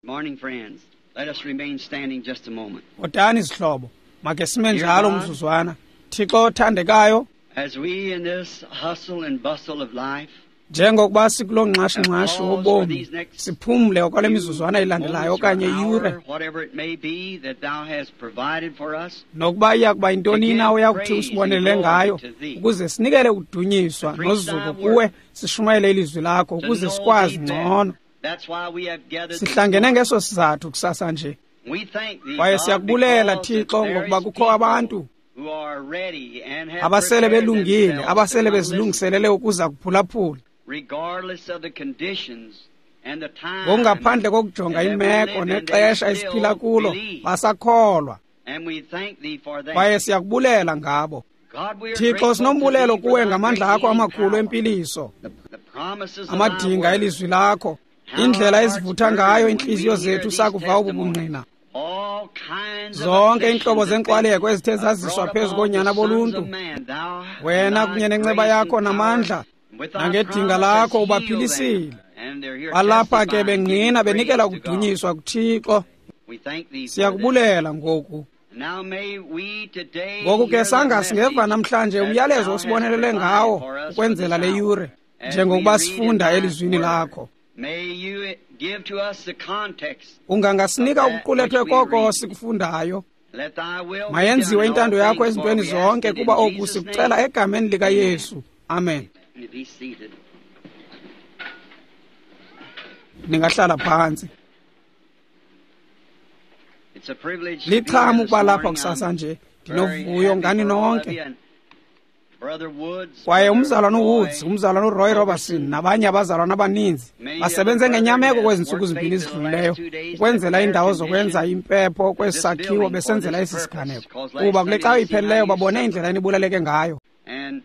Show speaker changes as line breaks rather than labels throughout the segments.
Morning, friends. Let us remain standing just a moment.
Bhotani zihlobo, makhe sime njalo umzuzwana. Thixo othandekayo,
As we in this hustle and bustle of life,
njengokuba sikuloo nxashi-nxashi wobomi, siphumle okwale mizuzwana ilandelayo okanye iyure,
whatever it may be that thou hast provided for us,
nokuba iya kuba yintoni na oyakuthi usibonelele ngayo, ukuze sinikele ukudunyiswa nozuko kuwe, sishumayele ilizwi lakho ukuze sikwazi ngcono.
That's why we have gathered.
Sihlangene ngeso sizathu kusasa nje.
We thank thee,
Kwaye
God,
siyakubulela
because
Thixo
there
ngokuba
is
kukho
people
abantu
who are ready and have
abasele
prepared
belungile,
themselves
abasele
to come listen,
bezilungiselele ukuza kuphulaphula,
regardless of the conditions and the time
ngokungaphandle kokujonga
that we
imeko
live in,
nexesha
they
esiphila
still
kulo,
believe.
basakholwa.
And we thank thee for that.
Kwaye siyakubulela ngabo.
God, we are
Thixo,
grateful to
sinombulelo
thee for
kuwe
thy
ngamandla
great
akho
healing
amakhulu
power,
empiliso,
the promises of thy
amadinga
word,
elizwi lakho, indlela ezivutha ngayo iintliziyo zethu sakuva obu bungqina.
all kinds of
Zonke iintlobo
afflictions that
zenkxwaleko ezithe
been
zaziswa
brought
phezu
upon
koonyana
the sons
boluntu,
of man, thou
wena
thy
kunye nenceba
grace
yakho
and power,
namandla,
and with thy
nangedinga
promise
lakho
hast healed
ubaphilisile.
them. And they're here
Balapha ke
testifying,
bengqina
giving
benikela
praise to God.
ukudunyiswa kuThixo.
We thank thee for this.
Siyakubulela ngoku.
Now may we today
Ngoku ke
hear the
sanga singeva
message
namhlanje
that
umyalezo
thou hast
osibonelele
provided
ngawo
for us for
ukwenzela
this
le
hour.
yure,
As
njengokuba
we read in
sifunda
thy
elizwini
word,
lakho.
May you give to us the context.
Ungangasinika
of that
ukuqulethwe
which we
koko
read.
sikufundayo.
Let thy will be
Mayenziwe
done in all
intando yakho
things, for
ezintweni
we ask
zonke,
it in
kuba oku
Jesus'
sikucela
name.
egameni likaYesu. Amen.
And be seated.
Ningahlala phantsi.
It's a privilege to be here
Licham
this
ukuba lapha
morning.
kusasa
I'm
nje.
very
Ndinovuyo
happy
ngani
for all of
nonke.
you. And Brother Woods,
Kwaye
Brother
umzalwana
Roy,
uWoods, umzalwana uRoy Robertson nabanye abazalwana abaninzi
many
basebenze
other
ngenyameko
brethren
kwezi
have
ntsuku
worked
zimbini
faithfully the
zidlulileyo
last 2 days to
ukwenzela
prepare
iindawo zokwenza
condition
impepho kwesi
this
sakhiwo
building for
besenzela
this
esi
purpose.
siganeko.
Because last
Kuba kule
Sunday
cawa
they seen how
iphelileyo
you
babone
suffered.
indlela enibulaleke ngayo.
And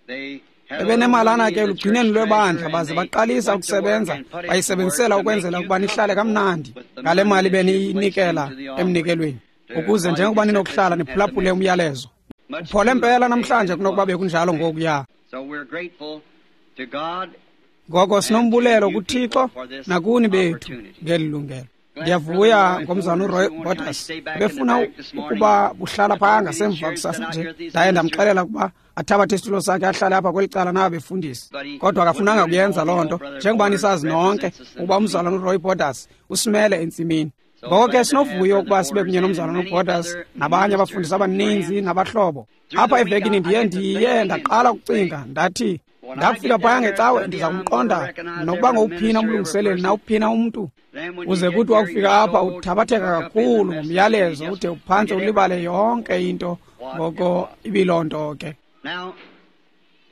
they had a little
Bebenemalana
money
ke
in the
elugcineni
church
lwebandla
treasury,
baze
and they
baqalisa
went to work
ukusebenza
and put it to work
bayisebenzisela
to
ukwenzela
make you
ukuba nihlale
comfortable
kamnandi
with the
ngale
money
mali
that you placed
beniyinikela
into the offering.
emnikelweni,
To
ukuze
while you
njengoba
could sit
ninokuhlala
listen at the
niphulaphule
message.
umyalezo.
Much
Uphole
cooler
mpela
today
namhlanje
than it
kunokuba
was.
bekunjalo ngokuya.
So we're grateful to God
Ngoko
and to
sinombulelo
you
kuThixo
people for this
nakuni bethu
opportunity.
ngeli lungelo.
Glad
Ndiyavuya
Brother Roy
ngomzalwana
Borders,
uRoy
he won't try to
Borders
stay back in the
ebefuna
back this morning.
ukuba buhlala
I
phaa
told him
ngasemva
these chairs
kusasa
sit out
nje.
here, these
Ndaye
ministers,
ndamxelela ukuba athabathe isitulo sakhe ahlale apha kweli cala naba befundisi,
but he
kodwa
wouldn't
akafunanga
do it
kuyenza
all.
loo
You
nto.
know, Brother
Njengoba
Borders
nisazi nonke
represents us in
ukuba
the
umzalwana
field.
uRoy Borders usimele entsimini.
So
Ngoko ke
glad to have
sinovuyo
Brother
ukuba sibe
Borders
kunye
and
nomzalwana
many
uBorders
other
nabanye
ministers
abafundisi
and
abaninzi
friends.
nabahlobo.
Through
Apha
the week,
evekini
I
ndiye
get to
ndiye
thinking and
ndaqala
say,
ukucinga ndathi
when I
ndakufika
get
phaya
down there
ngecawe
Sunday,
ndiza
I'm going to
kumqonda
recognize
nokuba
every
ngowuphina
minister, every
umlungiseleli
person.
nawuphina umntu.
Then when you
Uze
get
kuthi
here,
wakufika
you're
apha
so
uthabatheka
took up in the
kakhulu
message you
ngomyalezo
just
ude uphantse
forget
ulibale
everything
yonke into
what it
ngoko
was.
ibiloo nto ke.
Now,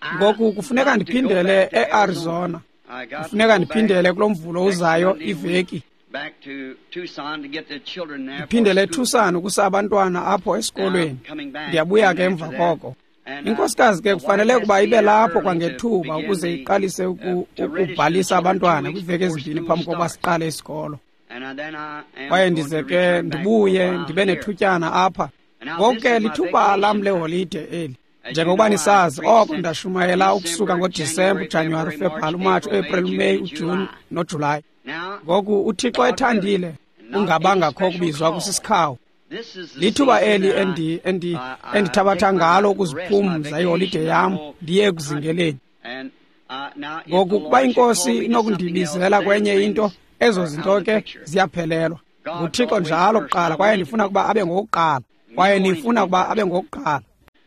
I
Ngoku kufuneka
got to go
ndiphindele
back to Arizona.
eArizona.
I got to
Kufuneka
go back
ndiphindele kulo mvulo
next
uzayo
Monday week
iveki.
back to Tucson to get the children there for
Ndiphindele
school.
eTucson ukusa abantwana apho
Now I'm
esikolweni.
coming back
Ndiyabuya
and
ke
after
emva
that,
koko.
and
Inkosikazi ke
the wife
kufanele
has
ukuba
to be
ibe
there
lapho
early to
kwangethuba
begin
ukuze
the
iqalise
to register the
ukubhalisa
children 2
abantwana
weeks
kwiiveki
before
ezimbini
school
phambi kokuba
starts.
siqale isikolo.
And then I am
Kwaye
going to
ndize ke
return back for a
ndibuye
while
ndibe
here.
nethutyana apha.
And now
Ngoku
this
ke
is my
lithuba lam
vacation time.
leholide eli.
As you
Njengokuba
know, I
nisazi
preached
oko
since
ndashumayela ukusuka
December,
ngoDisemba,
January,
uJanuwari,
February,
uFebruwari,
March,
uMatshi,
April, May,
uEpreli,
June,
uMeyi,
and
uJuni
July.
noJulayi.
Now,
Ngoku uThixo
God willing,
ethandile
and not any
kungabangakho
special
kubizwa
call,
kusisikhawu.
this is the
Lithuba
season
eli
that I take
endithabatha
my
ngalo
rest, my
ukuziphumza iholide
vacation. I
yam
go
ndiye
hunting.
ekuzingeleni.
And now, if the
Ngoku kuba
Lord should call
inkosi
me to something else,
inokundibizela
then
kwenye into,
things
ezo
are out
zinto
of the
ke
picture.
ziyaphelelwa.
God's
NguThixo
always
njalo
first.
kuqala
I
kwaye
want him to
ndifuna
be
ukuba abe
first.
ngowokuqala.
And
Kwaye
you want him to
nifuna
be
ukuba
first.
abe ngowokuqala.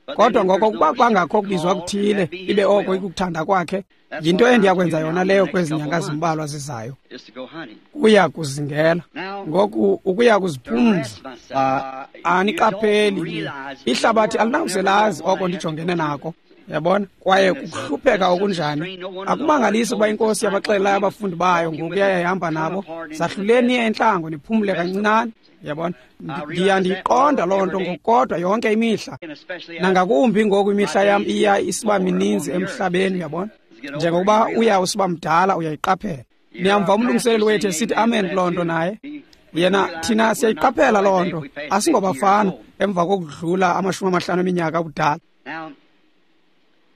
But then
Kodwa
if
ngoko
there's
ukuba
no
kwangakho kubizwa
call, and
kuthile,
that be his
ibe oko
will,
ikukuthanda kwakhe,
that's
yinto
what I'll
endiyakwenza
do now
yona
in the
leyo
next
kwezi
couple
nyanga
months,
zimbalwa zizayo.
is to go hunting.
Kuya kuzingela.
Now,
Ngoku ukuya
to
kuziphumza,
rest myself, you don't
aniqapheli nje.
realize the
Ihlabathi
world will
alinawuze
never know
lazi
what
oko
I have to go
ndijongene
through.
nako. Yabona? Kwaye
And it's a,
kukuhlupheka
just such a
okunjani.
strain. No wonder the Lord
Akumangalisi ukuba
told his
inkosi
disciples
yabaxelelayo
when he was
abafundi bayo
walking with
ngokuya
them,
yayihamba
come
nabo,
apart into the
zahluleni niye
desert,
entlango niphumle
rest a while.
kancinane. Yabona?
I realize
Ndiya
that
ndiyiqonda
more
loo nto
every day,
ngokukodwa yonke imihla.
and especially as
Nangakumbi ngoku
my
imihla yam
days
iya
get
isiba
more
mininzi
on the earth.
emhlabeni, uyabona?
As you get older, you
Njengokuba uya
realize.
usiba mdala uyayiqaphela.
You hear
Niyamva
our pastor
umlungiseleli wethu
saying
esithi
amen to
amen
that
kuloo nto
too.
naye.
We
Yena
realize
thina
that we're not
siyayiqaphela loo
boys
nto,
if we pass 50 years
asingobafana
old.
emva kokudlula 50 eminyaka ubudala.
Now,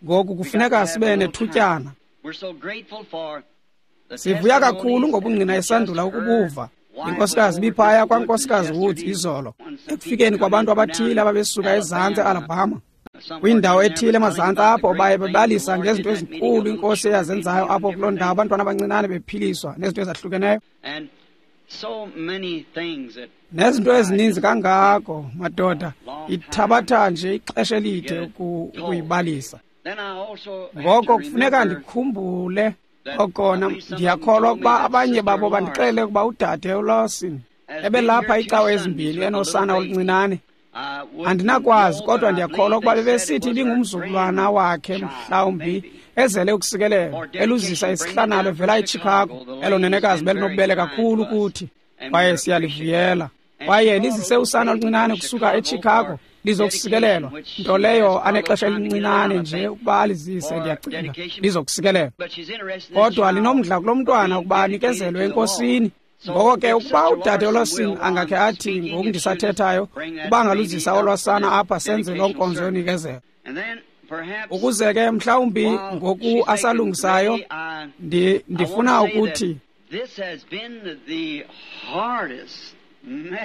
Ngoku
we got to
kufuneka
have a
sibe
little time.
nethutyana.
We're so grateful for the
Sivuya kakhulu
testimonies that
ngobungqina
we just
esandula
heard
ukubuva. Inkosikazi ibiphaya kwaNkosikazi Woods izolo, ekufikeni kwabantu abathile ababesuka ezantsi eAlabama, kwindawo ethile emazantsi apho baye bebalisa ngezinto ezinkulu inkosi eyazenzayo apho kuloo ndawo, abantwana abancinane bephiliswa nezinto ezahlukeneyo. Nezinto ezininzi kangako, madoda, ithabatha nje ixesha elide ukuyibalisa. Ngoko kufuneka ndikhumbule okona ndiyakholwa ukuba abanye babo bandixelele ukuba udade uLawson ebelapha iicawa ezimbini enosana oluncinane. Andinakwazi, kodwa ndiyakholwa ukuba bebesithi ibingumzukulwana wakhe mhlawumbi ezele ukusikelelwa, eluzisa isihlanalo evela eChicago. Elo nenekazi belinobubele kakhulu kuthi, kwaye siyalivuyela. Kwaye lizise usana oluncinane kusuka eChicago lizokusikelelwa, nto leyo anexesha elincinane nje ukuba alizise, ndiyacinga lizokusikelelwa. Kodwa linomdla kulo mntwana ukuba anikezelwe enkosini. Ngoko ke ukuba udade uLawson angakhe athi ngoku ndisathethayo ukuba angaluzisa olwasana apha senze loo nkonzo yonikezelo, ukuze ke mhlawumbi ngoku asalungisayo ndifuna ukuthi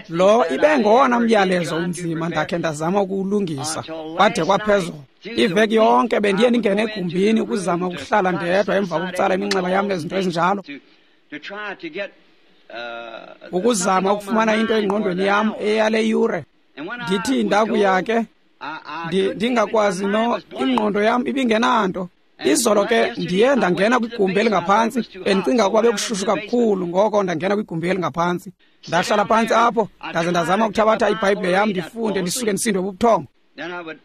lo ibe ngowona myalezo unzima ndakhe ndazama ukuwulungisa kwade kwaphezulu. Iveki yonke bendiye ndingene egumbini ukuzama ukuhlala ndedwa emva kokutsala iminxeba yam nezinto ezinjalo, ukuzama ukufumana into engqondweni yam eyale yure. Ndithi ndakuya ke ndingakwazi ingqondo yam ibingenanto. Izolo ke ndiye ndangena kwigumbi elingaphantsi, bendicinga ukuba bekushushu kakhulu, ngoko ndangena kwigumbi elingaphantsi. Ndahlala phantsi apho, ndaze ndazama ukuthabatha iBhayibhile yam ndifunde, ndisuke ndisindwe bubuthongo.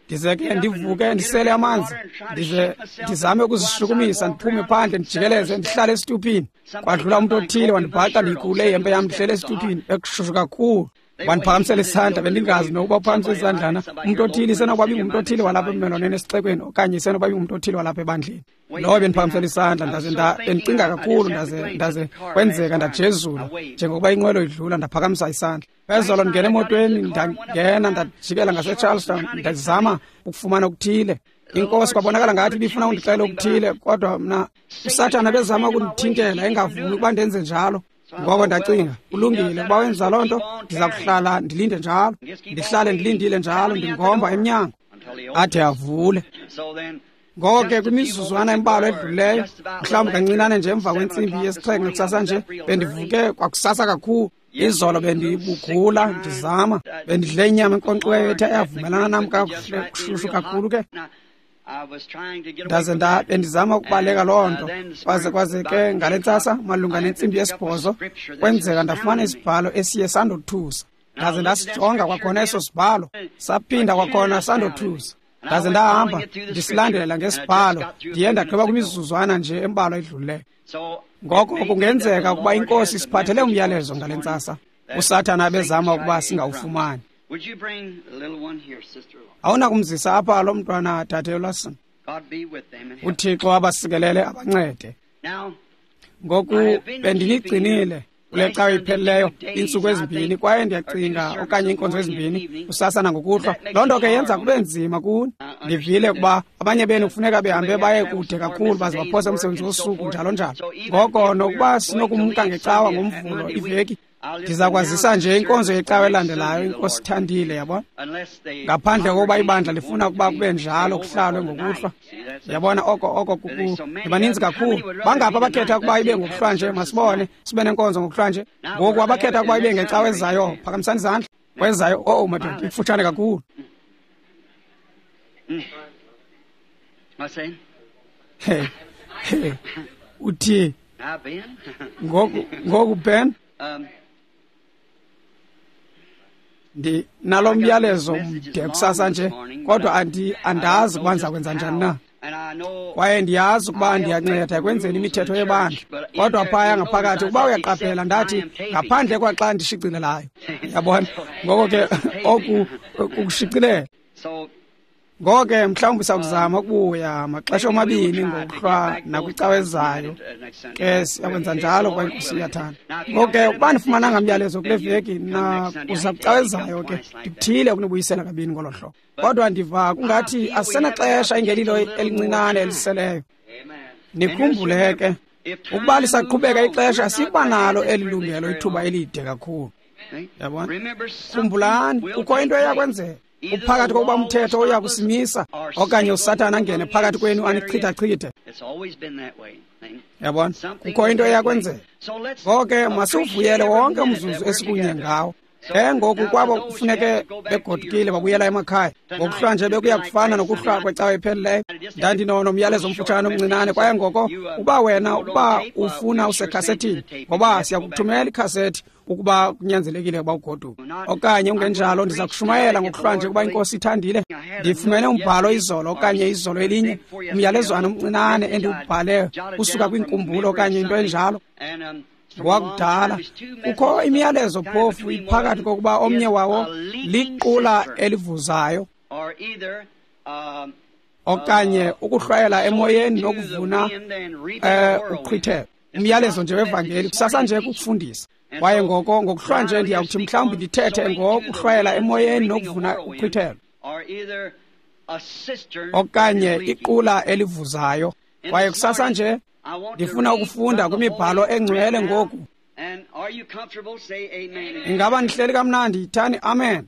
Ndize ke ndivuke ndisele amanzi, ndize ndizame ukuzishukumisa, ndiphume phandle ndijikeleze, ndihlale esituphini. Kwadlula umntu othile wandibhaqa ndiyikhulule ihempe yam, ndihlele esituphini, bekushushu kakhulu. Wandiphakamisela isandla, bendingazi nokuba uphakamise isandlana. Umntu othile isenokuba ibingumntu othile walapha emmelwaneni esixekweni, okanye isenokuba ibingumntu othile walapha ebandleni. Lowo bendiphakamisela isandla, ndaze bendicinga kakhulu, ndaze kwenzeka ndajezula njengokuba inqwelo idlula, ndaphakamisa isandla. Phezolo ndingena emotweni, ndangena ndajikela ngaseCharlestown, ndazama ukufumana okuthile. Inkosi kwabonakala ngathi ibifuna undixela okuthile, kodwa mna uSathana bezama ukundithintela engavumi ukuba ndenze njalo. Ngoko ndacinga, kulungile, ukuba wenza loo nto ndiza kuhlala ndilinde njalo, ndihlale ndilindile njalo, ndingomba emnyango ade avule. Ngoko ke kwimizuzwana embalwa edlulileyo, mhlawumbi kancinane nje emva kwentsimbi yesixhenxe kusasa nje, bendivuke kwakusasa kakhulu. Izolo bendibugula ndizama, bendidle inyama enkonkxiweyo ethe yavumelana nam kakuhle, kushushu kakhulu ke. Ndaze bendizama ukubaleka loo nto, kwaze ke ngale ntsasa malunga nentsimbi yesibhozo kwenzeka ndafumana isibhalo esiye sandothusa. Ndaze ndasijonga kwakhona eso sibhalo, saphinda kwakhona sandothusa. Ndaze ndahamba ndisilandela ngesibhalo, ndiye ndagqiba kwimizuzwana nje embalwa edlulileyo. Ngoko kungenzeka ukuba inkosi isiphathele umyalezo ngale ntsasa, uSathana abezama ukuba singawufumani. Awunakumzisa apha lo mntwana, dade uLawson. UThixo abasikelele abancede. Ngoku bendinigcinile kule cawa iphelileyo iintsuku ezimbini, kwaye ndiyacinga okanye iinkonzo ezimbini kusasa nangokuhlwa. Loo nto ke yenza kube nzima kuni. Ndivile ukuba abanye benu kufuneka behambe baye kude kakhulu baze baphose umsebenzi wosuku njalo njalo. Ngoko nokuba sinokumka ngecawa ngoMvulo iveki, ndiza kwazisa nje inkonzo yecawa elandelayo, inkosi ithandile, yabona, ngaphandle kokuba ibandla lifuna ukuba kube njalo kuhlalwe ngokuhlwa. Yabona, oko baninzi kakhulu. Bangaphi abakhetha ukuba ibe ngokuhlwa nje? Masibone sibe nenkonzo ngokuhlwa nje. Ngoku abakhetha ukuba ibe ngecawa ezayo, phakamisani izandla. Kwezayo, oh madoda, ikufutshane kakhulu. Uthi ngoku Ben, ndinalo myalezo mde kusasa nje, kodwa andazi ukuba ndiza kwenza njani na. Kwaye ndiyazi ukuba ndiyanceda ekwenzeni imithetho yebandla, kodwa phaya ngaphakathi ukuba uyaqaphela, ndathi ngaphandle kwaxa ndishicilelayo, yabona. Ngoko ke oku kukushicilela. Ngoko ke mhlawumbi sakuzama ukubuya maxesha omabini ngokuhlwa nakwicawa ezayo ke, siyakwenza njalo kwaye inkosi iyathanda. Ngoko ke ukuba ndifumananga myalezo kule veki nakuza kwicawa ezayo ke, ndikuthile ukunibuyisela kabini ngolo hlobo. Kodwa ndiva kungathi asisenaxesha ingelilo elincinane eliseleyo. Nikhumbule ke, Ukuba lisaqhubeka ixesha, siba nalo eli lungelo ithuba elide kakhulu. Yabona? Khumbulani, kukho into eyakwenzeka. Kuphakathi kokuba umthetho uya kusimisa okanye uSathana angene phakathi kwenu anichithachithe. Yabona? Kukho into eyakwenzeka. Ngoko ke masiwuvuyele wonke umzuzu esikunye ngawo. Ke ngoku kwabo kufuneke begodukile babuyela emakhaya. Ngokuhlwa nje bekuya kufana nokuhlwa kwecawa ephelileyo. Ndandinonomyalezo omfutshane omncinane, kwaye ngoko uba wena ukuba ufuna usekhasethini, ngoba siyakuthumela ikhasethi ukuba kunyanzelekile ukuba ugoduke. Okanye ungenjalo ndiza kushumayela ngokuhlwa nje ukuba iNkosi ithandile. Ndifumene umbhalo izolo okanye izolo elinye, umyalezwana omncinane endiwubhale usuka kwinkumbulo okanye into enjalo. Ngowakudala. Kukho imiyalezo phofu iphakathi kokuba omnye wawo liqula elivuzayo okanye ukuhlwayela emoyeni nokuvuna uqhwithelo. Umyalezo nje wevangeli kusasa nje kukufundisa. Kwaye ngoko ngokuhlwa nje ndiyakuthi mhlawumbi ndithethe ngokuhlwayela emoyeni nokuvuna uqhwithelo okanye iqula elivuzayo. Kwaye kusasa nje ndifuna ukufunda kwimibhalo engcwele ngoku. Ingaba nihleli kamnandi? Yithani amen.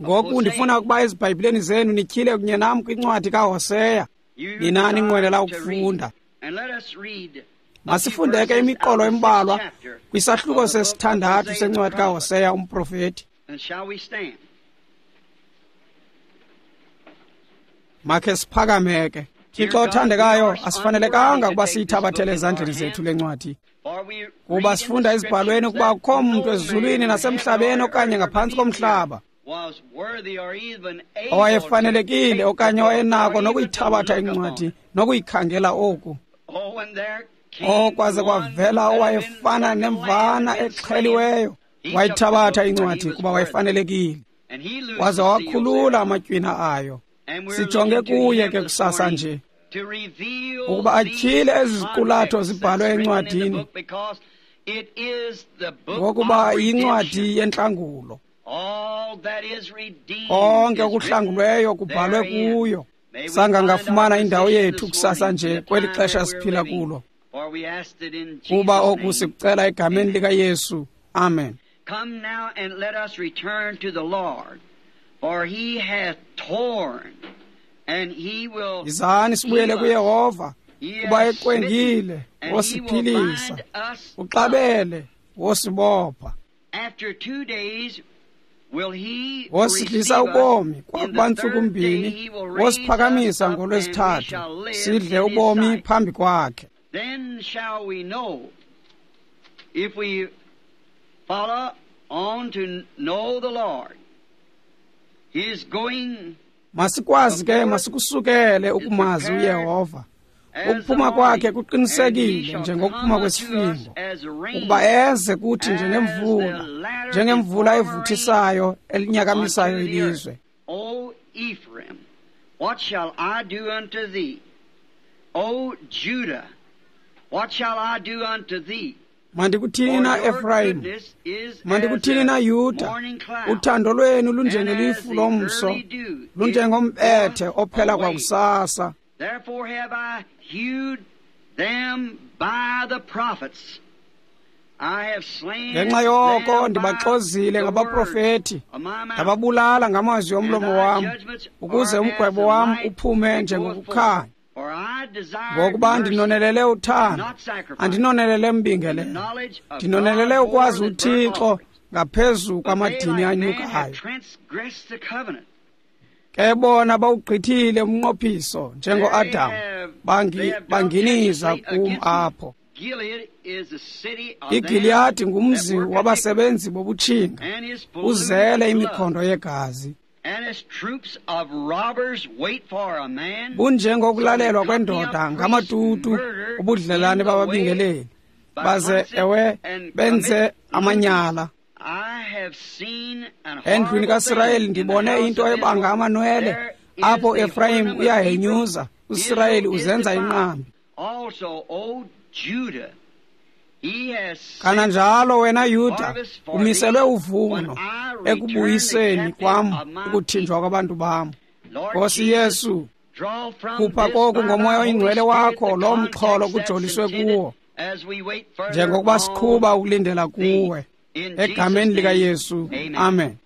Ngoku ndifuna ukuba ezibhayibhileni zenu nityhile kunye nam kwincwadi kaHoseya. Nina ninqwenela ukufunda. Masifunde ke imiqolo embalwa kwisahluko sesithandathu sencwadi kaHoseya umprofeti. Makhe siphakame ke. Thixo othandekayo, asifanelekanga ukuba siyithabathele ezandleni zethu le ncwadi, kuba sifunda ezibhalweni ukuba akukho mntu ezulwini nasemhlabeni okanye ngaphantsi komhlaba owayefanelekile okanye owayenako nokuyithabatha incwadi nokuyikhangela oku. Okwaze kwavela owayefana nemvana exheliweyo, wayithabatha incwadi kuba wayefanelekile, waze wakhulula amatywina ayo. Sijonge kuye ke kusasa nje ukuba atyhile ezi ziqulatho zibhalwe encwadini, ngokuba yincwadi yentlangulo. Konke okuhlangulweyo kubhalwe kuyo. Sangangafumana indawo yethu kusasa nje kweli xesha siphila kulo, kuba oku sikucela egameni likaYesu. Amen.
Come now and let us return to the Lord, for he hath torn, and he will.
Yizani sibuyele kuYehova, kuba eqwengile wosiphilisa, uxabele wosibopha.
After 2 days will he
wosidlisa ubomi kwakuba ntsuku mbini, wosiphakamisa ngolwesithathu, sidle ubomi phambi kwakhe.
Then shall we know if we follow on to know the Lord. He is going.
Masikwazi ke, masikusukele ukumazi uYehova. Ukuphuma kwakhe kuqinisekile njengokuphuma kwesifingo, ukuba eze kuthi njengemvula, njengemvula evuthisayo elinyakamisayo ilizwe.
O Ephraim, what shall I do unto thee? O Judah, what shall I do unto thee?
Mandikuthini na Efrayim, mandikuthini na Yuda, uthando lwenu lunjengelifu lomso, lunjengombethe ophela kwakusasa.
Therefore have I hewed them by the prophets. I have slain
Ngenxa yoko ndibaxozile ngabaprofeti, ndababulala ngamazwi omlomo wam, ukuze umgwebo wam uphume njengokukhanya. Ngokuba ndinonelele uthando, andinonelele mbingelelo, ndinonelele ukwazi uThixo ngaphezu kwamadini anyukayo. Ke bona bawugqithile umnqophiso njengoAdam, banginiza kum apho. iGiliyadi ngumzi wabasebenzi bobutshinga, uzele imikhondo yegazi. Bunjengokulalelwa kwendoda ngamatutu ubudlelane bababingeleli, baze ewe benze amanyala. Endlwini kaSirayeli ndibone into ebanga amanwele, apho Efrayim uyahenyuza, uSirayeli uzenza inqambi. Kananjalo wena Yuda umiselwe uvuno ekubuyiseni kwam ukuthinjwa kwabantu bam. Nkosi Yesu, Khupha koku ngoMoya oyiNgcwele wakho lo mxholo kujoliswe kuwo, njengokuba siqhuba ukulindela kuwe. Egameni likaYesu, amen.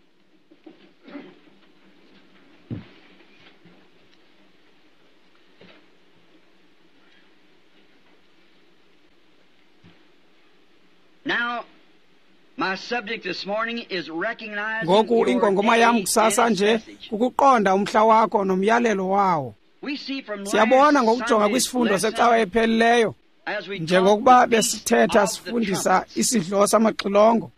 Ngoku ingongoma yam kusasa nje kukuqonda umhla wakho nomyalelo wawo. Siyabona ngokujonga kwisifundo secawa ephelileyo, njengokuba besithetha sifundisa isidlo samaxilongo.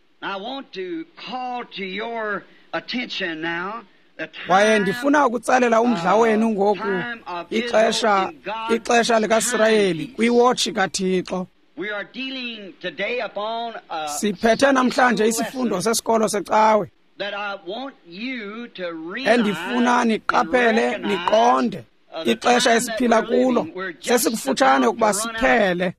Kwaye ndifuna ukutsalela umdla wenu ngoku ixesha likaSirayeli kwiwotshi kaThixo. Siphethe namhlanje isifundo sesikolo secawe endifuna niqaphele niqonde ixesha esiphila kulo sesikufutshane ukuba siphele,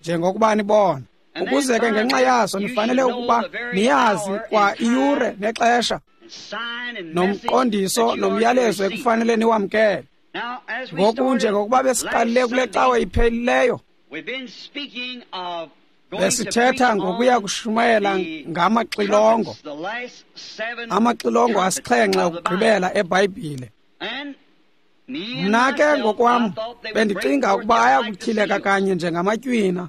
njengokuba nibona. Ukuze ke ngenxa yaso nifanele ukuba niyazi kwa iyure nexesha nomqondiso nomyalezo ekufanele niwamkele. Ngoku njengokuba besiqalile kule cawe iphelileyo, besithetha ngokuya kushumayela ngamaxilongo, amaxilongo asixhenxe okugqibela eBhayibhile. Mna ke ngokwam bendicinga ukuba ayakutyhileka kanye njengamatywina,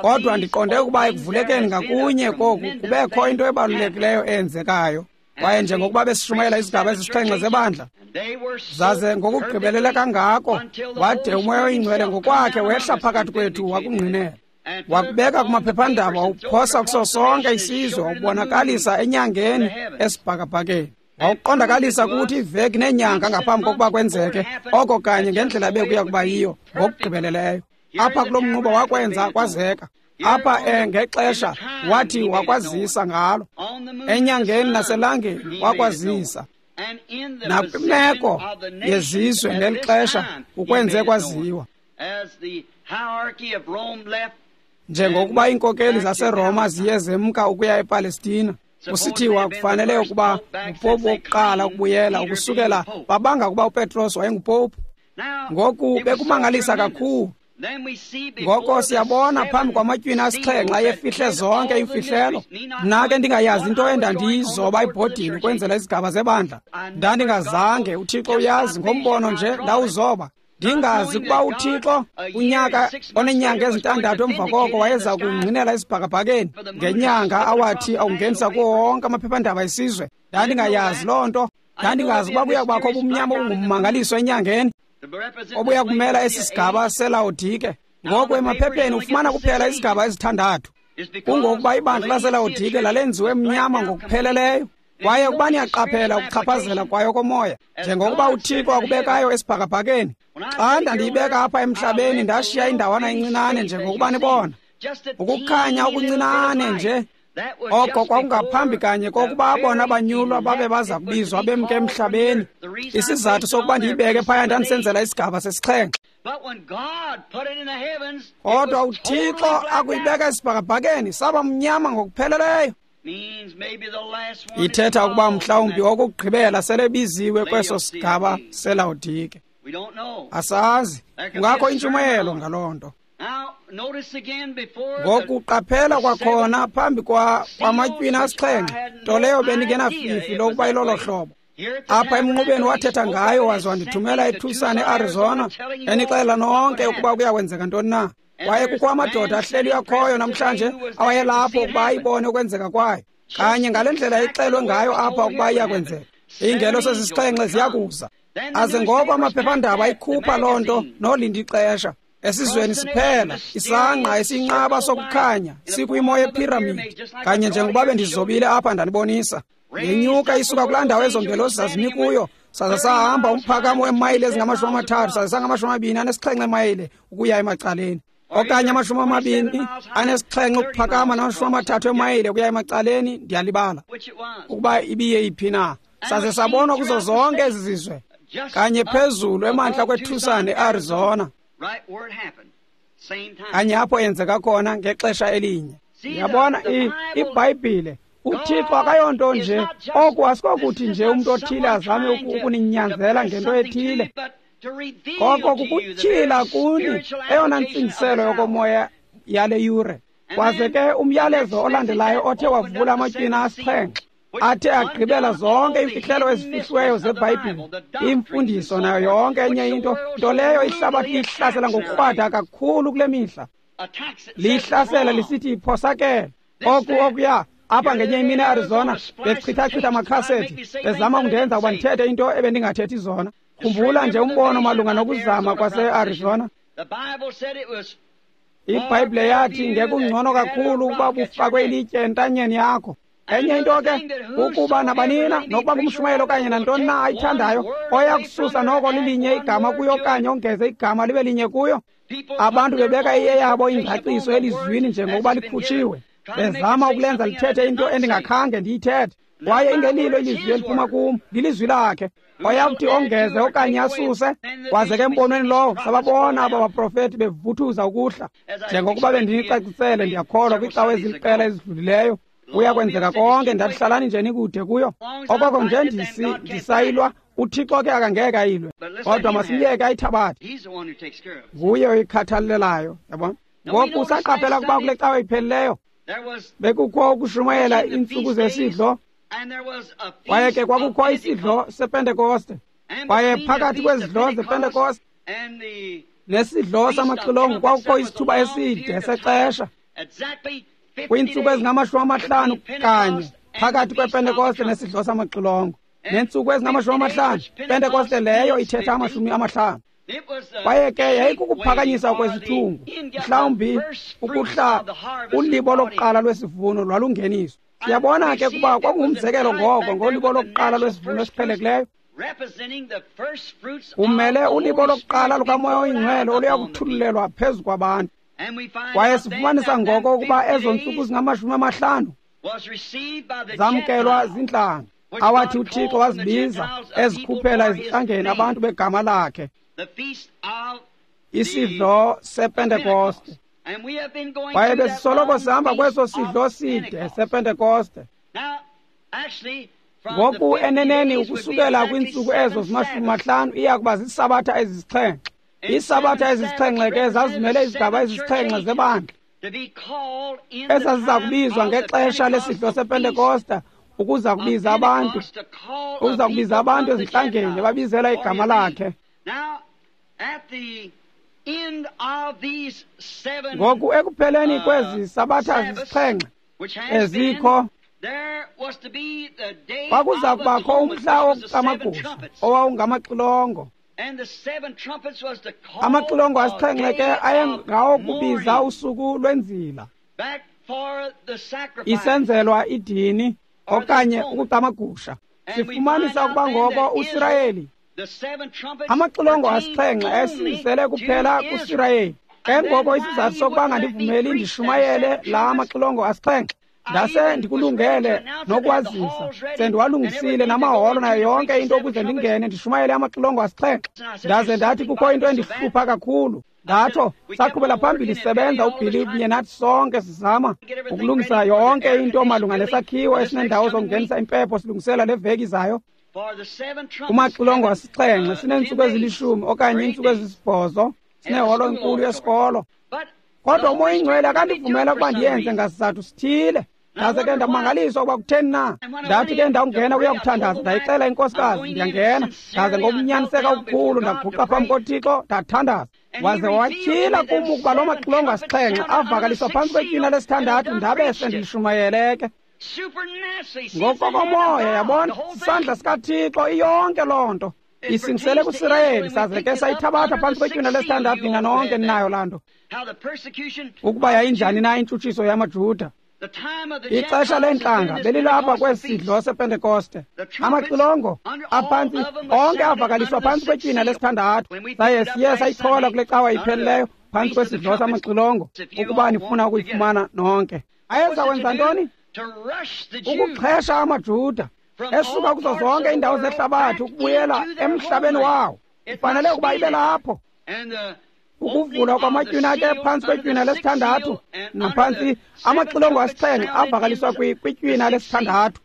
kodwa ndiqonde ukuba ekuvulekeni ngakunye koku kubekho into ebalulekileyo eyenzekayo. Kwaye njengokuba besishumayela izigaba ezisixhenxe zebandla, zaze ngokugqibelele kangako wade uMoya oyiNgcwele ngokwakhe wehla phakathi kwethu wakungqinela, wakubeka kumaphephandaba, wawuphosa kuso sonke isizwe, wawubonakalisa enyangeni esibhakabhakeni, wawuqondakalisa kuthi iveki neenyanga ngaphambi kokuba kwenzeke oko kanye ngendlela bekuya kuba yiyo ngokugqibeleleyo. Apha kulo mnquba wakwenza kwazeka. Apha ngexesha wathi wakwazisa ngalo, enyangeni naselangeni wakwazisa, nakwimeko yezizwe ngeli xesha ukwenze kwaziwa. Njengokuba iinkokeli zaseRoma ziye zemka ukuya ePalestina, kusithiwa kufanele ukuba ngupopu wokuqala ukubuyela ukusukela babanga ukuba uPetros wayengupopu. Ngoku bekumangalisa kakhulu. Ngoko siyabona phambi kwamatywina asixhenxe ayefihle zonke iimfihlelo. Mna ke ndingayazi into endandiyizoba ebhodini ukwenzela izigaba zebandla. Ndandingazange, uThixo uyazi, ngombono nje ndawuzoba. Ndingazi ukuba uThixo unyaka oneenyanga ezintandathu emva koko wayeza kungqinela esibhakabhakeni ngenyanga awathi awungenisa kuwo wonke amaphephandaba esizwe. Ndandingayazi loo nto. Ndandingazi ukuba kuya kubakho ubumnyama obungummangaliso enyangeni obuya kumela esi sigaba seLawodike. Ngoku emaphepheni ufumana kuphela izigaba ezithandathu. Kungokuba ibandla laseLawodike lalenziwe mnyama ngokupheleleyo. Kwaye ukuba niyaqaphela ukuchaphazela kwayo komoya, njengokuba uThixo akubekayo esibhakabhakeni, xa ndandiyibeka apha emhlabeni ndashiya indawana encinane njengokuba nibona, ukukhanya okuncinane nje, oko kwakungaphambi kanye kokuba abona banyulwa babe baza kubizwa bemke emhlabeni. Isizathu sokuba ndiyibeke phaya ndandisenzela isigaba sesixhenxe. Kodwa uThixo akuyibeka esibhakabhakeni saba mnyama ngokupheleleyo. Ithetha ukuba mhlawumbi okugqibela selebiziwe kweso sigaba seLawodike. Asazi, kungakho intshumayelo ngaloo nto. Ngoku qaphela kwakhona phambi kwamatywina asixhenxe, nto leyo bendingenafifi lokuba ilolo hlobo. Apha emnqubeni wathetha ngayo waze wandithumela eTucson, eArizona, enixelela nonke ukuba kuyakwenzeka ntoni na. Kwaye kukho amadoda ahleli akhoyo namhlanje awayelapho ukuba ayibone ukwenzeka kwayo, kanye ngale ndlela ixelwe ngayo apha ukuba iyakwenzeka. Iingelosi ezisixhenxe ziyakuza. Aze ngoko amaphephandaba ayikhupha loo nto nolinda ixesha. Esizweni siphela isangqa esiyinqaba sokukhanya sikwimo yephiramidi, kanye njengokuba bendizobile apha ndanibonisa. Yenyuka isuka kulaa ndawo ezo ngelosi zazimi kuyo, saze sahamba umphakamo weemayile ezingama-30, saze sangama-27 emayile ukuya emacaleni, okanye 27 ukuphakama nama-30 emayile ukuya emacaleni. Ndiyalibala ukuba ibiye iphi na. Saze sabonwa kuzo zonke ezi zizwe, kanye phezulu emantla kweTucson, eArizona, kanye apho yenzeka khona ngexesha elinye. Yabona, iBhayibhile UThixo akayonto nje. Oku asikokuthi nje umntu othile azame ukuninyanzela ngento ethile, koko kukutyhila kuni eyona ntsingiselo yokomoya yale yure. Kwaze ke umyalezo olandelayo othe wavula amatywina asixhenxe, athe agqibela zonke iimfihlelo ezifihliweyo zeBhayibhile, imfundiso nayo yonke enye into, nto leyo ihlabathi liyihlasela ngokukrwada kakhulu kule mihla. Liyihlasela lisithi iphosakele. Oku okuya apha ngenye imini eArizona, bechithachitha amakhasethi, bezama ukundenza ukuba ndithethe into ebendingathethi zona. Khumbula nje umbono malunga nokuzama kwaseArizona. IBhayibhile yathi ngekungcono kakhulu ukuba bufakwe ilitye entanyeni yakho. Enye into ke, ukuba nabanina, nokuba ngumshumayeli okanye nantoni na ayithandayo, oya kususa noko lilinye igama kuyo okanye ongeze igama libe linye kuyo. Abantu bebeka eyabo ingcaciso elizwini njengokuba likhutshiwe, bezama ukulenza lithethe into endingakhange ndiyithethe. Kwaye ingelilo ilizwi eliphuma kum, lilizwi lakhe. Oya kuthi ongeze okanye asuse. Kwaze ke embonweni lowo sababona aba baprofethi bevuthuza ukuhla, njengokuba bendinicacisele, ndiyakholwa, kwiicawa eziliqela ezidlulileyo. Kuya kwenzeka konke. Ndathi hlalani nje nikude kuyo. Okoko nje ndisayilwa, uThixo ke akangeke ayilwe, kodwa masimyeke ayithabathe. Nguye oyikhathalelayo, yabona. Ngoku saqaphela ukuba kule cawa iphelileyo bekukho ukushumayela iintsuku zesidlo, kwaye ke kwakukho isidlo sePentekoste. Kwaye phakathi kwezidlo zePentekoste nesidlo samaxilongo kwakukho isithuba eside sexesha, kwiintsuku ezingama-50 kanye phakathi kwePentekoste nesidlo samaxilongo. Neentsuku ezingama-50, Pentekoste leyo ithetha 50. Kwaye ke yayikukuphakanyiswa kwesithungu, mhlawumbi ukuhla ulibo lokuqala lwesivuno lwalungeniswa. Siyabona ke kuba kwakungumzekelo ngoko ngolibo lokuqala lwesivuno esiqhelekileyo, kumele ulibo lokuqala lukaMoya oyiNgcwele oluya kuthululelwa phezu kwabantu. Kwaye sifumanisa ngoko ukuba ezo ntsuku zingama-50 zamkelwa zintlanga, awathi uThixo wazibiza ezikhuphela ezintlangeni abantu begama lakhe, isidlo sePentekoste. Kwaye besisoloko sihamba kweso sidlo side sePentekoste. Ngoku eneneni ukusukela kwiintsuku ezo zima-50 iya kuba ziisabatha ezisixhenxe. Iisabatha ezisixhenxe ke zazimele izigaba ezisixhenxe zebandla, ezaziza kubizwa ngexesha lesidlo sePentekoste, ukuza kubiza abantu, ukuza kubiza abantu ezintlangeni babizela igama lakhe. Ngoku ekupheleni kwezi sabatha zisixhenxe ezikho, kwakuza kubakho umhla wokucamagusha owawungamaxilongo. Amaxilongo asixhenxe ke ayengawokubiza usuku lwenzila, isenzelwa idini okanye ukucamagusha. Sifumanisa ukuba ngoko uSirayeli, amaxilongo asixhenxe ayesingisele kuphela kuSirayeli. Ke ngoko isizathu sokuba ngandivumeli ndishumayele la amaxilongo asixhenxe, ndase ndikulungele nokwazisa, sendiwalungisile namaholo nayo yonke into ukuze ndingene ndishumayele amaxilongo asixhenxe. Ndaze ndathi kukho into endihlupha kakhulu. Ndatsho saqhubela phambili sisebenza, uBilly kunye nathi sonke, sizama ukulungisa yonke into malunga nesakhiwo esinendawo zokungenisa impepho, silungisela le veki izayo. Kumaxilongo asixhenxe sineentsuku ezilishumi okanye iintsuku ezisibhozo, sineholo enkulu yesikolo. Kodwa uMoya oyiNgcwele akandivumela ukuba ndiyenze ngasizathu sithile. Ndaze ke ndamangaliswa ukuba kutheni na. Ndathi ke ndawungena kuya kuthandaza, ndayixela inkosikazi, ndiyangena. Ndaze ngokunyaniseka okukhulu ndaguqa phambi koThixo, ndathandaza. Waze watyhila kum ukuba loo maxilongo asixhenxe avakaliswa phantsi kwetywina lesithandathu, ndabe sendilishumayele ke. Ngokokomoya, yabona, isandla sikaThixo iyonke loo nto isingisele kuSirayeli. Saze ke sayithabatha phantsi kwetywina lesithandathu. Nina nonke ninayo laa nto, ukuba yayinjani na intshutshiso yamaJuda. Ixesha leentlanga belilapha kwesi sidlo sePentekoste. Amaxilongo aphantsi onke avakaliswa phantsi kwetywina lesithandathu. Saye siye sayithola kule cawa ipheleleyo phantsi kwesidlo samaxilongo, ukuba nifuna ukuyifumana nonke. Ayeza kwenza ntoni? Ukuxhesha amaJuda esuka kuzo zonke iindawo zehlabathi ukubuyela emhlabeni wawo. Ifanele ukuba ibe lapho. Ukuvulwa kwamatywina ke phantsi kwetywina lesithandathu naphantsi amaxilongo asixhenxe avakaliswa kwitywina lesithandathu.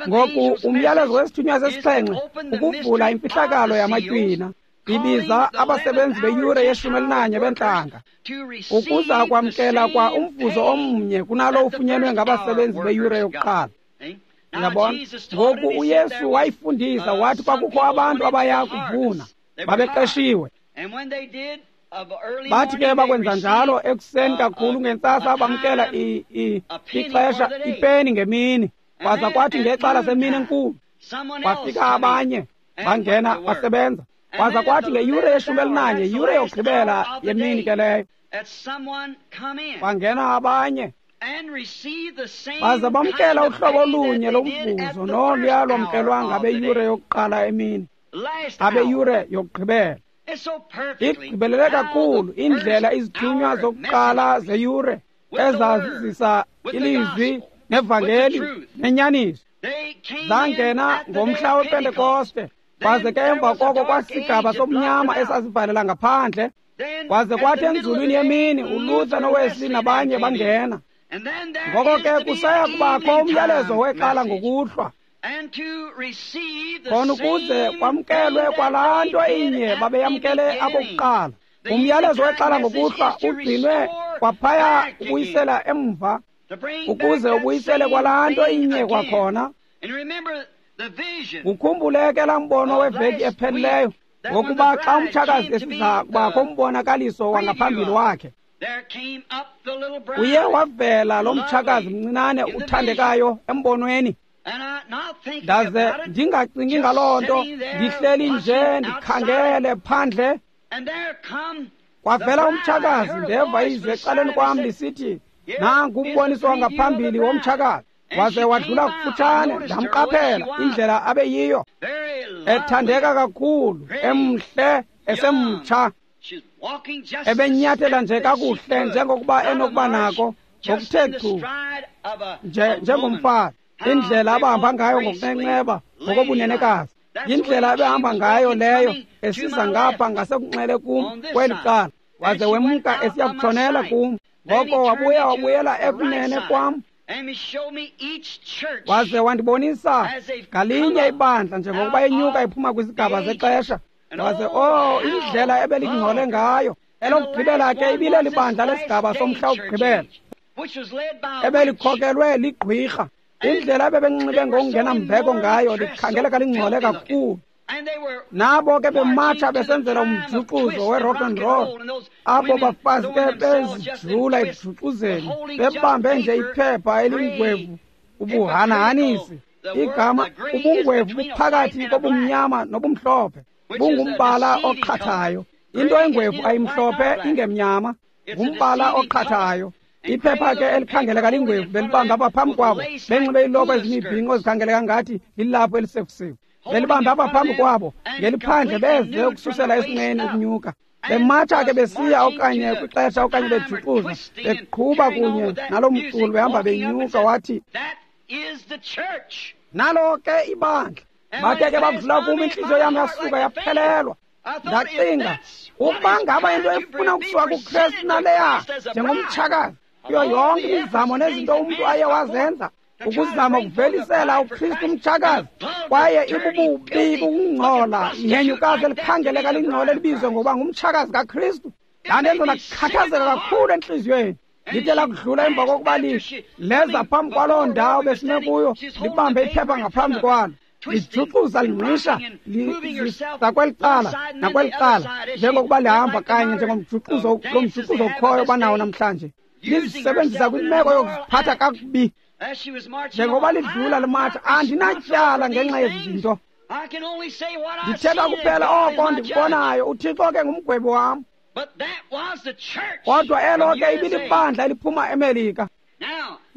Ngoku umyalezo wesithunywa sesixhenxe ukuvula imfihlakalo yamatywina, ibiza abasebenzi beyure ye-11 bentlanga ukuza kwamkela kwa umvuzo omnye kunalo ufunyenwe ngabasebenzi beyure yokuqala. Yabona? Ngoku uYesu wayifundisa wathi kwakukho abantu abaya kuvuna, babeqeshiwe. Bathi ke bakwenza njalo ekuseni kakhulu ngentsasa bamkela ixesha ipeni ngemini. Kwaza kwathi ngexesha semini enkulu kwafika abanye bangena basebenza. Kwaza kwathi ngeyure ye-11, yure yokugqibela yemini ke leyo, bangena abanye baze bamkela uhlobo olunye lomvuzo noluya lwamkelwa ngabeyure yokuqala emini, abeyure yokugqibela. Igqibelele kakhulu indlela izithunywa zokuqala zeyure ezazizisa ilizwi nevangeli nenyaniso zangena ngomhla wePentekoste. Kwaze ke emva koko kwasigaba somnyama esasivalela ngaphandle. Kwaze kwathi enzulwini yemini uLuther noWesley nabanye bangena. Ngoko ke kusaya kubakho umyalezo weqala ngokuhlwa, khona ukuze kwamkelwe kwalaa nto inye babeyamkele abokuqala. Umyalezo weqala ngokuhlwa ugcinwe kwaphaya ubuyisela emva, ukuze ubuyisele kwalaa nto inye kwakhona. Ukhumbule ke laa mbono weveki ephelileyo, ngokuba xa umtshakazi esiza kubakho umbonakaliso wangaphambili wakhe, uye wavela lo mtshakazi mncinane uthandekayo embonweni. Ndaze ndingacingi ngaloo nto, ndihleli nje ndikhangele phandle. Kwavela umtshakazi, ndeva izwi ecaleni kwam lisithi, nangu umboniso wangaphambili womtshakazi. Waze wadlula kufutshane, ndamqaphela indlela abeyiyo, ethandeka kakhulu, emhle, esemtsha, ebenyathela nje kakuhle njengokuba enokuba nako ngokuthe chu nje njengomfazi. Indlela abahamba ngayo ngokunenceba ngokobunenekazi, indlela ebehamba ngayo leyo esiza ngapha ngasekunxele kum kweli cala. Waze wemka esiya kutshonela kum. Ngoko wabuya wabuyela ekunene kwam, waze wandibonisa ngalinye ibandla njengokuba enyuka iphuma kwizigaba zexesha. Waze indlela ebelingcole ngayo. Elokugqibela ke ibileli bandla lesigaba somhla wokugqibela ebelikhokelwe ligqwirha. Indlela ebebenxibe ngokungenambeko ngayo, likhangeleka lingcole kakhulu. Nabo ke bematsha besenzela umjuxuzo we-rock and roll. Abo bafazi ke bezijula ekujuxuzeni, bebambe nje iphepha elingwevu ubuhanahanisi. Igama ubungwevu buphakathi kobumnyama nobumhlophe, bungumbala oqhathayo. Into engwevu ayimhlophe ingemnyama, ngumbala oqhathayo. Iphepha ke elikhangeleka lingwevu belibamba apha phambi kwabo, benxibe iiloko ezimibhinqo ezikhangeleka ngathi lilaphu elisekusiwe. Belibamba apha phambi kwabo ngeliphandle, beze ukususela esinqeni ukunyuka. Bematsha ke besiya okanye kwixesha okanye bejuxuza, beqhuba kunye nalo mculo behamba benyuka. Wathi, nalo ke ibandla. Bathe ke bakudlula kum, intliziyo yam yasuka yaphelelwa. Ndacinga, ukuba ngaba into efuna ukusuka kuKristu naleya njengomtshakazi kuyo yonke imizamo nezinto umntu aye wazenza ukuzama ukuvelisela uKristu umtshakazi, kwaye ibububi bukungcola, ihenyukazi elikhangeleka lingcole elibizwe ngokuba ngumtshakazi kaKristu. Ndandenza ndakhathazeka kakhulu entliziyweni. Lithe lakudlula emva kokuba leza phambi kwaloo ndawo besime kuyo, libambe iphepha ngaphambi kwalo, lijuxuza lingqisha liza kweli cala nakweli cala, njengokuba lihamba kanye njengomjuxuzo lo mjuxuzo ukhoyo banawo namhlanje. Lizisebenzisa kwimeko yokuziphatha kakubi. Njengoba lidlula limatsha, andinatyala ngenxa yezi zinto. Ndithetha kuphela oko ndikubonayo. uThixo ke ngumgwebi wam. Kodwa elo ke ibilibandla eliphuma eMelika.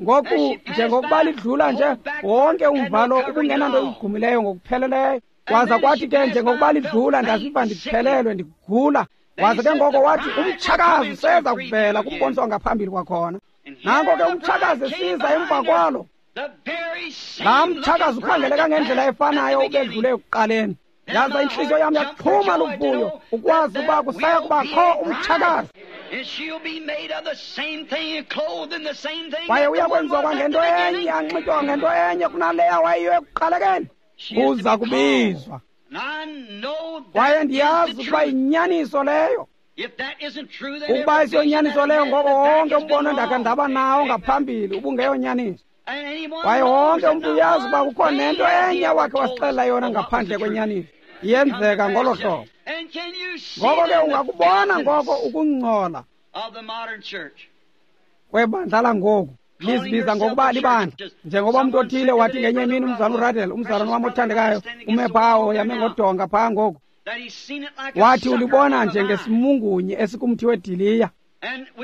Ngoku njengokuba lidlula nje wonke umvalo ubungenanto igqumileyo ngokupheleleyo. Kwaza kwathi ke njengokuba lidlula ndaziva ndiphelelwe ndigula. Waze ke ngoko wathi umtshakazi seza kuvela kumboniso wangaphambili kwakhona. Nanko ke umtshakazi esiza emva kwalo. Laa mtshakazi ukhangeleka ngendlela efanayo ubedlule ekuqaleni. Yaza intliziyo yam yaxhuma luvuyo ukwazi uba kusaya kubakho umtshakazi. Kwaye uya kwenziwa kwangento enye, anxitywa ngento enye kunaleya wayeyiyo ekuqalekeni. Uza kubizwa. Kwaye ndiyazi ukuba yinyaniso leyo. Ukuba isiyonyaniso leyo, ngoko wonke umbono endakhe ndaba nawo ngaphambili ubungeyonyaniso. Kwaye wonke umntu uyazi uba kukho nento enye wakhe wasixelela yona ngaphandle kwenyaniso. Iyenzeka ngolo hlobo. Ngoko ke ungakubona ngoko ukungcola kwebandla langoku lizibiza ngokuba libandla. Njengoba umntu othile wathi ngenye imini, umzalwana uRadel, umzalwana wam othandekayo, ume phawo yame ngodonga phaa ngoku, wathi ulibona njengesimungunyi esikumthi wediliya.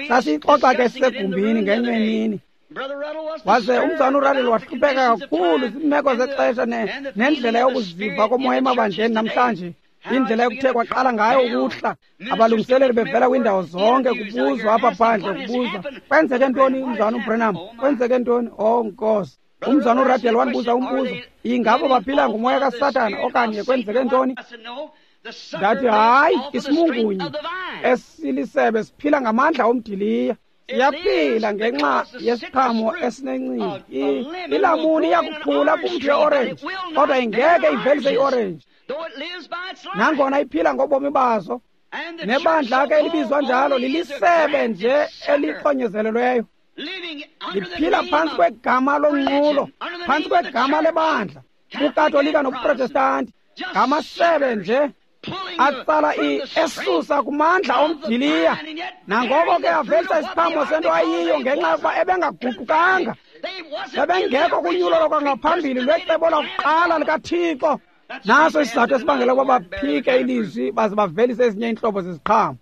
Sasiyixoxa ke sisegumbini ngenye imini. Waze umzalwana uRadel wahlupheka kakhulu ziimeko zexesha nendlela yokuziva komoya emabandleni namhlanje, indlela yokuthe kwaqala ngayo ukuhla, abalungiseleli bevela kwiindawo zonke, kubuzwa apha phandle, kubuzwa kwenzeke ntoni umzalwana uBranham, kwenzeke ntoni? Oh Nkosi. Umzalwana uRadel wandibuza umbuzo, ingaba baphila ngumoya kaSathana okanye kwenzeke ntoni? Ndathi hayi, isimungunyi esilisebe siphila ngamandla omdiliya. Siyaphila ngenxa yesiqhamo esinencindi. Ilamuni iyakukhula kumthi weorenji, kodwa ingeke ivelise iorenji nangona iphila ngobomi bazo. Nebandla ke elibizwa njalo lilisebe nje elixonyezelelweyo, liphila phantsi kwegama lonqulo, phantsi kwegama lebandla, buKatolika nobuProtestanti, ngamasebe nje atsala esusa kumandla omdiliya. Nangoko ke avelisa isiqhamo sento ayiyo ngenxa yokuba ebengaguqukanga, ebengekho kunyulo lwakwangaphambili lwecebo lakuqala likaThixo. Naso isizathu esibangela ukuba baphike ilizwi baze bavelise ezinye iintlobo zeziqhamo.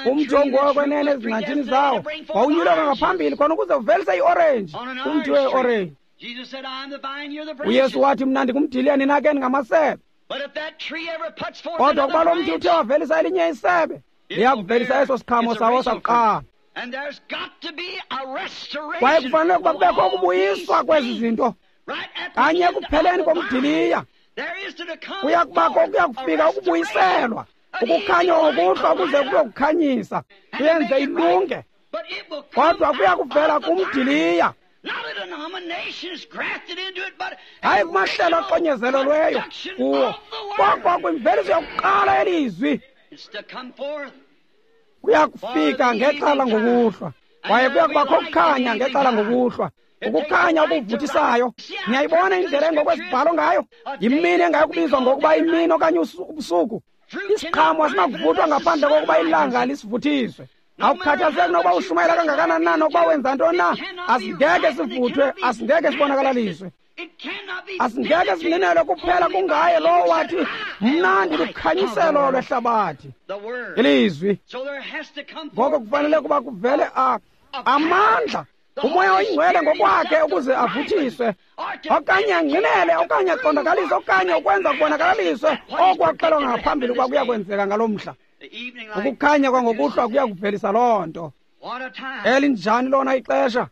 Umthi ongowokwenene ezingcatshini zawo wawunyulelwa ngaphambili khona ukuze uvelise iorenji, umthi weorenji. UYesu wathi, mna ndingumdiliya, nina ke ningamasebe. Kodwa ukuba lo mthi uthe wavelisa elinye isebe, liyakuvelisa eso siqhamo sawo sakuqala. Kwaye kufanele ukuba kubekho ukubuyiswa kwezi zinto kanye ekupheleni komdiliya. Kuya kubakho, kuya kufika ukubuyiselwa, ukukhanya ngokuhlwa ukuze kuyokukhanyisa, kuyenze ilunge. Kodwa kuya kuvela kumdiliya, hayi kumahlelo axonyezelelweyo kuwo, kodwa kwimveliso yokuqala yelizwi. Kuya kufika ngexesha ngokuhlwa, kwaye kuya kubakho ukukhanya ngexesha ngokuhlwa, ukukhanya okuvuthisayo. Niyayibona indlela engokwezibhalo ngayo? Yimini engayokubizwa ngokuba imini okanye ubusuku. Isiqhamo asinakuvuthwa ngaphandle kokuba ilanga lisivuthiswe. Awukhathazeki nokuba ushumayela kangakanani na, nokuba wenza ntoni na, asingeke sivuthwe, asingeke sibonakalaliswe, asingeke sininelwe kuphela kungaye lowo wathi, mna ndilukhanyiselo lwehlabathi, ilizwi. Ngoko kufanele kuba kuvele amandla, uMoya oyiNgcwele ngokwakhe, ukuze avuthiswe okanye angqinele okanye aqondakalise okanye ukwenza kubonakalaliswe okwaxelwa ngaphambili ukuba kuya kwenzeka ngaloo mhla. Ukukhanya kwangokuhlwa kuya kuvelisa loo nto. Elinjani lona ixesha!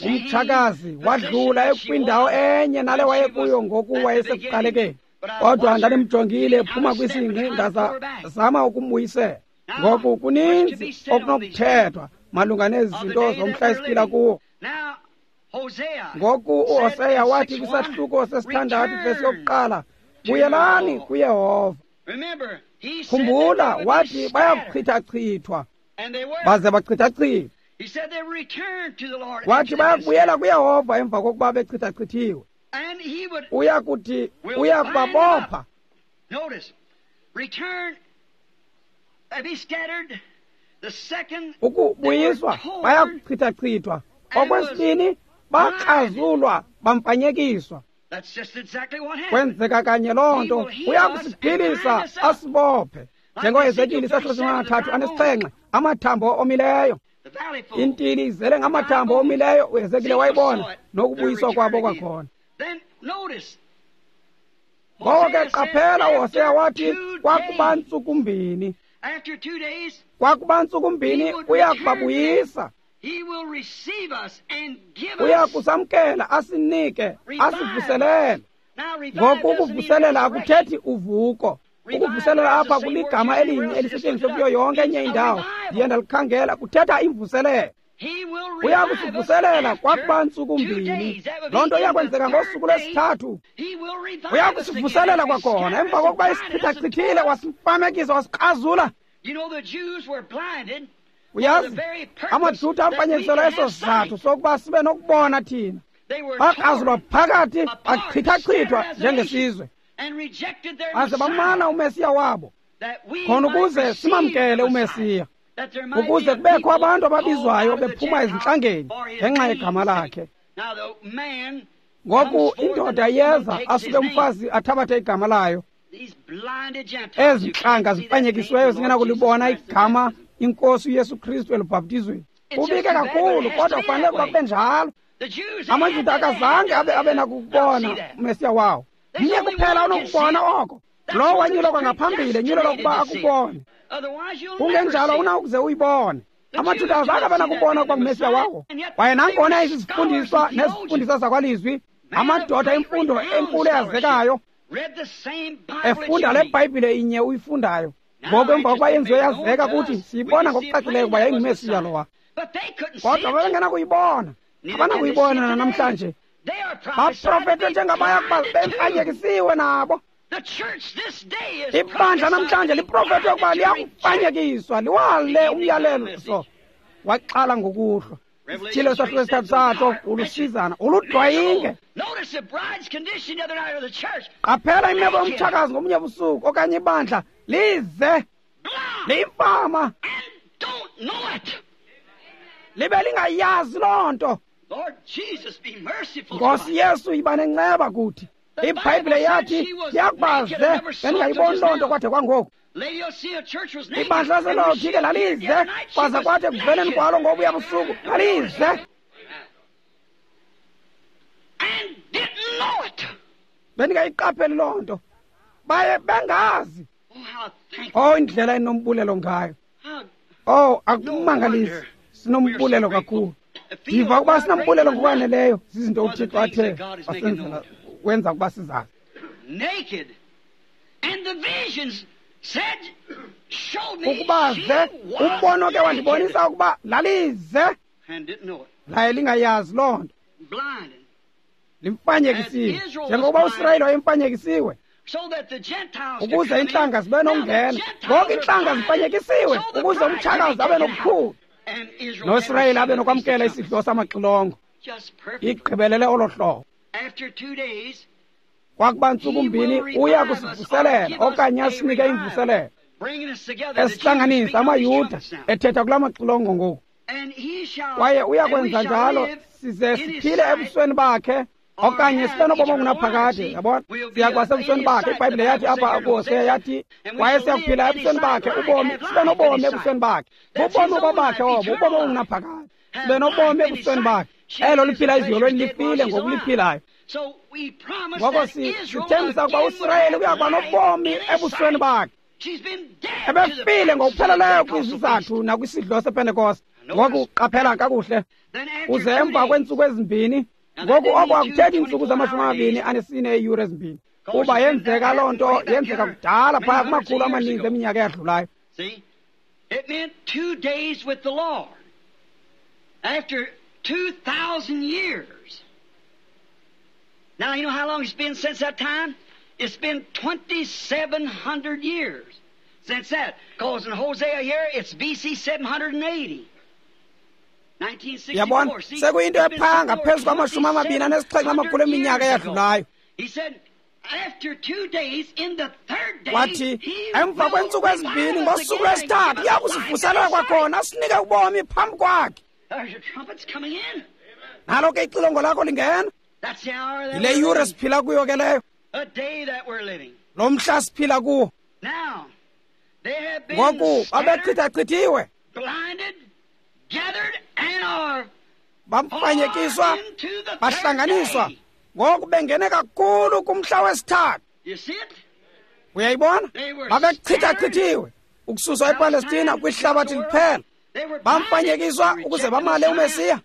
Umtshakazi wadlula ekwindawo enye nale wayekuyo ngoku wayesekuqalekeni. Kodwa ndandimjongile ephuma kwisingqi, ndazama ukumbuyisela. Ngoku kuninzi okunokuthethwa malunga nezi zinto zomhla esiphila kuwo. Ngoku uHoseya wathi kwisahluko sesithandathu vesi yokuqala, buyelani kuYehova. Khumbula, wathi bayakuchithachithwa, baze bachithachithwa. Wathi bayakubuyela kuYehova emva kokuba bechithachithiwe. Uya kuthi uya kubabopha. Ukubuyiswa bayakuchithachithwa. Okwesibini, bakrazulwa, bamfanyekiswa. Kwenzeka kanye loo nto. Uya kusiphilisa asibophe, njengoHezekile isahluko 37 amathambo omileyo. Intili izele ngamathambo omileyo, uHezekile wayibona nokubuyiswa kwabo kwakhona. Ngoko ke qaphela, uHoseya wathi kwakuba ntsukumbini, kwakuba ntsukumbini uya kubabuyisa, uya kusamkela asinike asivuselele. Ngoku ukuvuselela akuthethi uvuko. Ukuvuselela apha kuligama elinye elisetyenziswe kuyo yonke enye indawo. Ndiye ndalikhangela, kuthetha imvuselelo. Uya kusivuselela kwakuba ntsuku mbini. Loo nto iyakwenzeka ngosuku lwesithathu. Uya kusivuselela kwakhona emva kokuba isichithachithile, wasimfamekisa, wasikrazula. Uyazi, amaJuda amfanyekiselwa eso sizathu sokuba sibe nokubona thina. Bakrazulwa phakathi, bachithachithwa njengesizwe, baze bamana uMesiya wabo, khona ukuze simamkele uMesiya, ukuze kubekho abantu ababizwayo bephuma ezintlangeni ngenxa yegama lakhe. Ngoku indoda iyeza, asuke umfazi athabathe igama layo. Ezi ntlanga zifanyekisiweyo zingenakulibona igama iNkosi uYesu Kristu elubhaptizweni. Ubike kakhulu, kodwa kufanele ukuba kube njalo. AmaJuda akazange abe nakukubona uMesiya wawo. Mnye kuphela onokubona oko, lowo wanyulwa kwangaphambili, nyulelwa ukuba akubone. Kungenjalo unawukuze uyibone. AmaJuda azange abe nakubona ukuba nguMesiya wawo. Kwaye nangona izifundiswa nezifundiswa zakwalizwi, amadoda emfundo enkulu eyazekayo, efunda le Bhayibhile inye uyifundayo. Ngoku emva kokuba yenziwe yazeka kuthi, siyibona ngokucacileyo ukuba yayinguMesiya lowa. Kodwa babengenakuyibona, abanakuyibona nanamhlanje. Baprofethe njengabaya kuba bemfanyekisiwe nabo. Ibandla namhlanje liprofethe ukuba liyakufanyekiswa, liwale umyalezo waxala ngokuhlwa. Isithile sahluko esithathu satsho, ulusizana, uludwayinge. Qaphela imeko yomtshakazi ngomnye busuku okanye ibandla lize liyimfama, libe lingayazi loo nto. Nkosi Yesu, yiba nenceba kuthi. IBhayibhile yathi yakubaze bendingayiboni loo nto kwade kwangoku. Ibandla laseLawodike lalize, kwaze kwathi ekuveleni kwalo ngobuya busuku lalize. Bendingayiqapheli loo nto, baye bengazi. Oh, indlela enombulelo ngayo. Oh, akumangalisi, sinombulelo kakhulu. Ndiva ukuba sinombulelo ngokwaneleyo zizinto uThixo athe wasenzela, wenza ukuba sizazi. Ukuba ze umbono ke wandibonisa ukuba lalize, laye lingayazi loo nto. Limfanyekisiwe njengokuba uSirayeli wayemfanyekisiwe, ukuze iintlanga zibe nokungena. Ngoku iintlanga zifanyekisiwe ukuze umtshakazi abe nokukhulu, noSirayeli abe nokwamkela isidlo samaxilongo. Igqibelele olo hlobo. Kwakuba ntsuku mbini uya kusivuselela okanye asinike imvuselelo, esihlanganisa amaYuda ethetha kula maxilongo ngoku. Kwaye uya kwenza njalo size siphile ebusweni bakhe, okanye sibe nobomi obungunaphakade. Yabona, siyakuba sebusweni bakhe. IBhayibhile yathi apha kuHosea yathi, kwaye siyakuphila ebusweni bakhe ubomi, sibe nobomi ebusweni bakhe. Bubomi obabakhe obo, ubomi obungunaphakade. Sibe nobomi ebusweni bakhe. Elo liphila eziyolweni lifile ngokuliphilayo. Ngoko sithembisa ukuba uSirayeli uyakuba nobomi ebusweni bakhe. Ebefile ngokupheleleyo kwizizathu nakwisidlo sePentekoste. Ngoku qaphela kakuhle, uze emva kweentsuku ezimbini. Ngoku oko akuthethi iintsuku zama-24 eeyure ezimbini, kuba yenzeka loo nto, yenzeka kudala phaya kumakhulu amaninzi eminyaka eyadlulayo.
It meant 2 days with the Lord. After 2,000 years. Now, you know how long it's been since that time? It's been 2,700 years since that. Because in Hosea here, it's BC 780.
Yabona, sekuyinto ephaya ngaphezu kwama-27 amakhulu eminyaka eyadlulayo. Wathi emva kweentsuku ezimbini ngosuku lwesithathu uya kusivuselela kwakhona asinike ubomi phambi kwakhe. Nalo ke ixilongo lakho lingena. Yile yure siphila kuyo ke leyo, lo mhla siphila kuwo. Ngoku babechithachithiwe, bamfanyekiswa, bahlanganiswa. Ngoku bengene kakhulu kumhla wesithathu. Uyayibona, babechithachithiwe ukususwa ePalestina kwihlabathi liphela. Bamfanyekiswa ukuze bamale uMesiya.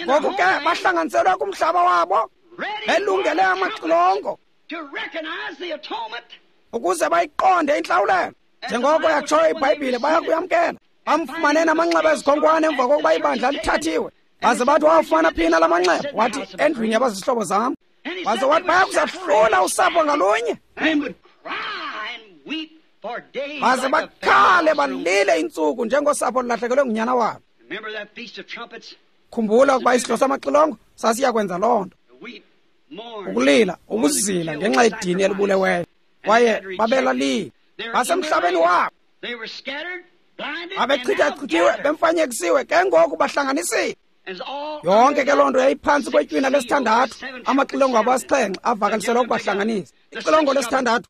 Ngoku ke bahlanganiselwe kumhlaba wabo, Belungele amaxilongo ukuze bayiqonde intlawulelo. Njengoko yatshoyo iBhayibhile, baya kuyamkela. Bamfumane namanxeba ezikhonkwane emva kokuba ibandla lithathiwe. Baze bathi, wawafumana phina la manxeba? Wathi, endlwini yabazihlobo zam. Waze wathi, baya kuzahlula usapho ngalunye. Baze bakhale balile iintsuku njengosapho olulahlekelwe ngunyana wabo. Khumbula ukuba isidlo samaxilongo sasiya kwenza loo nto. Ukulila, ukuzila ngenxa yedini elibuleweyo. Kwaye babelalile. Basemhlabeni wabo. Babechithachithiwe, bemfanyekisiwe, ke ngoku bahlanganisiwe. Yonke ke loo nto yayiphantsi kwetywina lesithandathu, amaxilongo abo asixhenxe avakaliselwa ukubahlanganisa. Ixilongo lesithandathu,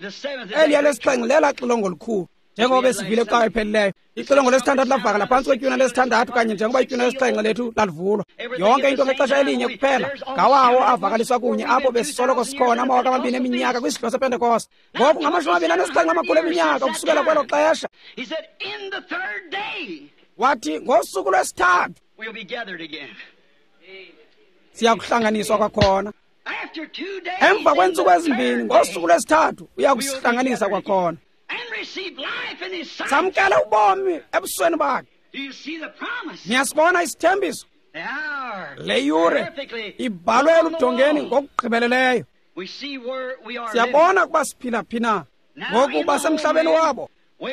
eliya lesixhenxe lela xilongo likhulu, njengoba besivile xa ephelileyo. Ixilongo lesithandathu lavakala phantsi kwetywina lesithandathu, kanye njengoba itywina lesixhenxe lethu lalivulwa. Yonke into ngexesha elinye kuphela, ngawawo avakaliswa kunye apho besisoloko sikhona 2000 eminyaka kwisidlo sePentekoste. Ngoku ngama-27 eminyaka ukusukela kwelo xesha. Wathi ngosuku lwesithathu siyakuhlanganiswa kwakhona. Emva kweentsuku ezimbini, ngosuku lwesithathu uyakusihlanganisa kwakhona. Samkele ubomi ebusweni bakhe. Niyasibona isithembiso? Le yure ibhalwe eludongeni ngokugqibeleleyo. Siyabona ukuba siphila phi na. Ngoku basemhlabeni wabo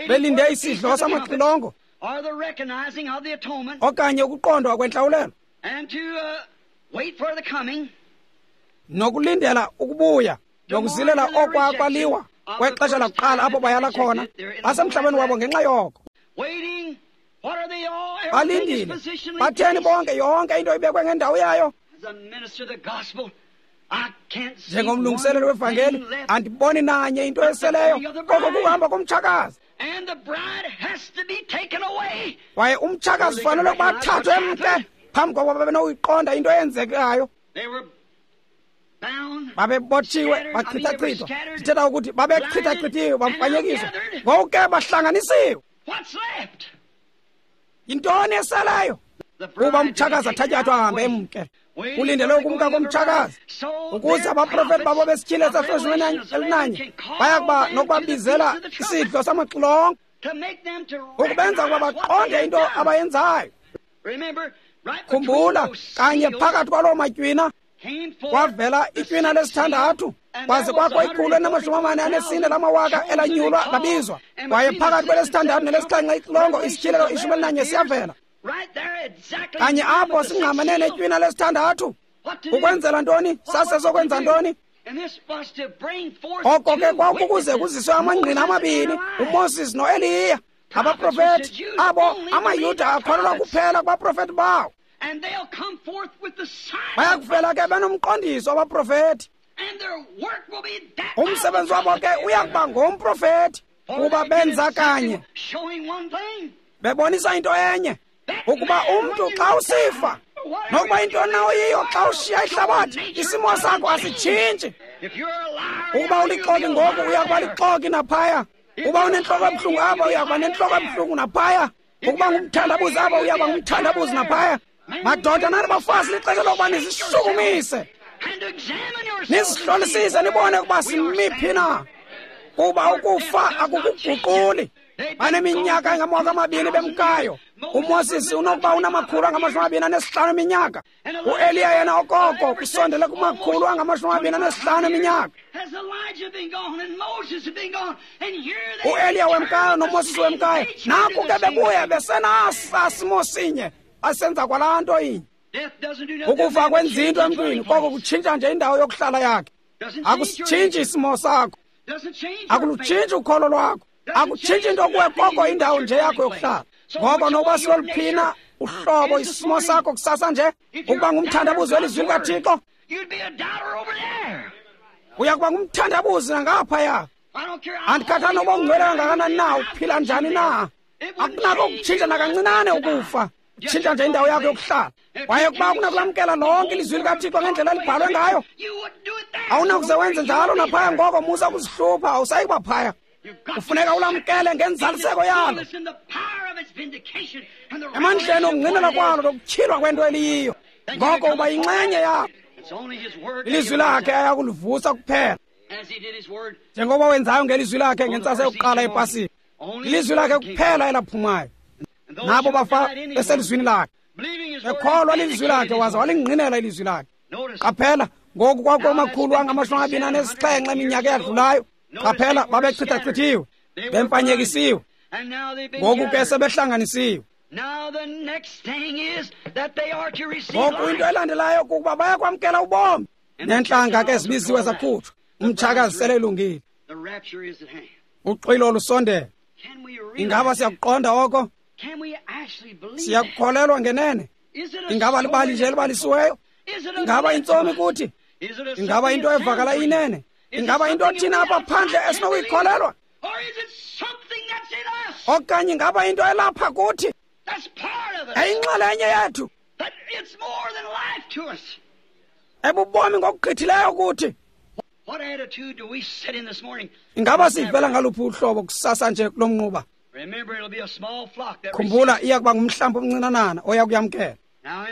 belinde isidlo samaxilongo okanye ukuqondwa kwentlawulelo nokulindela ukubuya nokuzilela okwakwaliwa kwexesha lakuqala apho bayala khona. Basemhlabeni wabo ngenxa yoko. Balindile. Batheni bonke? Yonke into ibekwe ngendawo yayo. Njengomlungiseleli wevangeli, andiboni nanye into eseleyo koko kuhamba komtshakazi. Kwaye umtshakazi ufanele ukuba athathwe emke phambi kokuba babe nokuyiqonda into eyenzekayo. Babebotshiwe, bachithachithwa. Ndithetha ukuthi babechithachithiwe, bamfanyekiswa. Ngoku ke bahlanganisiwe. Yintoni eseleyo? Kuba umtshakazi athatyathwa ahambe emke. Kulindele ukumka komtshakazi ukuze abaprofeti babo besityhile sehloshweni elinanye baya kuba nokubabizela isidlo samaxilongo, ukubenza ukuba baqonde into abayenzayo. Khumbula, kanye phakathi kwaloo matywina kwavela itywina lesithandathu, kwaze kwakho 144 lamawaka elanyulwa labizwa. Kwaye phakathi kwelesithandathu nelesixhenxe ixilongo isityhilelo 11 siyavela. Kanye apho singqamene netywina lesithandathu. Ukwenzela ntoni? Sasesokwenza ntoni? Oko ke kwakukuze kuziswe amangqina amabini, uMoses noEliya, abaprofeti abo amaYuda akholelwa kuphela kubaprofeti bawo. Baya kuvela ke benomqondiso abaprofeti. Umsebenzi wabo ke uya kuba ngomprofeti, kuba benza kanye bebonisa into enye, ukuba umntu xa usifa, nokuba into nawo yiyo xa ushiya ihlabathi, isimo sakho asitshintshi. Ukuba ulixoki ngoku, uya kuba lixoki naphaya. Uba unentloko ebuhlungu apha, uya kuba nentloko ebuhlungu naphaya. Ukuba ngumthandabuzi apha, uya kuba ngumthandabuzi naphaya. Madoda nani bafazi, lixesha lokuba nizishukumise, nizihlolisise, nibone ukuba simiphi na, kuba ukufa akukuguquli. Baneminyaka engama-2000 bemkayo. uMoses unokuba una-225 eminyaka. uEliya yena okoko kusondele kuma-225 eminyaka. UEliya wemkayo noMoses wemkayo, naku ke bebuya besenasa simo sinye, basenza kwalaa nto inye. Ukufa kwenza into emntwini, koko kutshintsha nje indawo yokuhlala yakhe. Akusitshintshi isimo sakho, akulutshintshi ukholo lwakho, akutshintshi into kuwe, koko indawo nje yakho yokuhlala. Ngoko nokuba siloluphina uhlobo isimo sakho kusasa nje, ukuba ngumthandabuzi welizwi likaThixo, uya kuba ngumthandabuzi nangaphaya. Andikhathali nokuba ungcwele kangakanani na, uphila njani na, akunako ukutshintsha nakancinane ukufa. Tshintsha nje indawo yakho yokuhlala. Kwaye ukuba akunakulamkela lonke ilizwi likaThixo ngendlela elibhalwe ngayo, awunakuze wenze njalo naphaya. Ngoko musa ukuzihlupha, awusayi kuba phaya. Kufuneka ulamkele ngenzaliseko yalo, emandleni okungqinela kwalo nokutyhilwa kwento eliyiyo. Ngoko uba yinxenye yalo. Ilizwi lakhe ayakulivusa kuphela, njengoba wenzayo ngelizwi lakhe ngentsasa yokuqala yePasika. Ilizwi lakhe kuphela elaphumayo, nabo bafa beselizwini lakhe, bekholwa lilizwi lakhe, waza walingqinela ilizwi lakhe. Qaphela ngoku, kwakumakhulu angama-27 eminyaka eyadlulayo. Qaphela, babechithachithiwe, bemfanyekisiwe, ngoku ke sebehlanganisiwe. Ngoku into elandelayo kukuba bayakwamkela ubomi. Neentlanga ke zibiziwe zakhutshwa, umtshakazi sele elungile, uxwilo lusondele. Ingaba siyakuqonda oko? Siyakukholelwa ngenene? Ingaba libali nje elibalisiweyo? Ingaba intsomi kuthi? Ingaba into evakala inene? Ingaba into thina apha phandle esinokuyikholelwa? Okanye ingaba into elapha kuthi, eyinxalenye yethu, ebubomi ngokugqithileyo kuthi? Ingaba sivela ngaluphi uhlobo kusasa nje kulo mnquba? Khumbula, iya kuba ngumhlambi omncinanana oya kuyamkela.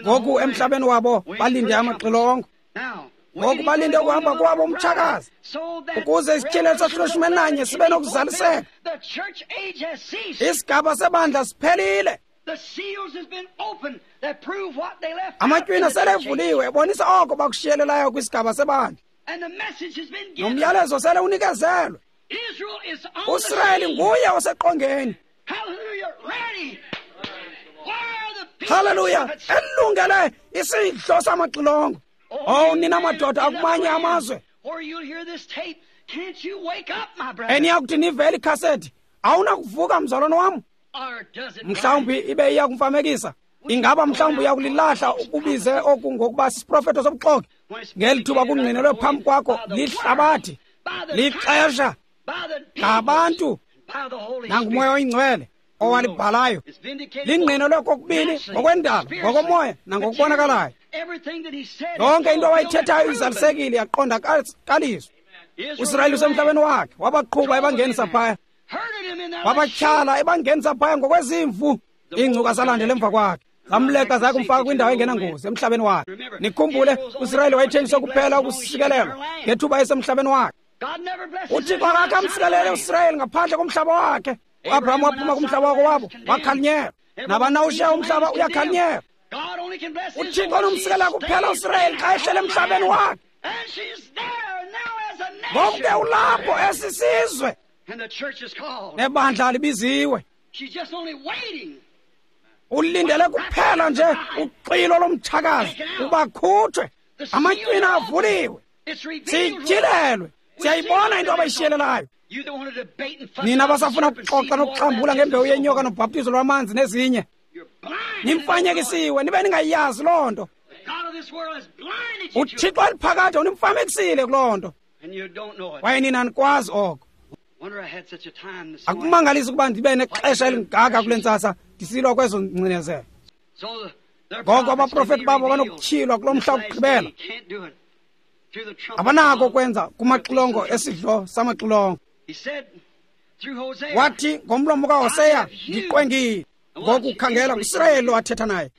Ngoku emhlabeni wabo balinde amaxilongo. Ngoku balinde ukuhamba kwabo umtshakazi, ukuze isityhilelo sahlulo 11 sibe nokuzaliseka. Isigaba sebandla siphelile. Amatywina sele evuliwe, ebonisa oko bakushiyelelayo kwisigaba sebandla. Nomyalezo sele unikezelwe. USirayeli nguye oseqongeni. Haleluya, elungele isidlo samaxilongo. Oh, nina madoda akumanye amazwe, eniyakuthi nivele ikhasethi, awunakuvuka mzalwane wam? Mhlawumbi ibe iya kumfamekisa. Ingaba mhlawumbi uyakulilahla ukubize oku ngokuba sisiprofeto sobuxoki, ngeli thuba kungqinelwe phambi kwakho lihlabathi, lixesha, ngabantu, nanguMoya oyiNgcwele owalibhalayo. Lingqinelwe kokubini ngokwendalo, ngokomoya nangokubonakalayo. Yonke into awayithethayo izalisekile, yaqondakaliswa. USirayeli usemhlabeni wakhe, wabaqhuba ebangenisa phaya, wabatyhala ebangenisa phaya ngokwezimvu. Iingcuka zalandela emva kwakhe, zamleqa zaya kumfaka kwindawo engenangozi emhlabeni wakhe. Nikhumbule, uSirayeli wayethenjiswe kuphela ukusikelelwa ngethuba esemhlabeni wakhe. UThixo akakhe amsikelele uSirayeli ngaphandle komhlaba wakhe. UAbraham waphuma kumhlaba wakowabo, wakhalinyelwa. Nabani na ushiya umhlaba uyakhalinyelwa. UThixo onomsikelela kuphela uSirayeli xa ehlele emhlabeni wakhe. Ngoku ke ulapho esisizwe, nebandla libiziwe. Ulindele kuphela nje uxwilo lomtshakazi ubakhutshwe. Amatywina avuliwe, sityhilelwe, siyayibona into abayishiyelelayo. Nina basafuna ukuxoxa nokuxambula ngembewu yenyoka nobhaptizo lwamanzi nezinye, nimfanyekisiwe nibe ningayazi loo nto. UThixo eliphakade unimfamekisile kuloo nto, kwaye nina anikwazi oko. Akumangalisi ukuba ndibe nexesha elingaka kule ntsasa ndisilwa kwezo ngcinezelo. Ngoko abaprofeti babo banokutyhilwa kulo mhla wokugqibela. Abanako ukwenza kumaxilongo esidlo samaxilongo. Wathi ngomlomo kaHoseya, ndiqwengile. Ngoku khangela, nguSirayeli lo athetha naye.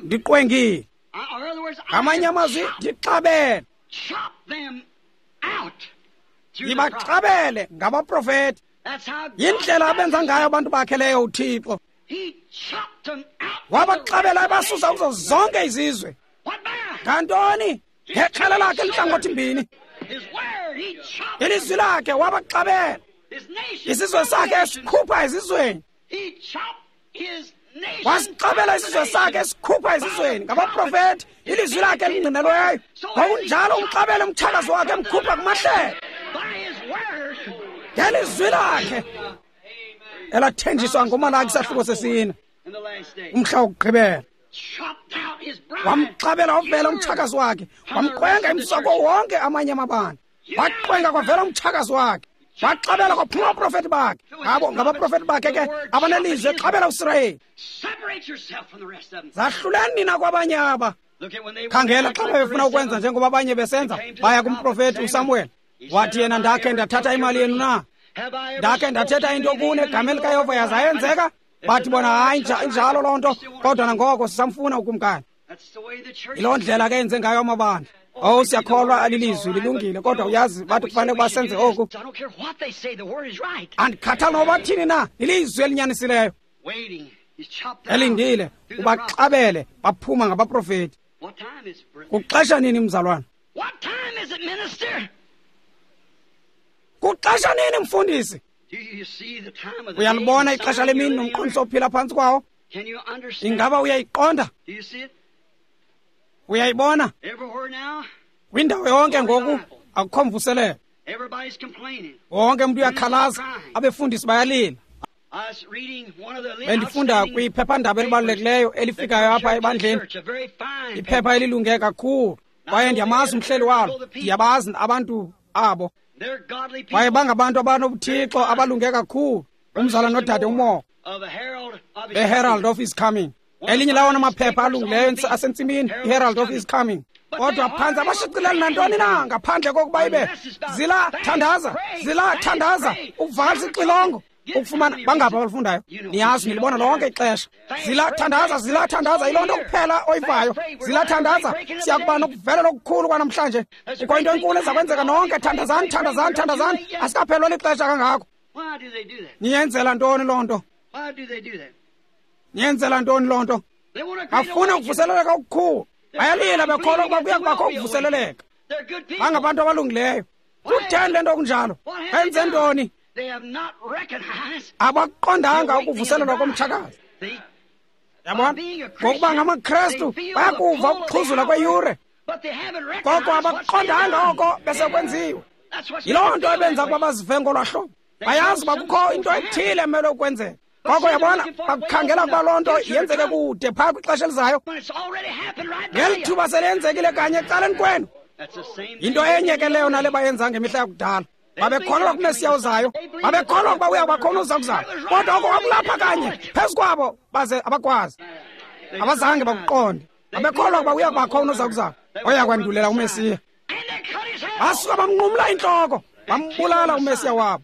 Ndiqwengile. Ngamanye amazwi, ndixabele. Ndibaxabele ngabaprofeti. Yindlela abenza ngayo abantu bakhe leyo uThixo. Wabaxabela ebasusa kuzo zonke izizwe. Ngantoni? Ngexhala lakhe elihlangothi mbini. Ilizwi lakhe wabaxabela. Isizwe sakhe esikhupha ezizweni. Wasixabela isizwe sakhe esikhupha ezizweni ngabaprofeti, ilizwi lakhe elingqinelweyo. Ngokunjalo umxabele umtshakazi wakhe emkhupha kumahlelo ngelizwi lakhe elathenjiswa ngoMalaki isahluko sesine, umhla wokugqibela. Wamxabela wavela umtshakazi wakhe, wamqwenga emsuka kuwo wonke amanye amabandla. Waqwenga kwavela umtshakazi wakhe, waxabela kwaphuma abaprofeti bakhe. Ngabo ngabaprofeti bakhe ke abanelizwi exabela uSirayeli. Zahluleni nina kwabanye aba. Khangela, xa bebefuna ukwenza njengoba abanye besenza, baya kumprofeti uSamuel. Wathi yena, ndakhe ndathatha imali yenu na? Ndakhe ndathetha into kuni egameni likaYehova yaza yenzeka? Bathi bona, hayi, injalo loo nto, kodwa nangoko sisamfuna ukumkani. Yiloo ndlela ke yenze ngayo amabandla. Oh, siyakholwa alilizwi lilungile, kodwa uyazi bathi kufanele ukuba senze oku. Andikhathali noba bathini na, lilizwi elinyanisileyo. Elindile, ubaxabele, baphuma ngabaprofeti. Kuxesha nini, mzalwana? Kuxesha nini, mfundisi? Uyalibona ixesha lemini nomqondiso ophila phantsi kwawo? Ingaba uyayiqonda? Uyayibona? Kwindawo yonke ngoku akukho mvuselelo. Wonke umntu uyakhalaza, abefundisi bayalila. Bendifunda kwiphephandaba elibalulekileyo elifikayo apha ebandleni, iphepha elilunge kakhulu, kwaye ndiyamazi umhleli walo, ndiyabazi abantu abo, kwaye bangabantu abanobuthixo abalunge kakhulu, umzala nodade uMoore, the Herald of His Coming. Elinye lawona maphepha alungileyo asentsimini, iHerald of His Coming. Kodwa phantsi abashicileli nantoni na ngaphandle kokuba ibe zila thandaza, zila thandaza, ukuvakalisa ixilongo, ukufumana bangapha abalufundayo. Niyazi nilibona lonke ixesha. Zila thandaza, zila thandaza, yiloo nto kuphela oyivayo. Zila thandaza, siyakuba nokuvelela okukhulu kwanamhlanje. Kukho into enkulu eza kwenzeka nonke. Thandazani, thandazani, thandazani. Asikaphelwa lixesha kangako. Niyenzela ntoni loo nto? Niyenzela ntoni loo nto? Bafuna ukuvuseleleka okukhulu. Bayalila bekholwa ukuba kuya kubakho ukuvuseleleka. Bangabantu abalungileyo. Kutheni le nto kunjalo? Benze ntoni? Abaqondanga ukuvuselelwa komtshakazi. Yabona? Ngokuba ngamaKrestu bayakuva ukuxhuzula kweyure, koko abaqondanga oko besekwenziwe. Yiloo nto ebenza ukuba bazive ngolwaa hlobo. Bayazi uba kukho into ethile emele ukwenzeka. Koko yabona, bakukhangela ukuba loo nto yenzeke kude phaa kwixesha elizayo. Ngeli thuba selenzekile kanye ecaleni kwenu. Yinto enye ke leyo nale bayenza ngemihla yakudala. Babekholelwa kuMesiya ozayo, babekholelwa ukuba uya kuba khona uza kuzala, kodwa oko kwakulapha kanye phezu kwabo, baze abakwazi, abazange bakuqonde. Babekholelwa ukuba uya kuba khona uza kuzala oya kwandulela uMesiya. Basuka bamnqumla intloko, bambulala uMesiya wabo.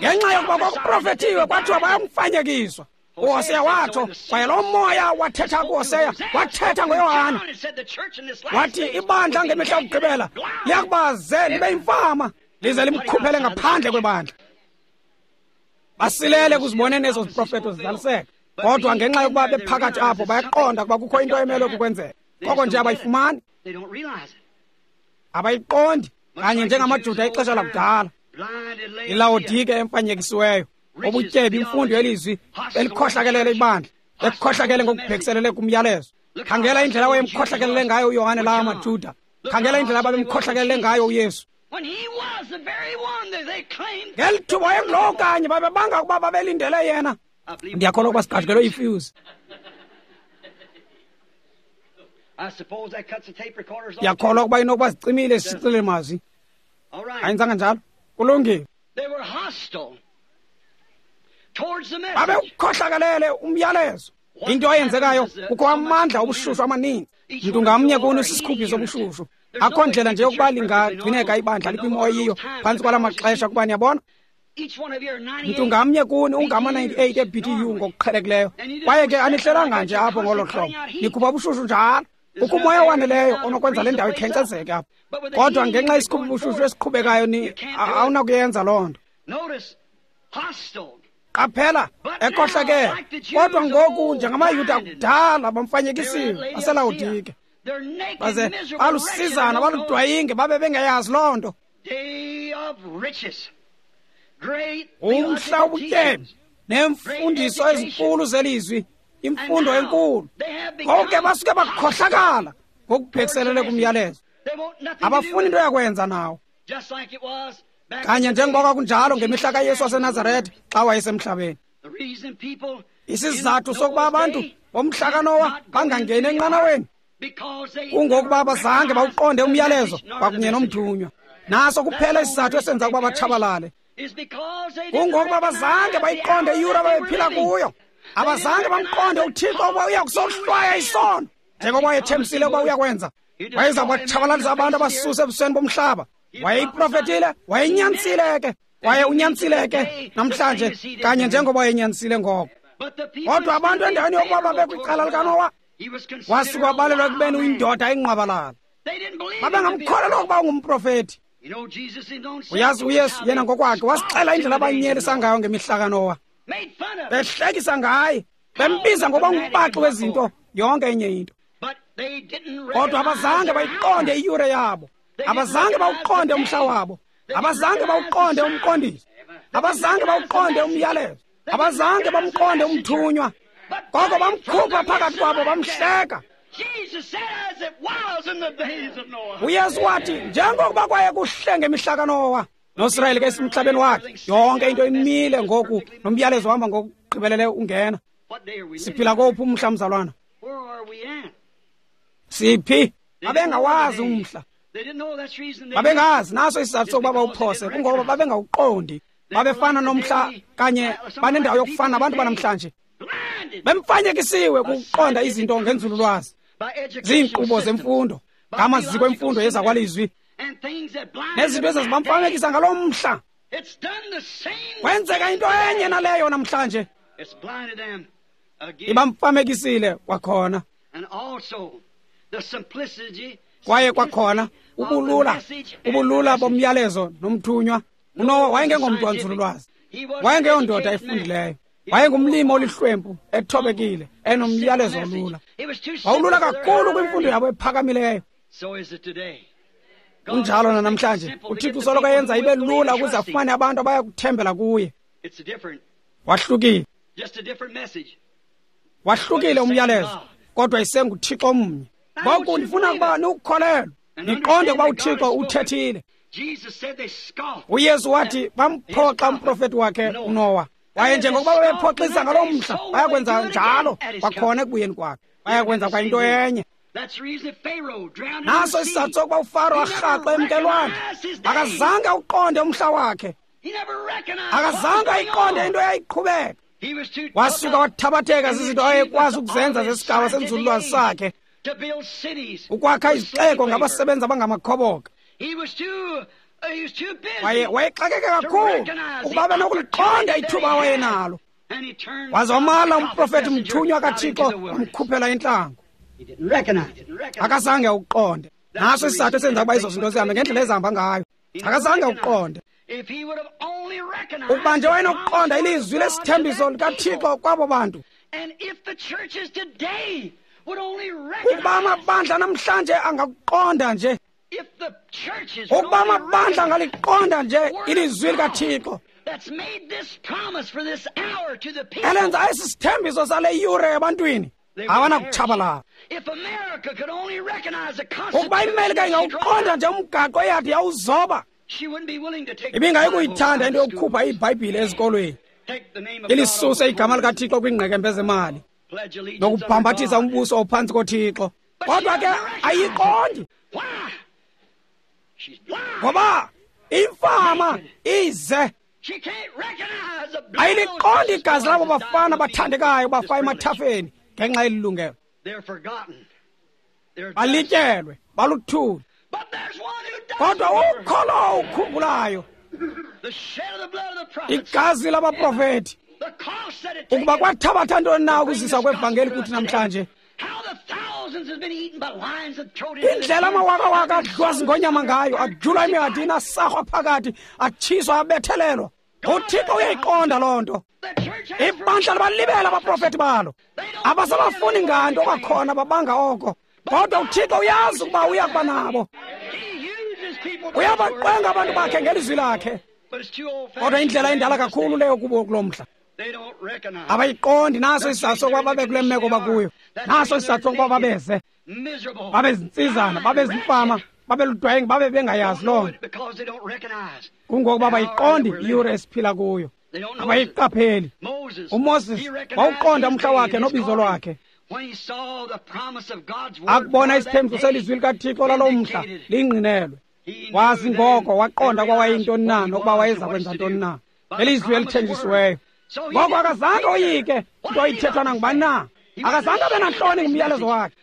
Ngenxa yokuba kwakuprofethiwe kwathiwa bayamfanyekiswa. UHoseya watsho, kwaye lo moya wathetha kuHoseya, wathetha ngoYohane. Wathi ibandla ngemihla yokugqibela liyakuba ze libe yimfama, lize limkhuphele ngaphandle kwebandla. Basilele kuziboneni ezo ziprofeto zizaliseka. Kodwa ngenxa yokuba bephakathi apho bayaqonda ukuba kukho into emelwe kukwenzeka. Koko nje abayifumani, abayiqondi, kanye njengamaJuda ixesha lakudala. ILawodike emfanyekisiweyo, ubutyebi, imfundo yelizwi elikhohlakelele ibandla, ekhohlakele ngokubhekiselele kumyalezo. Khangela indlela wayemkhohlakelele ngayo uYohane lawa maJuda. Khangela indlela ababemkhohlakelele ngayo uYesu. Ngeli thuba wayengulowo kanye babebanga ukuba babelindele yena. Ndiyakholwa ukuba siqajukelwe yifuse. Ndiyakholwa ukuba inokuba zicimile isicilele mazwi. Ayenzanga njalo? Kulungile. Babewukhohlakalele umyalezo. Into eyenzekayo, kukho amandla obushushu amaninzi. Mntu ngamnye kuni sisikhuphi sobushushu. Akho ndlela nje yokuba lingagcineka ibandla likwimo eyiyo phantsi kwala maxesha, kuba niyabona, mntu ngamnye kuni ungama-98 e-BTU ngokuqhelekileyo, kwaye ke anihlelanga nje apho ngolo hlobo, nikhupha ubushushu njalo. Kukho umoya owaneleyo onokwenza le ndawo ikhenkcezeke apha, kodwa ngenxa yesikhupha ubushushu esiqhubekayo awunakuyenza loo nto. Qaphela, ekhohlakele. Kodwa ngoku njengamaYuda kudala bamfanyekisiwe baseLawodike, baze balusizana baludwayinge, babe bengayazi loo nto. Umhla ubutyebi neemfundiso ezinkulu zelizwi, imfundo enkulu, konke basuke bakhohlakala ngokubhekiselele kumyalezo. Abafuni into yakwenza nawo. Kanye njengoba kwakunjalo ngemihla kaYesu waseNazaretha xa wayesemhlabeni. Isizathu sokuba abantu bomhla kaNowa bangangeni enqanaweni kungokuba abazange bawuqonde umyalezo kwakunye nomthunywa. Naso kuphela isizathu esenza ukuba batshabalale. Kungokuba abazange bayiqonde iyure ababephila kuyo. Abazange bamqonde uThixo ukuba uya kusohlwaya isono, njengoba wayethembisile ukuba uyakwenza. Wayeza kubatshabalalisa abantu abasuse ebusweni bomhlaba. Wayeyiprofetile, wayenyanisile ke, kwaye unyanisile ke namhlanje kanye njengoba wayenyanisile ngoko. Kodwa abantu endaweni yokuba babekwicala likaNowa, Wasuka wabalelwa ekubeni uyindoda engqwabalala. Babengamkholelwa ukuba ungumprofeti. Uyazi uYesu yena ngokwakhe wasixela indlela abanyelisa ngayo ngemihla kaNowa, behlekisa ngaye, bembiza ngokuba ngumbaxi wezinto, yonke enye into. Kodwa abazange bayiqonde iyure yabo, abazange bawuqonde umhla wabo, abazange bawuqonde umqondiso, abazange bawuqonde umyalezo, abazange bamqonde umthunywa. Koko bamkhupha phakathi kwabo bamhleka. UYesu wathi njengokuba kwaye kuhle ngemihla kaNowa, noSirayeli ke esemhlabeni wakhe, yonke into imile ngoku, nomyalezo uhamba ngokugqibelele ungena. Siphila kowuphi umhla, mzalwana? Siphi? Babengawazi umhla, babengazi. Naso isizathu sokuba bawuphose, kungoba babengawuqondi. Babefana nomhla kanye, banendawo yokufana nabantu banamhlanje, bemfanyekisiwe kukuqonda izinto ngenzululwazi, ziinkqubo zemfundo, ngamaziko emfundo yezakwalizwi, nezinto ezazibamfamekisa ngaloo mhla. Kwenzeka into enye naleyo namhlanje, ibamfamekisile kwakhona. Kwaye kwakhona ubulula bomyalezo nomthunywa. UNowa wayengengomntu wanzululwazi, wayengeyondoda efundileyo, wayengumlimi olihlwempu, ethobekile, enomyalezo olula. Wawulula kakhulu kwimfundo yabo ephakamileyo. Kunjalo nanamhlanje, uThixo usoloko eyenza ibe lula ukuze afumane abantu abaya kuthembela kuye. Wahlukile, wahlukile umyalezo, kodwa isenguThixo omnye. Ngoku ndifuna ukuba niwukholelwe, niqonde ukuba uThixo uthethile. UYesu wathi bamphoxa umprofeti wakhe uNowa. Kwaye njengokuba babephoxisa ngaloo mhla, bayakwenza njalo kwakhona ekubuyeni kwakhe, bayakwenza kwa into enye. Naso isizathu sokuba uFaro arhaxe emkelwandle, akazange awuqonde umhla wakhe, akazange ayiqonde into eyayiqhubeka. Wasuka wathabatheka zizinto ayekwazi ukuzenza zesigaba senzululwazi sakhe, ukwakha izixeko ngabasebenzi abangamakhoboka. Waye wayexakeke kakhulu ukuba abe nokuliqonda ithuba awayenalo. Waze wamala umprofeti mthunywa kaThixo, wamkhuphela entlango. Akazange awuqonde. Naso isizathu esenza ukuba ezo zinto zihambe ngendlela ezihamba ngayo. Akazange awuqonde. Ukuba nje wayenokuqonda ilizwi lesithembiso likaThixo kwabo bantu, ukuba amabandla namhlanje angakuqonda nje, ukuba amabandla angaliqonda nje ilizwi likaThixo elenza esi sithembiso sale yure ebantwini, abanakutshabalala. Ukuba iMelika ingawuqonda nje umgaqo eyathi yawuzoba, ibingayikuyithanda into yokukhupha iBhayibhile ezikolweni, ilisuse igama likaThixo kwiingqekembe zemali, nokubhambathisa umbuso ophantsi koThixo. Kodwa ke ayiqondi, ngoba imfama ize ayiliqondi igazi labo bafana bathandekayo bafa emathafeni ngenxa yelilungelo. Balityelwe, baluthuli. Kodwa ukholo ukhumbulayo igazi labaprofeti, ukuba kwathabatha ntoni na ukuzisa kwevangeli kuthi namhlanje. Indlela amawakawaka adliwa zingonyama ngayo, ajulwa emihadini, asarhwa phakathi, atshiswa, abethelelwa. UThixo uyayiqonda loo nto. Ibandla libalibela abaprofeti balo, abasabafuni nganto kwakhona, babanga oko. Kodwa uThixo uyazi ukuba uya kuba nabo. Uyabaqwenga abantu bakhe ngelizwi lakhe. Kodwa indlela indala kakhulu leyo kubo kulo mhla. Abayiqondi. Naso isizathu sokuba babe kule meko bakuyo. Naso isizathu sokuba babeze, babe zintsizana, babe zimfama, babe ludwenge, babe bengayazi loo nto. Kungokuba bayiqondi iyure esiphila kuyo, abayiqapheli. UMoses wawuqonda umhla wakhe nobizo lwakhe. Akubona isithembiso selizwi likaThixo laloo mhla lingqinelwe, wazi ngoko, waqonda ukuba wayeyintoni na nokuba wayeza kwenza ntoni na elizwi elithenjisiweyo. Ngoko akazange oyike nto ithethwa nangubani na, akazange abe nantloni ngumyalezo wakhe,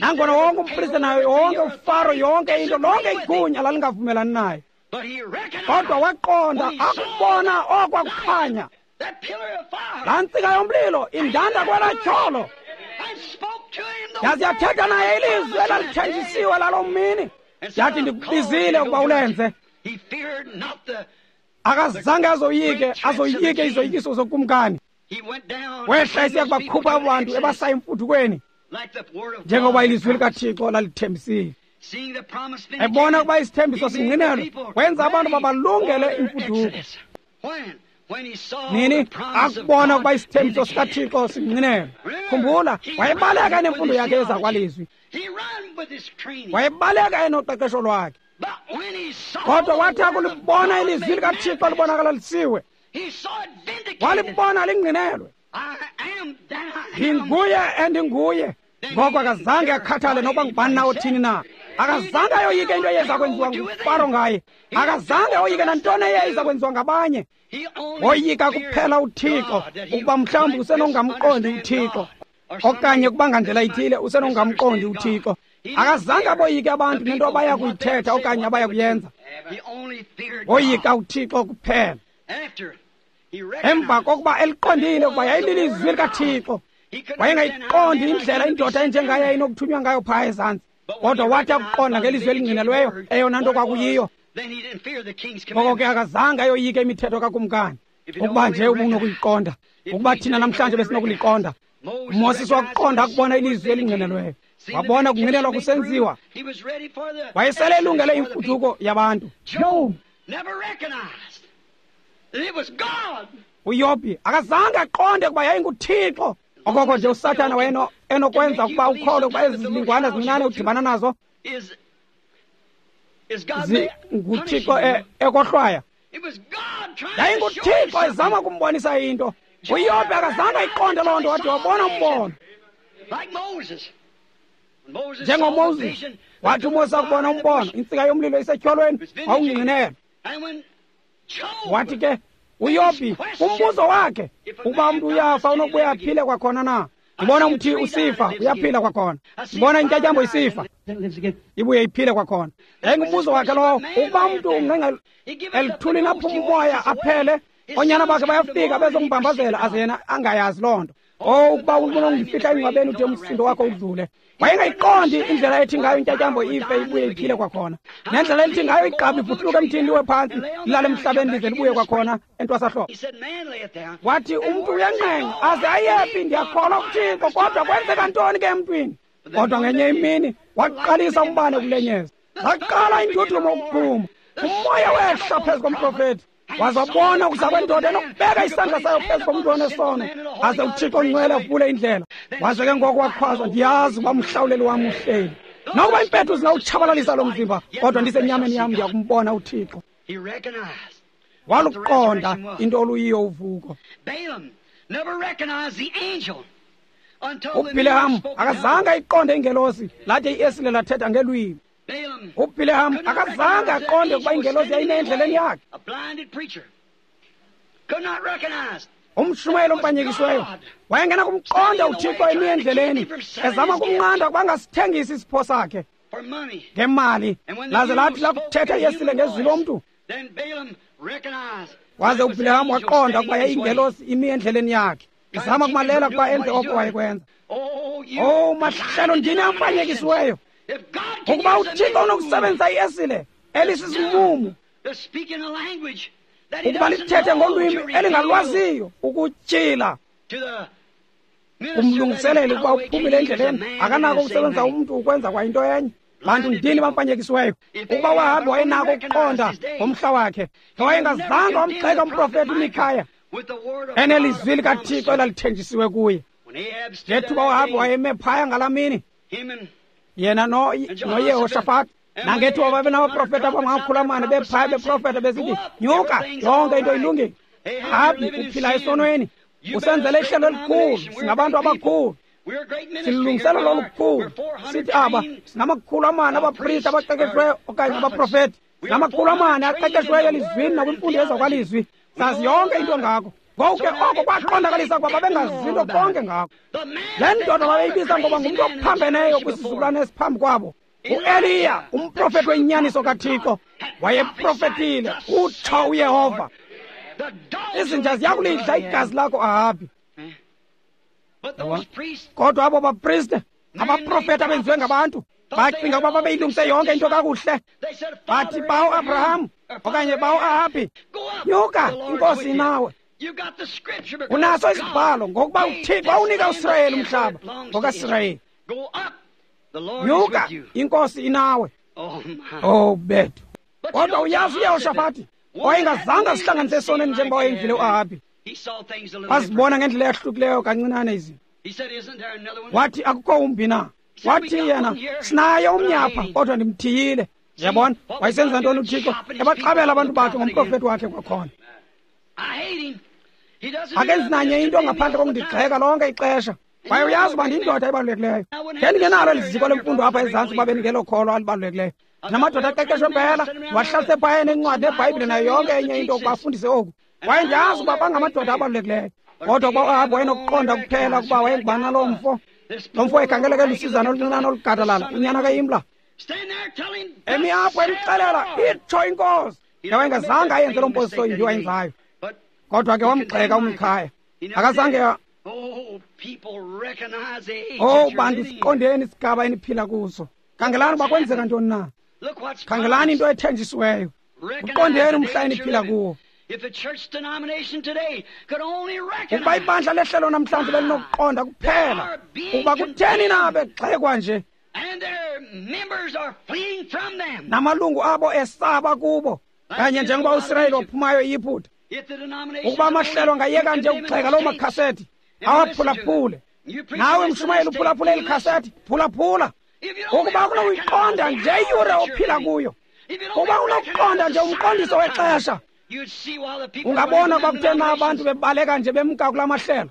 nangona wonke umpriste nayo yonke uFaro, yonke into, lonke igunya lalingavumelani naye. Kodwa waqonda akubona okwakukhanya, laa ntsika yomlilo indanda kwelaa tyholo. Yaze yathetha naye ilizwi elalithenjisiwe laloo mini. Yathi ndikubizile ukuba ulenze. Akazange azoyike izoyikiso zokumkani. Wehla esiya kubakhupha abantu ebasa emfuthukweni, njengoba ilizwi likaThixo lalithembisile. Ebona ukuba isithembiso singqinelwe, wenza abantu babalungele imfuduko. Nini akubona ukuba isithembiso sikaThixo singqinelwe. Khumbula, wayebaleka enemfundo yakhe ezakwalizwi, wayebaleka enoqeqesho lwakhe. Kodwa wathi akulibona ilizwi likaThixo libonakalisiwe, walibona lingqinelwe. Ndinguye endinguye. Ngoko akazange akhathale nokuba ngubani na othini na. Akazange ayoyike into eyeza kwenziwa nguFaro ngaye. Akazange oyike nantoni eyayiza kwenziwa ngabanye. Woyika kuphela uThixo, ukuba mhlawumbi usenongamqondi uThixo, okanye ukuba ngandlela ithile usenongamqondi uThixo. Akazange aboyike abantu nento abaya kuyithetha okanye abaya kuyenza. Woyika uThixo kuphela. Emva kokuba eliqondile ukuba yayililizwi likaThixo, wayengayiqondi indlela indoda enjengaye ayinokuthunywa ngayo phaa ezantsi. Kodwa wathi akuqonda ngelizwi elingqinelweyo eyona nto kwakuyiyo, ngoko ke akazange ayoyike imithetho kakumkani. Ukuba nje ubunokuyiqonda, ukuba thina namhlanje besinokuliqonda. uMoses wakuqonda akubona ilizwi elingqinelweyo, wabona kungqinelwa kusenziwa. Wayesele elungele imfuduko yabantu. uYobhi akazange aqonde ukuba yayinguThixo. Okoko nje uSathana waye enokwenza ukuba ukholwe ukuba ezi zilingwana zincinane udibana nazo nguThixo ekohlwaya. YayinguThixo ezama kumbonisa into. uYobhi akazange ayiqonde loo nto, wathi wabona umbono. NjengoMoses, wathi uMoses akubona umbono, intsika yomlilo isetyholweni, wawungqinelwa. Wathi ke uYobhi umbuzo wakhe, ukuba umntu uyafa unokubuya aphile kwakhona na? Ndibona umthi usifa uyaphila kwakhona, ndibona intyatyambo isifa ibuye iphile kwakhona. Yayingumbuzo wakhe lowo, ukuba umntu ungqenga elithulini aphuma umoya aphele, oonyana bakhe bayafika bezombambazela aze yena angayazi loo nto. Oh, ukuba unongifihla engcwabeni ude umsindo wakho udlule. Wayengayiqondi indlela ethi ngayo intyatyambo ife ibuye iphile kwakhona, nendlela elithi ngayo igqabi ibhuthuluka emthini liwe phantsi lilale emhlabeni lize libuye kwakhona entwasahlobo. Wathi umntu uyanqenqa aze ayephi, ndiyakholwa kuThixo, kodwa kwenzeka ntoni ke emntwini? Kodwa ngenye imini waqalisa umbane ukulenyeza, zaqala indudumo ukuphuma, umoya wehla phezu komprofethi, waze wabona ukuza kwendoda enokubeka isandla sayo phezu komntu onesono, aze uThixo ongcwele avule indlela. Waze ke ngoku wakhwaza, ndiyazi uba umhlawuleli wam uhleli. Nokuba impethu zingawutshabalalisa lo mzimba, kodwa ndisenyameni yam ndiyakumbona uThixo. Waluqonda into oluyiyo uvuko. UBhileham akazange ayiqonde ingelosi lathi iesile lathetha ngelwimi. UBhileham akazange aqonde ukuba ingelosi yayime endleleni yakhe. Umshumayeli ompanyekisiweyo wayengena kumqonda uThixo emi endleleni, ezama kumnqanda ukuba angasithengisi isipho sakhe ngemali. Laze lathi lakuthetha iesile ngezwi lomntu, waze uBhileham waqonda ukuba yayingelosi imi endleleni yakhe, izama kumalela ukuba enze oko wayekwenza. Oh, mahlelo ndini ampanyekisiweyo, ukuba uThixo unokusebenzisa iesile elisisimumu ukuba lithethe ngolwimi elingalwaziyo ukutyhila kumlungiseleli ukuba uphumile endleleni, akanako ukusebenzisa umntu ukwenza kwayinto enye. Bantu ndini bampanyekisiweyo, ukuba uAhabi wayenako ukuqonda ngomhla wakhe, wayengazange wamgxeka umprofethi uMikhaya enelizwi likaThixo elalithenjisiwe kuye. Ngethuba uAhabi wayeme phaya ngalaa mini, yena noYehoshafati, nangethuba babenabaprofethi abangamakhulu amane bephaya beprofetha besithi, nyuka, yonke into ilungile. Ahabi, uphila esonweni, usenzele ihlelo elikhulu, singabantu abakhulu, silungiselelo olukhulu. Sithi aba singama-400 abaprista abaqeqeshweyo okanye abaprofethi, singama-400 aqeqeshweyo elizwini nakwimfundo yezakwalizwi, sazi yonke into ngako. Ngoku ke oko kwaqondakalisa ukuba babengazi nto konke ngako. Le ndoda babeyibiza ngoba ngumntu ophambeneyo kwisizukulwane esiphambi kwabo, uEliya, umprofethi wenyaniso kaThixo, wayeprofethile, utsho uYehova, izinja ziyakulidla igazi lakho, Ahabi. Kodwa abo bapriste Abaprofeti abenziwe ngabantu bacinga ukuba babeyilungise yonke into kakuhle. Bathi bawo Abraham okanye bawo Ahabi, nyuka, inkosi inawe. Unaso isibhalo ngokuba uThixo wawunika uSirayeli umhlaba ngokaSirayeli. Nyuka, inkosi inawe. Oh bethu. Kodwa uyazi uYehoshafati wayengazange asihlanganise esonweni njengoba wayenzile uAhabi. Wazibona ngendlela eyahlukileyo kancinane izinto. Wathi akukho umbi na? Wathi yena sinaye omnye apha kodwa ndimthiyile. Yabona, wayesenza ntoni uThixo? Ebaxabela abantu bakhe ngomprofeti wakhe kwakhona. Akenzi nanye into ngaphandle kokundigxeka lonke ixesha. Kwaye uyazi uba ndiyindoda ebalulekileyo. Ngendingenalo eli ziko lemfundo apha ezantsi uba bendingelokholwa alibalulekileyo. Namadoda aqeqeshwe mpela, wahlalise phaya nencwadi neBhayibhile nayo yonke enye into ukuba afundise oku. Kwaye ndiyazi uba bangamadoda abalulekileyo. Kodwa ukuba uAhabi wayenokuqonda kuphela ukuba wayengubani na loo mfo. Lo mfo ekhangeleka elusizana oluncinane olugadalala, unyana kaImla. Emi apho emxelela, itsho inkosi. Wayengazange ayenze loo mposiso imbi wayenzayo. Kodwa ke wamgxeka uMikhaya. Akazange. Oh bantu, siqondeni isigaba eniphila kuso. Khangelani uba kwenzeka ntoni na. Khangelani into ethenjisiweyo. Uqondeni umhla eniphila kuwo. Ukuba ibandla lehlelo namhlanje belinokuqonda kuphela ukuba kutheni na begxekwa nje, namalungu abo esaba kubo, kanye njengoba uSirayeli waphumayo eYiputa. Ukuba amahlelo angayeka nje ukugxeka loo makhasethi, awaphulaphule. Nawe mshumayeli uphulaphule eli khasethi, phulaphula. Ukuba unokuyiqonda nje iyure ophila kuyo, ukuba unokuqonda nje umqondiso wexesha, ungabona ukuba kutheni na abantu bebaleka nje bemka kula mahlelo.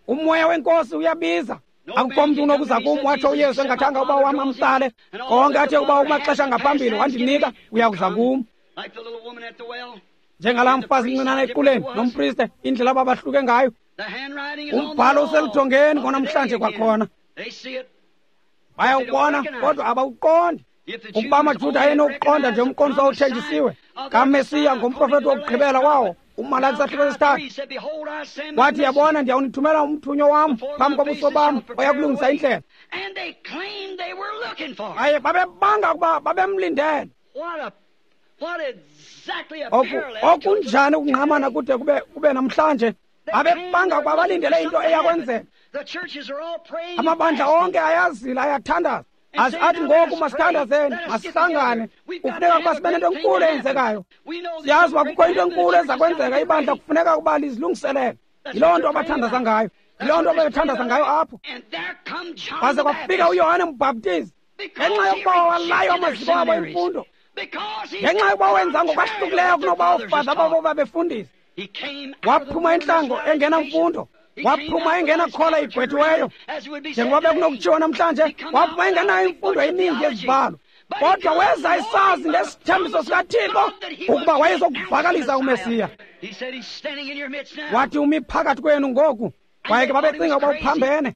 Umoya wenkosi uyabiza. Akukho mntu unokuza kum, watsho uYesu, engathanga uba wam amsale. Konke athe uba kumaxesha ngaphambili wandinika, uyakuza kum. Njengalaa mfazi mncinane equleni nompriste, indlela ababahluke ngayo. Umbhalo useludongeni konamhlanje kwakhona. Bayawubona kodwa abawuqondi. Ukuba amaJuda ayenokuqonda nje umqondiso owuthenjisiwe kaMesiya ngomprofeti wokugqibela wawo, uMalaki sahluko sesithathu, wathi, yabona, ndiyawunithumela umthunywa wam phambi kobuso bam oya kulungisa indlela. Kwaye babebanga ukuba babemlindele. Okunjani ukungqamana kude kube namhlanje. Babebanga ukuba balindele into eyakwenzeka. Amabandla onke ayazila, ayathandaza. Athi ngoku masithandazeni, masihlangane. Kufuneka ukuba sibe nento enkulu eyenzekayo. Siyazi uba kukho into enkulu eza kwenzeka, ibandla kufuneka ukuba lizilungiselele. Yiloo nto abathandaza ngayo, yiloo nto ababethandaza ngayo apho. Kwaze kwafika uYohane uMbhaptizi, ngenxa yokuba walayo amaziko abo emfundo, ngenxa yokuba wenza ngokwahlukileyo kunoba oofada babo babefundisa. Waphuma entlango engenamfundo, waphuma engenakhola igqwethiweyo, njengoba bekunokutshiwo namhlanje, waphuma engenayo imfundo eninzi yezibhalo. Kodwa weza esazi ngesithembiso sikaThixo ukuba wayezokuvakalisa uMesiya. Wathi umi phakathi kwenu ngoku. Kwaye ke babecinga ukuba uphambene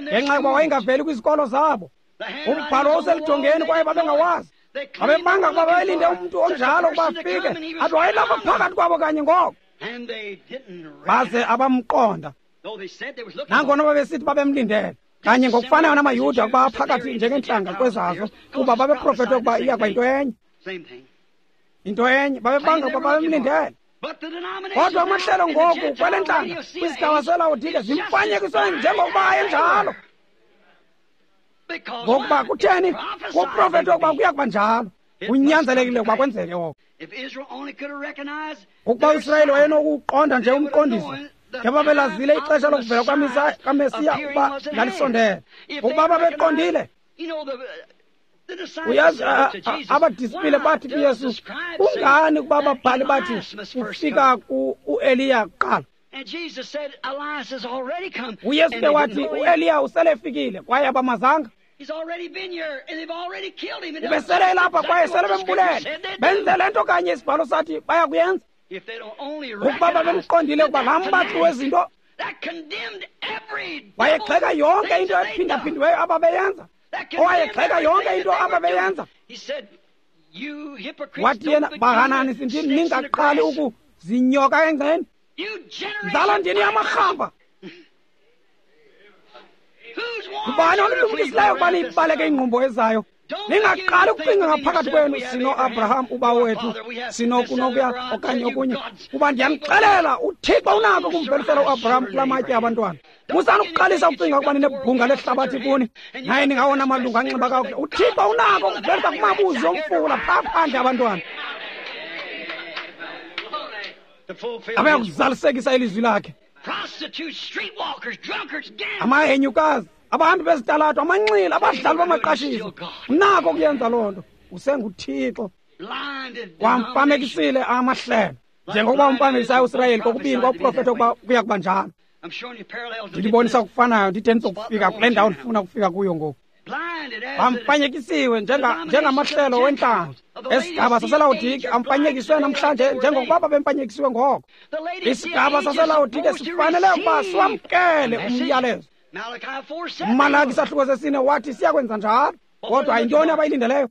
ngenxa yokuba wayengaveli kwizikolo zabo. Umbhalo wawuseludongeni kwaye babengawazi. Babebanga ukuba babelinde umntu onjalo ukuba afike, athi wayelapha phakathi kwabo kanye ngoko. Baze abamqonda, nangona babesithi babemlindele. Kanye ngokufanayo namaYuda ukuba aphakathi njengeentlanga kwezazo, kuba babeprofethe ukuba iya kuba yinto enye. Into enye, babebanga ukuba babemlindele. Kodwa amahlelo ngoku kwele ntlanga kwisigaba seLawodike zimfanyekiswe njengokuba ayenjalo. Ngokuba kutheni? Kuprofethe ukuba kuya kuba njalo. Kunyanzelekile ukuba kwenzeke oko. Ukuba uSirayeli wayenokuqonda nje umqondiso, ngebabelazile ixesha lokuvela kaMesiya ukuba lalisondele. Ukuba babeqondile, uyazi, abadisipile bathi kuYesu, kungani ukuba ababhali bathi kufika uEliya kuqala? uYesu ke wathi uEliya usele efikile kwaye abamazanga. Ubesele elapha kwaye sele bembulele. Benze le nto kanye isibhalo sathi bayakuyenza. Ukuba babemqondile ukuba laa mbaxi wezinto wayegxeka yonke into ephindaphindiweyo ababeyenza, owayegxeka yonke into ababeyenza. Wathi yena, bahanani sindini, ningaqali ukuzinyoka engceni. Nzala ndini yamarhamba. Ngubani onilumkisileyo ukuba niyibaleke ingqumbo ezayo? Ningaqali ukucinga ngaphakathi kwenu, sino-Abraham ubawo wethu, sinokunokuya okanye okunye, kuba ndiyanixelela, uThixo unako ukumvelisela uAbraham kula matye abantwana. Musani ukuqalisa ukucinga ukuba ninebhunga lehlabathi kuni, naye ningawona malungu anxiba kakuhle. UThixo unako ukuvelisa kumabuzi omfula phaa phandle abantwana abaya kuzalisekisa ilizwi lakhe. Amahenyukazi, abahambi bezitalato, amanxila, abadlali bamaqashiso, unako ukuyenza loo nto. UsenguThixo. Wamfamekisile amahlelo njengokuba umfamekisayo uSirayeli kokubini kwakuprofetha ukuba kuya kuba njalo. Ndilibonisa okufanayo, ndide ndizokufika kule ndawo ndifuna ukufika kuyo ngoku. Bamfanyekisiwe njengamahlelo wentlanga esigaba saseLawodike, amfanyekiswe namhlanje njengokuba babemfanyekisiwe ngoko. Isigaba saseLawodike sifanele ukuba siwamkele umyalezo. UMalaki isahluko sesine wathi siyakwenza njalo, kodwa yintoni abayilindeleyo?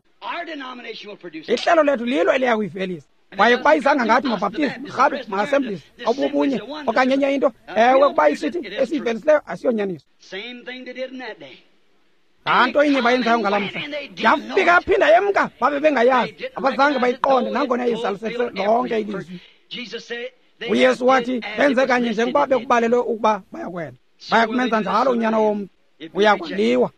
Ihlelo lethu lilo eliya kuyivelisa. Kwaye kuba izanga ngathi maBaptist, marhabe, ma-Assemblies, obubunye okanye enye into, ewe, kuba isithi esiyivelisileyo asiyonyaniso. Laa nto inye bayenzayo ngalaa mhla yafika yaphinda yemka, babe bengayazi, abazange bayiqonde nangona izalisekise lonke ilizwi. UYesu wathi benze kanye njengoba bekubalelwe ukuba bayakwenza. Baya kumenza njalo uNyana womntu, uyakwaliwa.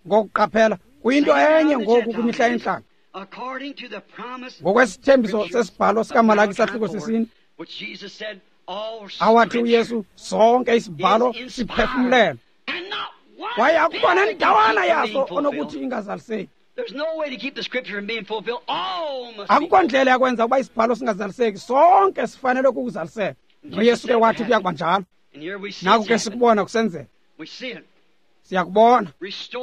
Ngokuqaphela kuyinto enye ngoku kwimihla yentlanga. Ngokwesithembiso sesibhalo sikaMalaki isahluko sesine, awathi uYesu sonke isibhalo siphefumlelwe, kwaye akukho nendawana yaso onokuthi ingazaliseki. Akukho ndlela yakwenza ukuba isibhalo singazaliseki, sonke sifanele ukuzaliseka. NoYesu ke wathi kuya kuba njalo. Naku ke sikubona kusenzeka, siyakubona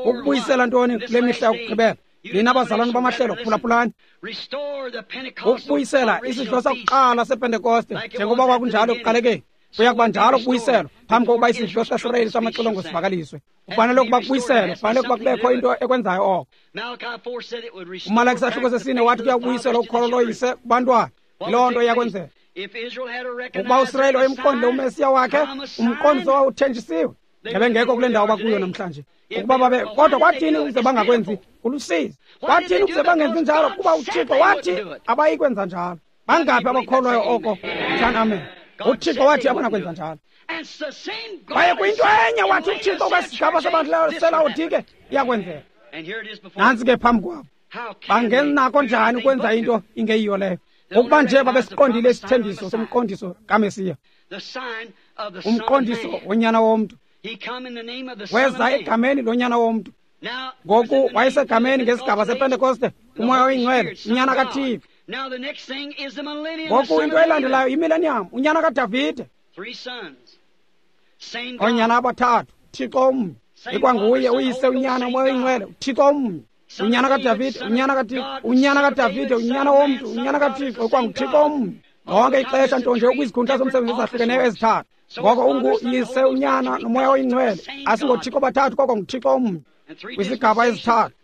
ukubuyisela ntoni kule mihla yokugqibela. Nina bazalwane bamahlelo, phulaphulani. Ukubuyisela isidlo sakuqala sePentekoste njengoba kwakunjalo ekuqalekeni, kuya kuba njalo kubuyiselwa phambi kokuba isidlo sikaSirayeli samaxilongo sivakaliswe. Kufanele ukuba kubuyiselwe, kufanele ukuba kubekho into ekwenzayo oko. UMalaki isahluko sesine wathi kuya kubuyiselwa ukholo loyise kubantwana. Yiloo nto iyakwenzeka. Ukuba uSirayeli wayemqondile uMesiya wakhe, umqondiso wawuthenjisiwe, ngebengekho kule ndawo bakuyo namhlanje. Ukuba babe, kodwa kwathini ukuze bangakwenzi? Kulusizi. Kwathini ukuze bangenzi njalo? Kuba uThixo wathi abayikwenza njalo. Bangaphi abakholwayo oko? Thani amen. uThixo wathi abanakwenza njalo. Kwaye kuyinto enye wathi uThixo kwesigaba sabantu seLawodike iyakwenzeka. Nantsi ke phambi kwabo. Bangenako njani ukwenza into ingeyiyo leyo? Ngokuba nje babesiqondile isithembiso somqondiso kaMesiya, umqondiso wonyana womntu. Weza egameni lonyana womntu. Ngoku wayesegameni ngesigaba sePentekoste, uMoya oyiNgcwele, unyana kaThixo. Ngoku into elandelayo yimillennium, unyana kaDavide. Oonyana abathathu, Thixo omnye. Ikwanguye uyise, unyana, uMoya oyiNgcwele, uThixo omnye. Unyana kaDavide, unyana kaThixo, unyana kaDavide, unyana womntu, unyana kaThixo, ikwanguThixo omnye. Lonke ixesha nto nje ukwizikhundla zomsebenzi ezahlukeneyo ezithathu. Ngoko unguyise, unyana, noMoya oyiNgcwele. AsingoThixo bathathu, koko nguThixo omnye. Kwisigaba ezithathu,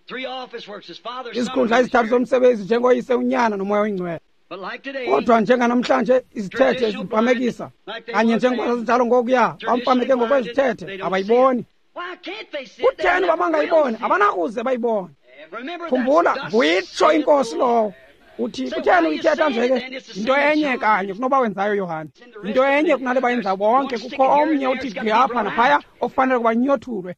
izikhundla ezithathu zomsebenzi njengoyise, unyana, noMoya oyiNgcwele. Kodwa njenganamhlanje izithethe zipamekisa kanye njengoba zazinjalo ngokuya, bamfameke ngokwezithethe, abayiboni. Kutheni uba bangayiboni? Abanakuze bayibone. Khumbula, nguyitsho inkosi lowo. Uthi kutheni uyithetha nje ke? Yinto enye kanye kunoba wenzayo Yohane. Yinto enye kunale bayenza bonke. Kukho omnye uthi gqi apha naphaya ofanele ukuba nyothulwe.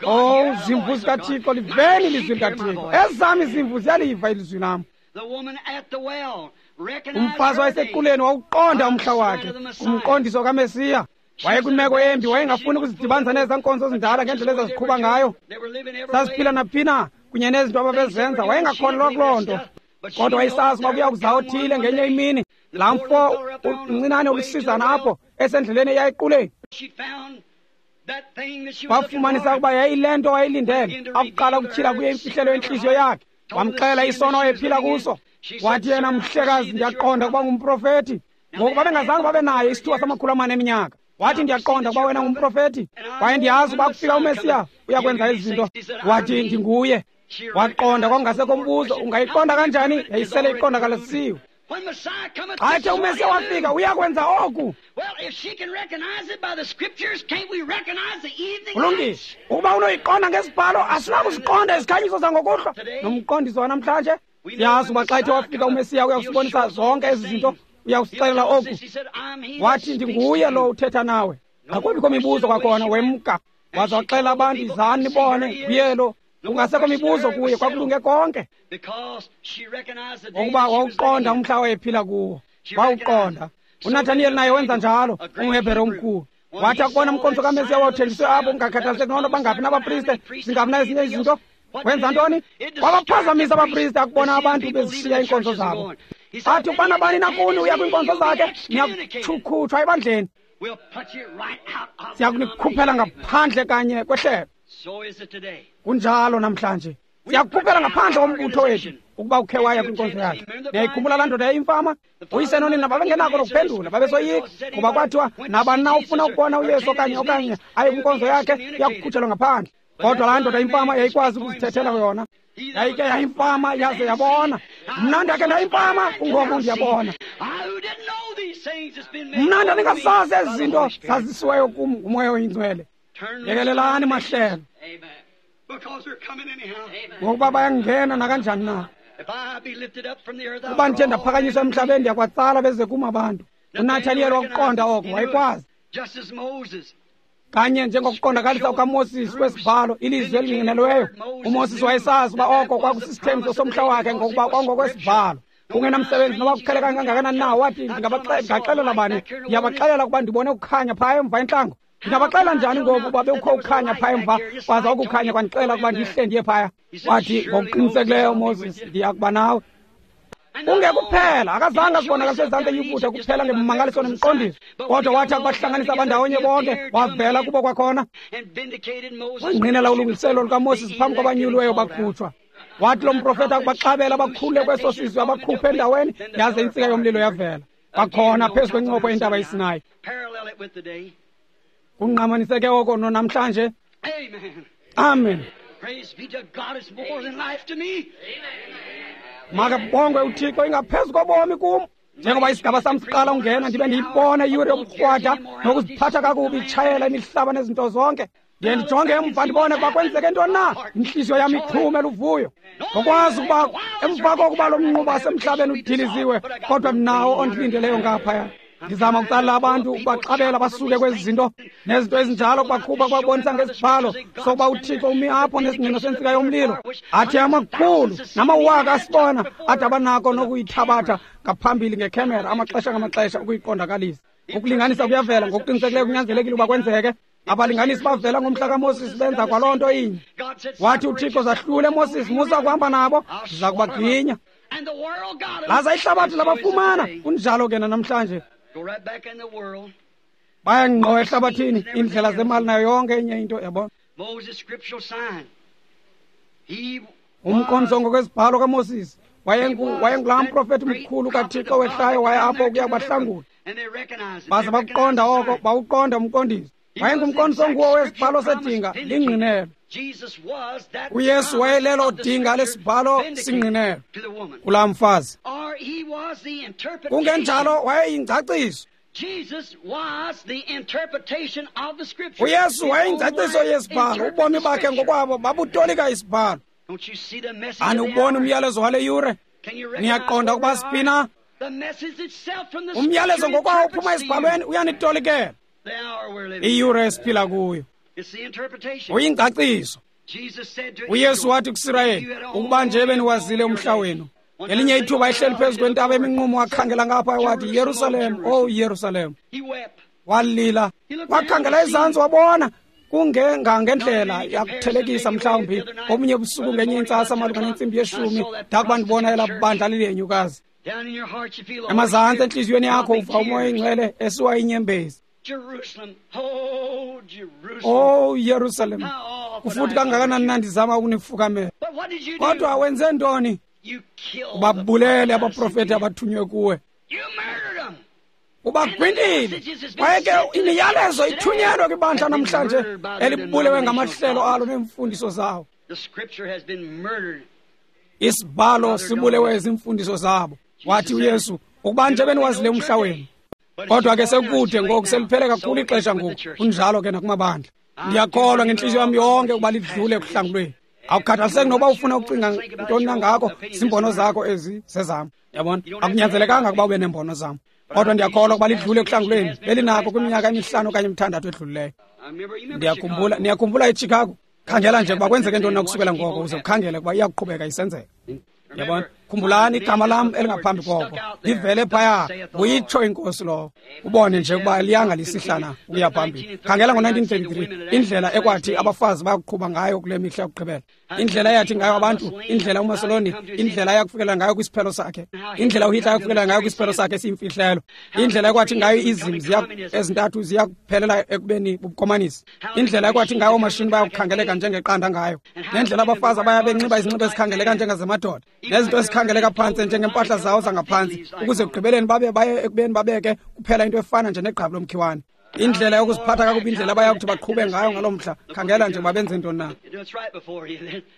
Oh, zimvu zikaThixo, liveni ilizwi likaThixo. Ezam izimvu ziyaliva ilizwi lam. Umfazi wayesequleni wawuqonda umhla wakhe, umqondiso kaMesiya. Wayekwimeko embi, wayengafuni ukuzidibanisa nezaa nkonzo zindala ngendlela ezaziqhuba ngayo. Zaziphila naphina kunye nezinto ababezenza, wayengakholelwa kuloo nto. Kodwa wayesazi uba kuya kuza othile ngenye imini. Laa mfo uncinane ulusizana apho esendleleni eya equleni, wafumanisa ukuba yayile nto wayilindele. Akuqala ukutyhila kuye imfihlelo yentliziyo yakhe, wamxela isono wayephila kuso. Wathi yena, mhlekazi, ndiyaqonda ukuba ngumprofethi. Ngoku babengazange babe naye isithuba samakhulu amane eminyaka. Wathi, ndiyaqonda ukuba wena ngumprofethi, kwaye ndiyazi uba kufika uMesiya uyakwenza ezi zinto. Wathi, ndinguye. Waqonda, kwakungasekho mbuzo. Ungayiqonda kanjani? Yayisele iqondakalisiwe. Xa ethe uMesiya wafika uyakwenza oku. Kulungile, ukuba unoyiqonda ngesibhalo, asinakuziqonda izikhanyiso zangokuhlwa nomqondiso wanamhlanje. Siyazi uba xa ethe wafika uMesiya uyakusibonisa zonke ezi zinto, uyakusixelela oku. Wathi, ndinguye lo uthetha nawe. Akubikho mibuzo kwakhona, wemka waza waxelela abantu, izani nibone, nguye lo. Kungasekho mibuzo kuye, kwakulunge konke, ngokuba wawuqonda umhla wayephila kuwo, wawuqonda. uNathaniyeli naye wenza njalo, umHebhere omkhulu. Wathi akubona umqondiso kaMesiya wawuthenjiswe apho, kungakhathaliseki noba bangaphi nabapriste, zingaphi na ezinye izinto, wenza ntoni? Wabaphazamisa abapriste akubona abantu bezishiya iinkonzo zabo. Athi ukubana bani nakuni uya kwiinkonzo zakhe, niyakukhutshwa ebandleni, siyakunikhuphela ngaphandle kanye kwehlelo. Kunjalo namhlanje, siyakukhuphela ngaphandle kombutho wethu ukuba ukhe waya kwinkonzo yakhe. Niyayikhumbula laa ndoda yayimfama? Uyise nonina babengenako nokuphendula, babesoyika, ngoba kwathiwa nabani na ufuna ukubona uYesu okanye aye kwinkonzo yakhe uyakukhutshelwa ngaphandle. Kodwa laa ndoda imfama yayikwazi ukuzithethela yona. Yayike yayimfama yaze yabona. Mna ndakhe ndayimfama, kungoku ndiyabona. Mna ndandingasazi ezi zinto zazisiweyo kum nguMoya oyiNgcwele. Yekelelani mahlelo, ngokuba bayangena nakanjani na. Kuba ndithe ndaphakanyiswa emhlabeni, ndiyakwatsala beze kum abantu. uNathaniyeli wakuqonda oko, wayekwazi. Kanye njengokuqondakalisa kukaMoses kwesibhalo, ilizwi elingqinelweyo. uMoses wayesazi uba oko kwakusisithembiso somhla wakhe, ngokuba kwangokwesibhalo. Kungenamsebenzi noba kuqheleka kangakanani na, wathi, ndingaxelela bani? Ndiyabaxelela ukuba ndibone ukukhanya phaya emva entlango. Ndingabaxelela njani ngoku uba bekukho ukukhanya phaya emva, kwaza ukukhanya kwandixelela ukuba ndihle ndiye phaya? Wathi, ngokuqinisekileyo Moses, ndiya kuba nawe. Kungekuphela, akazange azibonakaliswe ezantsi eYiputa kuphela ngemimangaliso nemiqondiso, kodwa wathi akubahlanganisa abandawonye bonke, wavela kubo kwakhona. Wangqinela ulungiselelo lukaMoses phambi kwabanyuliweyo bakhutshwa. Wathi lo mprofeti akubaxabela abakhulule kweso sizwe, abakhuphe endaweni, yaze intsika yomlilo yavela kwakhona phezu kwencopho yentaba iSinayi. Kungqamaniseke oko nonamhlanje. Amen. Makabongwe uThixo, ingaphezu kobomi kum. Njengoba isigaba sam siqala ungena, ndibe ndiyibona iyure yobukrwada nokuziphatha kakubi itshayela imihlaba nezinto zonke. Ndiye ndijonge emva ndibone ukuba kwenzeke ntoni na. Intliziyo yam ixhume luvuyo ngokwazi ukuba emva kokuba lo mnquba wasemhlabeni udiliziwe, kodwa mnawo ondilindeleyo ngaphaya. Ndizama ukucalela abantu ukubaxabela basuke kwezi zinto nezinto ezinjalo, kubakhupha kubabonisa ngesibhalo sokuba uThixo umi apho nesingqino sentsika yomlilo. Athi amakhulu namawaka asibona, ade abanako nokuyithabatha ngaphambili ngekhemera amaxesha ngamaxesha ukuyiqondakalisa. Ukulinganisa kuyavela ngokuqinisekileyo, kunyanzelekile uba kwenzeke. Abalinganisi bavela ngomhla kaMoses, benza kwaloo nto inye. Wathi uThixo, zahlule Moses, musa kuhamba nabo, ndiza kubaginya. Laza ihlabathi labafumana. Kunjalo ke namhlanje, bayangqo ehlabathini, iindlela zemali nayo yonke enye into, yabona. Umqondiso ngokwesibhalo kaMoses, wayengulaa mprofethi mkhulu kaThixo wehlayo, waye apho ukuya kubahlangula. Baze bakuqonda oko, bawuqonda umqondiso. Wayengumqondiso nguwo wesibhalo sedinga lingqinelo. uYesu wayelelo dinga lesibhalo singqinelo kulaa mfazi. Kungenjalo wayeyingcaciso. uYesu wayeyingcaciso yesibhalo. Ubomi bakhe ngokwabo babutolika isibhalo. Aniwuboni umyalezo wale yure? Niyaqonda ukuba siphi na? Umyalezo ngokwawo uphuma esibhalweni uyanitolikela iyure esiphila kuyo. Uyingcaciso. uYesu wathi kuSirayeli, ukuba nje beniwazile umhla wenu. Ngelinye ithuba ehleli phezu kwentaba eminqumo, wakhangela ngapha wathi, Yerusalem, oh Yerusalem. Walila, wakhangela ezantsi wabona kungengangendlela yakuthelekisa mhlawumbi obunye ubusuku ngenye intsasa malunga nentsimbi yeshumi, ndakuba ndibona elaa bandla liliyenyukazi. Emazantsi entliziyweni yakho uva uMoya oyingcwele esiwa inyembezi. Oh Yerusalem, kufuthi kangakanani na ndizama ukunifukamela. Kodwa wenze ntoni? Ubabulele abaprofeti abathunywe kuwe, ubagwintile. Kwaye ke imiyalezo ithunyelwe kwibandla namhlanje elibulewe ngamahlelo alo neemfundiso zawo. Isibhalo sibulewe zimfundiso zabo. Wathi uYesu, ukuba nje beniwazile umhla wenu. Kodwa ke sekude ngoku, seliphele kakhulu ixesha ngoku. Kunjalo ke nakumabandla. Ndiyakholwa ngentliziyo yam yonke ukuba lidlule ekuhlangulweni. Awukhathaliseki noba ufuna ukucinga ntoni na ngako, ziimbono zakho ezi zezam. Yabona, akunyanzelekanga ukuba ube neembono zam. Kodwa ndiyakholwa ukuba lidlule ekuhlangulweni. Belinako kwiminyaka emihlanu okanye emithandathu edlulileyo. Ndiyakhumbula, niyakhumbula eChicago? Khangela nje ukuba kwenzeke ntoni na kusukela ngoko, uze ukhangele ukuba iyakuqhubeka isenzeka. Yabona, khumbulani igama lam elingaphambi koko livele phaya, uyitsho inkosi lowo. Ubone nje ukuba liyanga lisihlana ukuya phambili. Khangela ngo-1933 indlela ekwathi abafazi bayakuqhuba ngayo kule mihla yokugqibela, indlela eyathi ngayo abantu, indlela uMassoloni, indlela ayakufikelela ngayo kwisiphelo sakhe, indlela uHitler ayakufikelela ngayo kwisiphelo sakhe esiyimfihlelo, indlela ekwathi ngayo izim ezintathu ziya kuphelela ekubeni bubukomanisi, indlela ekwathi ngayo oomashini bayakukhangeleka njengeqanda ngayo, nendlela abafazi abaya benxiba izinxibo ezikhangeleka njengezamadoda, nezinto ezikhangeleka phantsi njengempahla zawo zangaphantsi, ukuze ekugqibeleni babe baye ekubeni babeke kuphela into efana nje negqabi lomkhiwane. Indlela yokuziphatha kakubi, indlela abayakuthi baqhube ngayo ngaloo mhla. Khangela nje babenze ntoni na.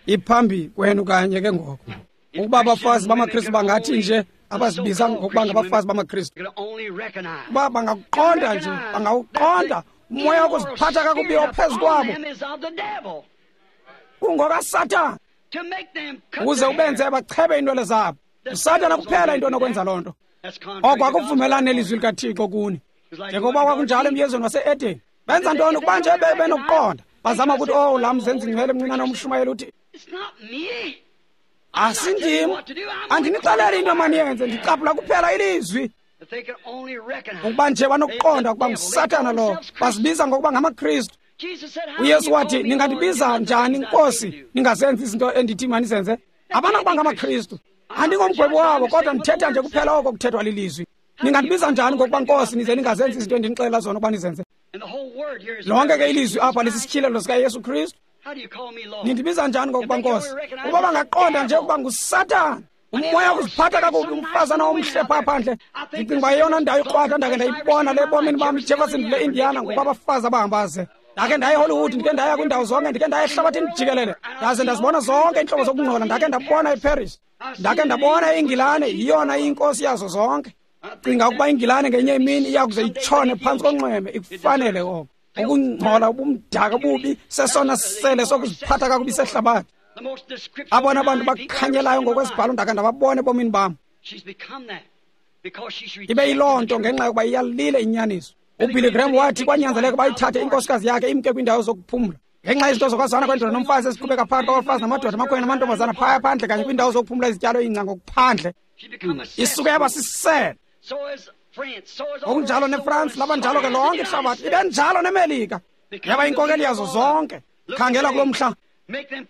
Iphambi kwenu kanye ke ngoko. Ukuba abafazi bamaKristu bangathi nje, abazibiza ngokuba ngabafazi bamaKristu, uba bangakuqonda nje, bangawuqonda umoya wokuziphatha kakubi ophezu kwabo kungokaSathana, ukuze ubenze bachebe iinwele zabo. USathana kuphela into onokwenza loo nto. Oko akuvumelani nelizwi likaThixo kuni. Njengoba kwakunjalo emyezweni wase-Edeni. Benza ntoni ukuba nje benokuqonda? Bazama ukuthi, oh, laa mzenzi ngcwele mncinane umshumayeli uthi, asindim, andinixeleli into maniyenze, ndicaphula kuphela ilizwi. Ukuba nje banokuqonda ukuba nguSathana lowo, bazibiza ngokuba ngamaKristu. uYesu wathi, ningandibiza njani Nkosi, ningazenzi izinto endithi manizenze? Abanakuba ngamaKristu. Andingomgwebi wabo, kodwa ndithetha nje kuphela oko kuthethwa lilizwi. Ningandibiza njani ngokuba Nkosi, nize ningazenzi izinto endinixelela zona ukuba nizenze? Lonke ke ilizwi apha lisisityhilelo sikaYesu Kristu. Nindibiza njani ngokuba Nkosi? Ukuba bangaqonda nje ukuba nguSathana, umoya wokuziphatha kakubi, umfazana omhle phaa phandle. Ndicinga uba yeyona ndawo ikrwada ndake ndayibona le ebomini bam, iJeffersonville, Indiana, ngoku abafazi abahamba ze. Ndake ndaya eHollywood, ndike ndaya kwiindawo zonke, ndike ndaya ehlabathini jikelele, ndaze ndazibona zonke iintlobo zokungcola. Ndake ndabona eParis, ndake ndabona iNgilane, yiyona iyinkosi yazo zonke. Cinga ukuba iNgilane ngenye imini iya kuze itshone phantsi konxweme, ikufanele oko. Ukungcola, ubumdaka, bubi, sesona sele sokuziphatha kakubi sehlabathi. Abona bantu bakhanyelayo ngokwesibhalo ndake ndababona ebomini bam. Ibe yiloo nto ngenxa yokuba iyalile inyaniso. UBilly Graham wathi kwanyanzeleka bayithathe inkosikazi yakhe imke kwiindawo zokuphumla ngenxa yezinto zokwazana kwendoda nomfazi eziqhubeka phakathi kwabafazi namadoda, amakhwenkwe namantombazana phaya phandle kanye kwiindawo zokuphumla izityalo ingca ngokuphandle. Isuke yaba sisele. Ngokunjalo neFrance, labanjalo ke lonke ihlabathi, ibe njalo neMelika, yaba inkokeli yazo zonke. Khangela kulo mhla,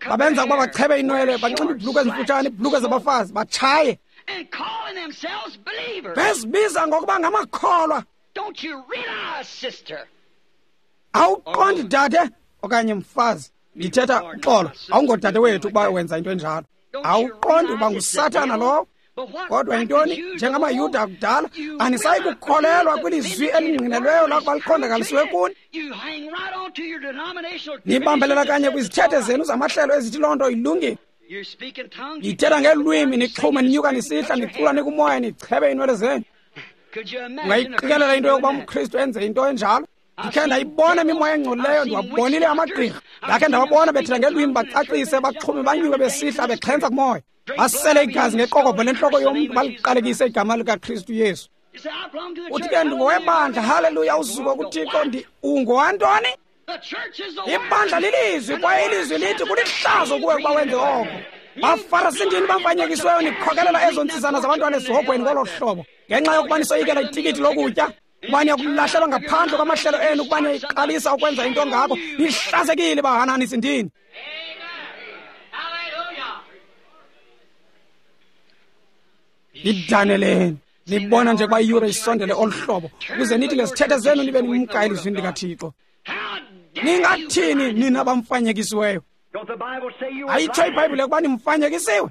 babenza ukuba bachebe inwele, banxibe iibhulukhwe ezimfutshane, iibhulukhwe zabafazi, batshaye, bezibiza ngokuba ngamakholwa. Awuqondi dade okanye mfazi, ndithetha uxolo, awungodade wethu ukuba wenza into enjalo. Awuqondi uba nguSathana lowo? Kodwa yintoni, njengamaYuda akudala, anisayi kukholelwa kwilizwi elingqinelweyo lakuba liqondakalisiwe kuni. Nibambelela kanye kwizithethe zenu zamahlelo ezithi loo nto ilungile. Nithetha ngelwimi, nixhume, ninyuka nisihla, nicula nikumoya, nichebe iinwele zenu. Ungayiqikelela into yokuba umKristu enze into enjalo? Ndikhe ndayibona imimoya engcolileyo, ndiwabonile amagqirha. Ndakhe ndawabona bethetha ngelwimi, bacacise, baxhume, banyuke besihla, bexhentsa kumoya. Basele igazi ngeqokobhe lentloko yomntu, baliqalekise igama likaKristu Yesu. Uthi ke ndingowebandla, haleluya, uzuko kuThixo, ungowantoni? Ibandla lilizwi, kwaye ilizwi lithi kulihlazo kuwe ukuba wenze oko. Bafarasindini bamfanyekisiweyo, nikhokelela ezo ntsizana zabantwana esihogweni ngolo hlobo, ngenxa yokuba nisoyikela itikiti lokutya, kuba niyakulahlelwa ngaphandle kwamahlelo enu, kuba niyayiqalisa ukwenza into ngako. Nihlazekile bahananisindini. Nidaneleni, nibona nje ukuba iyure isondele olu hlobo, ukuze nithi ngezithethe zenu nibe nimka elizwini likaThixo. Ningathini nina bamfanyekisiweyo? Ayitsho iBhayibhile ukuba nimfanyekisiwe?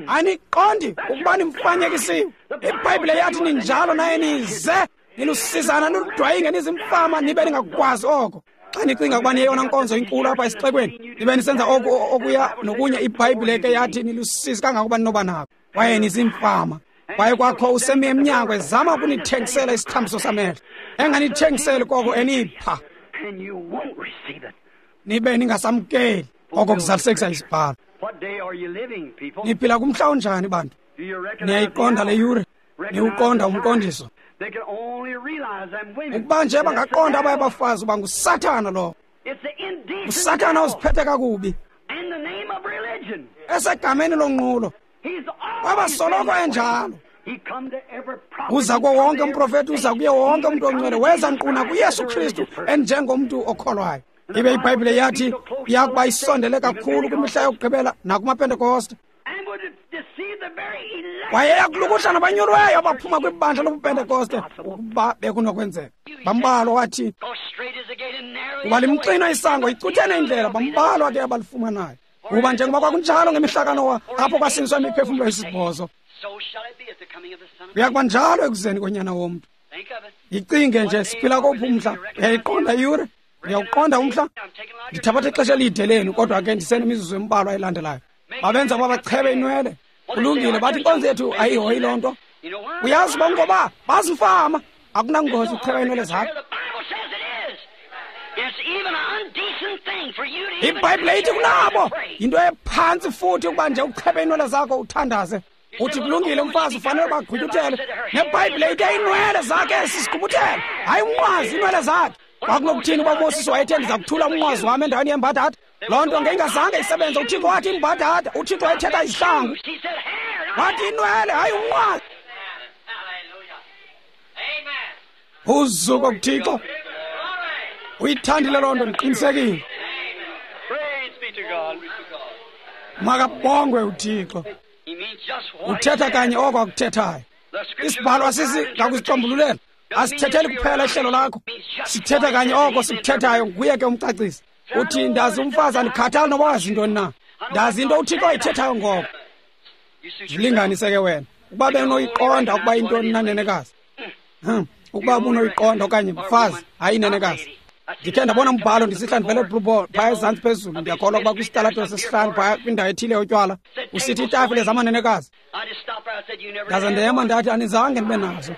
Aniqondi ukuba nimfanyekisiwe? IBhayibhile yathi ninjalo, naye nize nilusizana, niludwayinge, nizimfama, nibe ningakukwazi oko. Xa nicinga ukuba niyeyona nkonzo inkulu apha esixekweni, nibe nisenza oku okuya nokunye, iBhayibhile ke yathi nilusizi kangangokuba ninoba nako. Kwaye nizimfama. Kwaye kwakho usemi emnyango ezama ukunithengisela isithambiso samehlo. Enganithengiseli koko enipha. Nibe ningasamkeli oko kuzalisekisa isibhalo. Niphila kumhla onjani bantu? Niyayiqonda le yure? Niwuqonda umqondiso? Ukuba nje bangaqonda abaye bafazi uba nguSathana lo. USathana uziphethe kakubi. Esegameni lonqulo. Kwabasoloko enjalo. Uza kuwo wonke umprofeti, uza kuye wonke umntu ongcwele, weza nkquna kuYesu Kristu enjengomntu okholwayo. Ibe iBhayibhile yathi iyakuba isondele kakhulu kwimihla yokugqibela nakumaPentekoste. Kwaye eyakulukuhla nabanyulweyo abaphuma kwibandla lobuPentekoste ukuba bekunokwenzeka. Bambalwa wathi kuba limxinwa isango, icuthene indlela, bambalwa ke abalifumanayo. Kuba njengoba kwakunjalo ngemihla kaNowa apho kwasiniswa imiphefumlo esibhozo, kuyakuba njalo ekuzeni konyana womntu. Yicinge nje, siphila kophi umhla? Uyayiqonda iyure? Uyawuqonda umhla? Ndithabatha ixesha elide lenu, kodwa ke ndisenemizuzu embalwa elandelayo. Babenza uba bachebe inwele. Kulungile, bathi inkonzo yethu ayihoyi loo nto. Uyazi uba ngoba bazimfama, akunangozi ukucheba inwele zakho. IBhayibhile ithi kunabo yinto ephantsi futhi ukuba nje uchebe inwele zakho uthandaze. Uthi kulungile, umfazi ufanele uba agqutyuthele. NeBhayibhile ithe iinwele zakhe sisigqubuthele, hayi umnqwazi, iinwele zakhe. Kwakunokuthini uba uMoses wayethe ndiza kuthula umnqwazi wam endaweni yembadada? Loo nto ngeyingazange isebenze. UThixo wathi imbadada, uThixo wayethetha izihlangu. Wathi inwele, hayi umnqwazi. Uzuko kuThixo. Uyithandile loo nto, ndiqinisekile. Makabongwe uThixo. Uthetha kanye oko akuthethayo. Isibhalo asisi ngakusicombululela. Asithetheli kuphela ihlelo lakho. Sithetha kanye oko sikuthethayo, nguye ke umcacisi. Uthi ndazi umfazi, andikhathali noba wazi ntoni na. Ndazi into uThixo ayithethayo ngoko. Zilinganise ke wena. Ukuba benoyiqonda ukuba intoni na, nenekazi. Ukuba ubunoyiqonda okanye mfazi, hayi nenekazi. Ndikhe ndabona umbhalo ndisihla ndivele eBlue Ball phaya ezantsi phezulu, ndiyakholwa ukuba kwisitalato sesihlanu phaya kwindawo ethile yotywala, usithi iitafile zamanenekazi. Ndaze ndema ndathi anizange ndibe nazo.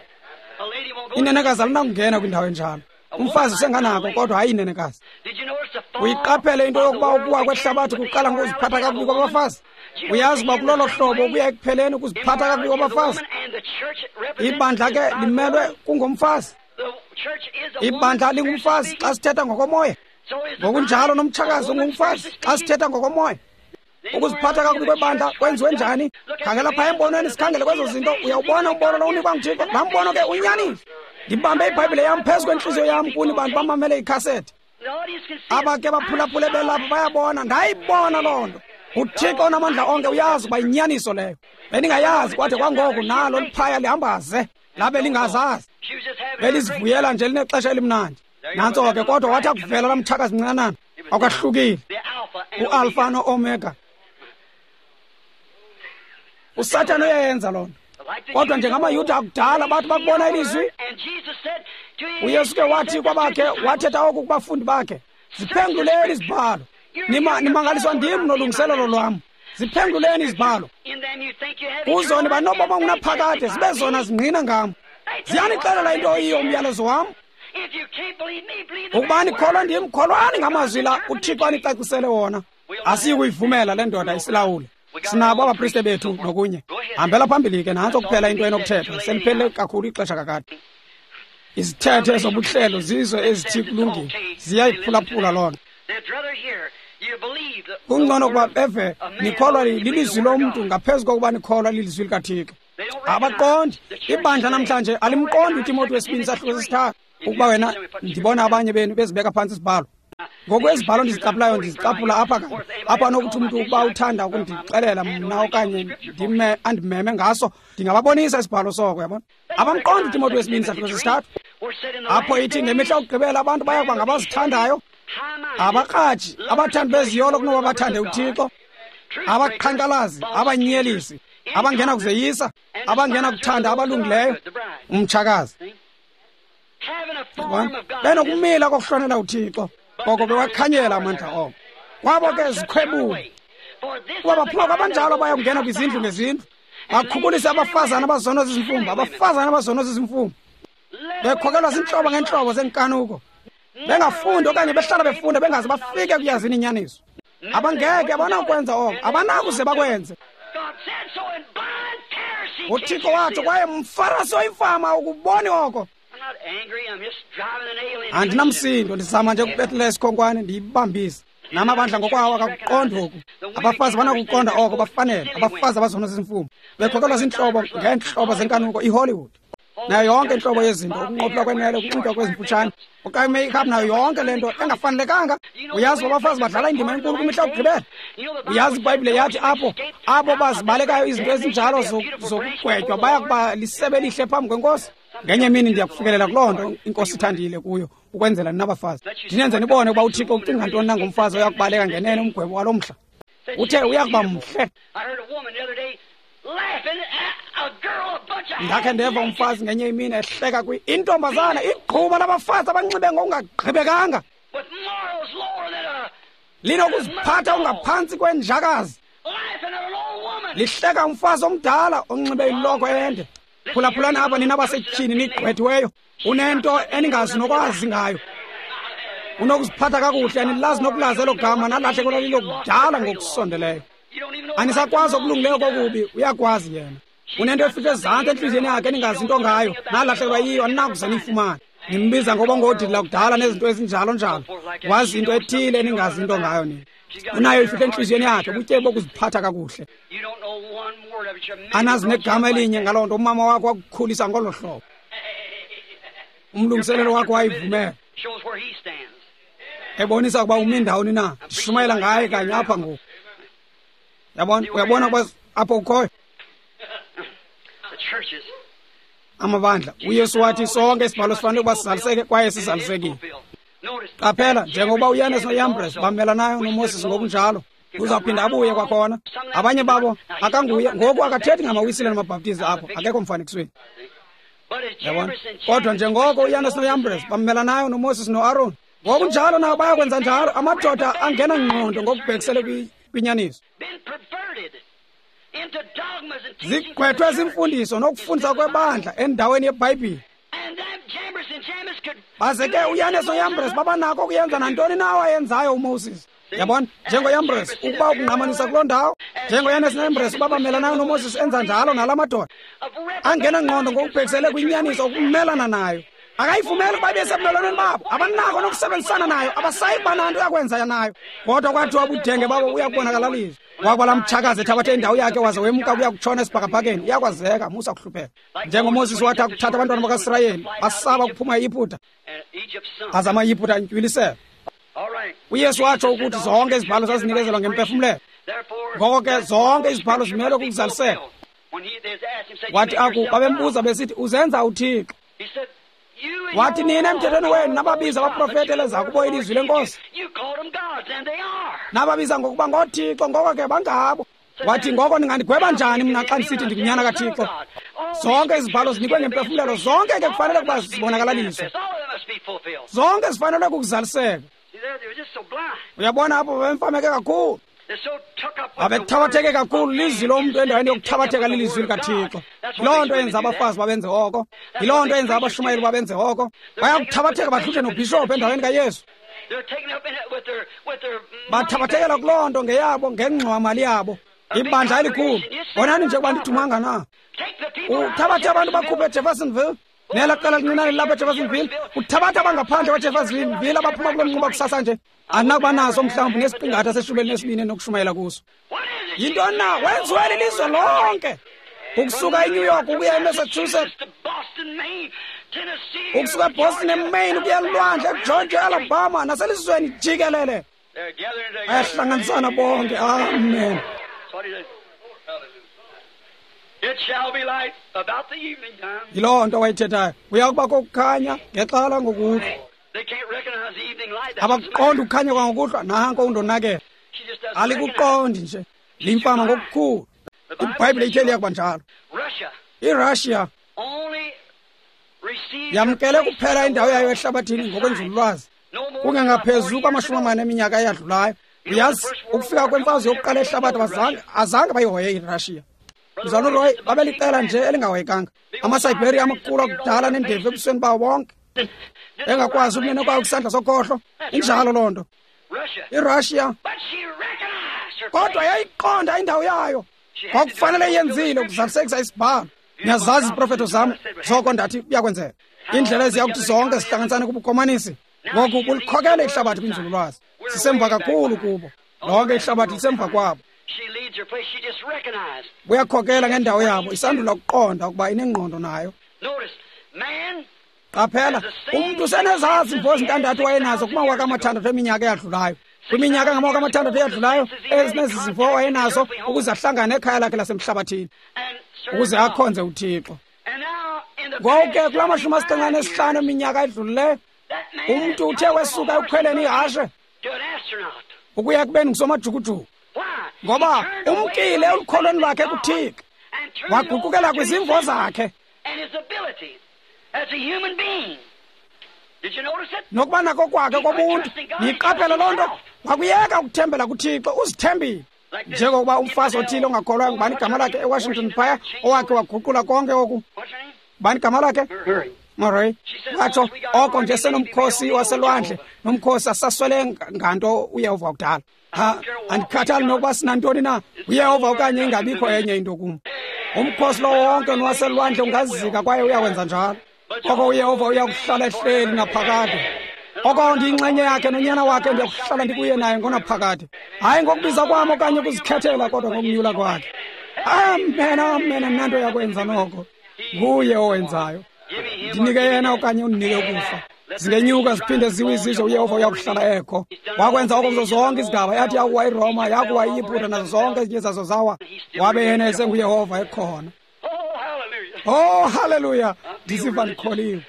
Inenekazi alinakungena kwindawo enjalo. Umfazi usenganako kodwa hayi inenekazi. Uyiqaphele into yokuba ukuwa kwehlabathi kuqala ngokuziphatha kakubi kwabafazi? Uyazi uba kulolo hlobo ukuya ekupheleni ukuziphatha kakubi kwabafazi? Ibandla ke limelwe kungomfazi. Ibandla lingumfazi xa sithetha ngokomoya. Ngokunjalo nomtshakazi ungumfazi xa sithetha ngokomoya. Ukuziphatha kakubi kwebandla kwenziwe njani? Khangela phaya embonweni, sikhangele kwezo zinto. Uyawubona umbono lo unikwa nguThixo. Laa mbono ke unyanile. Ndibambe iBhayibhile yam phezu kwentliziyo yam kuni bantu bamamele ikhasethi. Aba ke baphulaphule belapha bayabona, ndayibona loo nto. UThixo onamandla onke uyazi uba yinyaniso leyo. Bendingayazi kwade kwangoku nalo liphaya lihambaze. Labe lingazazi. Belizivuyela nje linexesha elimnandi. Nantso ke, kodwa wathi akuvela laa mtshakazi mncinanana, akwahlukile. UAlfa no-Omega. USathana uyayenza loo nto. Kodwa njengamaYuda akudala bathi bakubona ilizwi, uYesu ke wathi kwabakhe, wathetha oku kubafundi bakhe, ziphenguleni izibhalo. Nimangaliswa ndim nolungiselelo lwam. Ziphenguleni izibhalo. Kuzo niba nobomi obungunaphakade, zibe zona zingqina ngam. Ziyanixelela into oyiyo umyalezo wam. Ukuba nikholwa ndim, kholwani ngamazwi la uThixo anicacisele wona. Asiyi kuyivumela le ndoda isilawule. Sinabo abapriste bethu nokunye. Hambela phambili ke, nantso kuphela into enokuthethwa. Seliphelele kakhulu ixesha kakade. Izithethe zobuhlelo zizo ezithi kulungile, ziyayiphulaphula loo nto. Kungcono ukuba beve nikholwa lilizwi lomntu ngaphezu kokuba nikholwa lilizwi likaThixo. Abaqondi. Ibandla namhlanje alimqondi uTimoti wesibini sahluko sesithathu. Ukuba wena, ndibona abanye benu bezibeka phantsi isibhalo. Ngoku ezibhalo ndizicaphulayo ndizicaphula apha kanye. Apha nokuthi umntu ukuba uthanda ukundixelela mna okanye andimeme ngaso, ndingababonisa isibhalo soko, uyabona. Abamqondi uTimoti wesibini sahluko sesithathu. Apho ithi ngemihla yokugqibela abantu baya kuba ngabazithandayo, abakraji, abathandi beziyolo kunoba bathande uThixo, abaqhankqalazi, abanyelisi, abangena kuzeyisa, abangena kuthanda abalungileyo, umtshakazi. Benokumila kokuhlonela uThixo, koko bewakhanyela amandla oko. Kwabo ke zikhwebule. Kuba baphuma kwabanjalo bayakungena kwizindlu ngezindlu, Bakhukulise abafazana abazono zizimfumba, abafazana abazono zizimfumba, bekhokelwa zintlobo ngeentlobo zenkanuko, bengafundi okanye behlala befunda bengaze bafike kuyazini inyaniso. Abangeke, abanakwenza oko, abanakuze bakwenze. UThixo watsho, kwaye mfarasi oyimfama ukuboni oko. Andinamsindo, ndizama nje ukubethelesa isikhonkwane ndiyibambise. Namabandla ngokwawo akakuqondi oku. Abafazi banakuqonda oko, bafanele. Abafazi abazono zizimfumo, bekhokelwa zintlobo ngeentlobo zenkanuko, iHollywood nayo yonke intlobo yezinto, ukunqophula kwenwele, ukunxitywa kwezimfutshane, okanye make-up, nayo yonke le nto engafanelekanga. Uyazi uba abafazi badlala indima enkulu kwimihla yokugqibela. Uyazi iBhayibhile yathi apho bazibalekayo izinto ezinjalo zokugwetywa baya kuba lisebe elihle phambi kweNkosi. Ngenye imini ndiya kufikelela kuloo nto iNkosi ithandile kuyo, ukwenzela ninabafazi ndinenze nibone ukuba uThixo ucinga ntoni na ngomfazi oya kubaleka ngenene umgwebo walo mhla. Uthe uya kuba mhle. Ndakhe ndeva umfazi ngenye imini ehleka intombazana, igquba labafazi abanxibe ngokungagqibekanga, linokuziphatha ungaphantsi kwenjakazi, lihleka umfazi omdala onxibe iloko ende. Phulaphulani apha nina basetyhini nigqwethiweyo, unento eningazi nokwazi ngayo. Unokuziphatha kakuhle, anilazi nokulazi elo gama, nalahlekelwa lilo kudala ngokusondeleyo. Anisakwazi okulungileyo kokubi, uyakwazi yena. Unento efihle ezantsi entliziyweni yakhe eningazi into ngayo, nalahlekelwa yiyo, aninakuze niyifumane. Nimbiza ngoba ngodidi lakudala nezinto ezinjalo njalo. Wazi into ethile eningazi into ngayo nina. Unayo ifihle entliziyweni yakhe, ubutyebi bokuziphatha kakuhle. Anazi negama elinye ngaloo nto. Umama wakho wakukhulisa ngolo hlobo, umlungiselelo wakho wayivumela, ebonisa ukuba umi ndawoni na. Ndishumayela ngaye kanye apha ngoku. Yabona, uyabona ukuba apho ukhoyo amabandla. UYesu wathi sonke isibhalo sifanele ukuba sizaliseke, kwaye sizalisekile. Qaphela, njengokuba uYanes noYambres bamelanayo noMoses ngokunjalo, uzawuphinda abuye kwakhona. Abanye babo akanguye ngoku, akathethi ngamaWisile namaBhaptizi apho, akekho mfanekisweni. Yabona, kodwa njengoko uYanes noYambres bamelanayo noMoses noAron, ngokunjalo nabo bayakwenza njalo. Amadoda angena ngqondo ngokubhekisele kwinyaniso, zigqwethwe zimfundiso nokufundisa kwebandla endaweni yeBhayibhile. Baze ke uYanes noYambres babanako ukuyenza nantoni na awayenzayo uMoses. Yabona, njengoYambres ukuba ukungqamanisa kuloo ndawo, njengoYanes noYambres uba bamelanayo noMoses, enza njalo nala madoda angena ngqondo ngokubhekisele kwinyaniso, ukumelana nayo. Akayivumeli ukuba ibe sebumelwaneni babo, abanako nokusebenzisana nayo, abasayi kuba nanto yakwenza nayo. Kodwa kwathiwa ubudenge babo uyakubonakalaliswa. Wakwala mtshakazi ethabathe indawo yakhe waze wemka kuya kutshona esibhakabhakeni. Uyakwazeka, musa kuhlupheka. NjengoMoses wathi akuthatha abantwana bakaSirayeli, basaba ukuphuma eYiputa, aze amaYiputa antywilisela. UYesu watsho ukuthi zonke izibhalo zazinikezelwa ngempefumlelo. Ngoko ke zonke izibhalo zimelwe kukuzaliseka. Wathi aku babembuza besithi, uzenza uThixo. Wathi, nina emthethweni wenu nababiza abaprofeti eleza kubo ilizwi lenkosi, nababiza ngokuba ngoothixo, ngoko ke bangabo. Wathi, ngoko ningandigweba njani mna xa ndisithi ndingunyana kaThixo? Zonke izibhalo zinikwe ngempefumlelo, zonke ke kufanele ukuba zibonakalaliswe, zonke zifanele kukuzaliseka. Uyabona apho babemfameke kakhulu, babethabatheke kakhulu lizwi lomntu endaweni yokuthabatheka lilizwi likaThixo. Yiloo nto yenza abafazi babenze oko, yiloo nto yenza abashumayeli babenze oko. Bayakuthabatheka bahluthe nobhishophu endaweni kaYesu. Bathabathekela kuloo nto ngeyabo, ngengxowamali yabo. Ibandla elikhulu, bonani nje ukuba ndidumanga na. Uthabathe abantu bakhuphe eJeffersonville, nela qela lincinane lilapha eJeffersonville, uthabatha abangaphandle kwaJeffersonville abaphuma kulo mnquba kusasa nje, andinakuba naso mhlawumbi nesiqingatha seshumi elinesibini enokushumayela kuso. Yintoni na? Wenziwe lilizwe lonke, ukusuka eNew York ukuya eMassachusetts, ukusuka eBoston eMaine ukuya elwandle, eGeorgia, eAlabama, naselizweni jikelele. Bayahlanganisana bonke. Amen. Yiloo nto wayithethayo. Uya kuba kokukhanya ngexa langokuhlwa. Abakuqondi ukukhanya kwangokuhlwa, nanko undonakele. Alikuqondi nje, limfama ngokukhulu. IBhayibhile ithe liya kuba njalo. IRussia yamkele kuphela indawo yayo ehlabathini ngokwenzululwazi, kungengaphezu kwamashumi amane eminyaka eyadlulayo. Uyazi, ukufika kwemfazwe yokuqala ehlabathi azange bayihoye iRussia. Mzalwana uRoy, babeliqela nje elingahoyekanga. AmaSiberia amakhulu akudala nendevu ebusweni bawo bonke, engakwazi ukunene kwayo kwisandla sokhohlo. Injalo loo nto. IRussia, kodwa yayiqonda indawo yayo. Kwakufanele yenzile ukuzalisekisa isibhalo. Niyazazi iziprofeto zam zoko ndathi kuyakwenzeka. Indlela eziya kuthi zonke zihlanganisane kubukomanisi. Ngoku bulikhokele ihlabathi kwinzululwazi. Sisemva kakhulu kubo. Lonke ihlabathi lisemva kwabo. Buyakhokela ngendawo yabo, isandula ukuqonda ukuba inengqondo nayo. Qaphela, umntu usenezazi imvo ezintandathu wayenazo kumawaka amathandathu eminyaka eyadlulayo. Kwiminyaka engamawaka amathandathu eyadlulayo, ezinezi zimvo wayenazo ukuze ahlangane ekhaya lakhe lasemhlabathini, ukuze akhonze uThixo. Ngoku ke kula 75 eminyaka edlulileyo, umntu uthe wesuka ekukhweleni ihashe ukuya kubeni ngusomajukujuku, ngoba umkile elukholweni lwakhe kuThixo, waguqukela kwizimvo zakhe nokuba nako kwakhe kobuntu. Niyiqaphele loo nto, wakuyeka ukuthembela kuThixo, uzithembile. Njengokuba umfazi othile ongakholwayo, ngubani igama lakhe eWashington phaya, owakhe waguqula konke oku, ngubani igama lakhe? Murray. Watsho oko nje senomkhosi waselwandle nomkhosi asaswele nganto uYehova wakudala. Ha, andikhathali nokuba sinantoni na, uYehova okanye ingabikho enye into kum. Umkhosi lowo wonke nowaselwandle ungazika kwaye uyawenza njalo. Oko uYehova uyakuhlala ehleli naphakade. Oko ndiyinxenye yakhe nonyana wakhe, ndiyakuhlala ndikuye naye ngonaphakade. Hayi ngokubiza kwam okanye ukuzikhethela, kodwa ngokunyula kwakhe. Amen, amen, nanto yakwenza noko. Nguye owenzayo. Ndinike yena okanye undinike ukufa. Zingenyuka ziphinde ziwe izizwe, uYehova uyakuhlala ekho. Wakwenza oko kuzo zonke izigaba. Yathi yakuwa iRoma, yakuwa iYiputa, nazo zonke ezinye zazo zawa. Wabe yena esenguYehova ekhona. Oh, haleluya! Ndisiva ndikholiwe.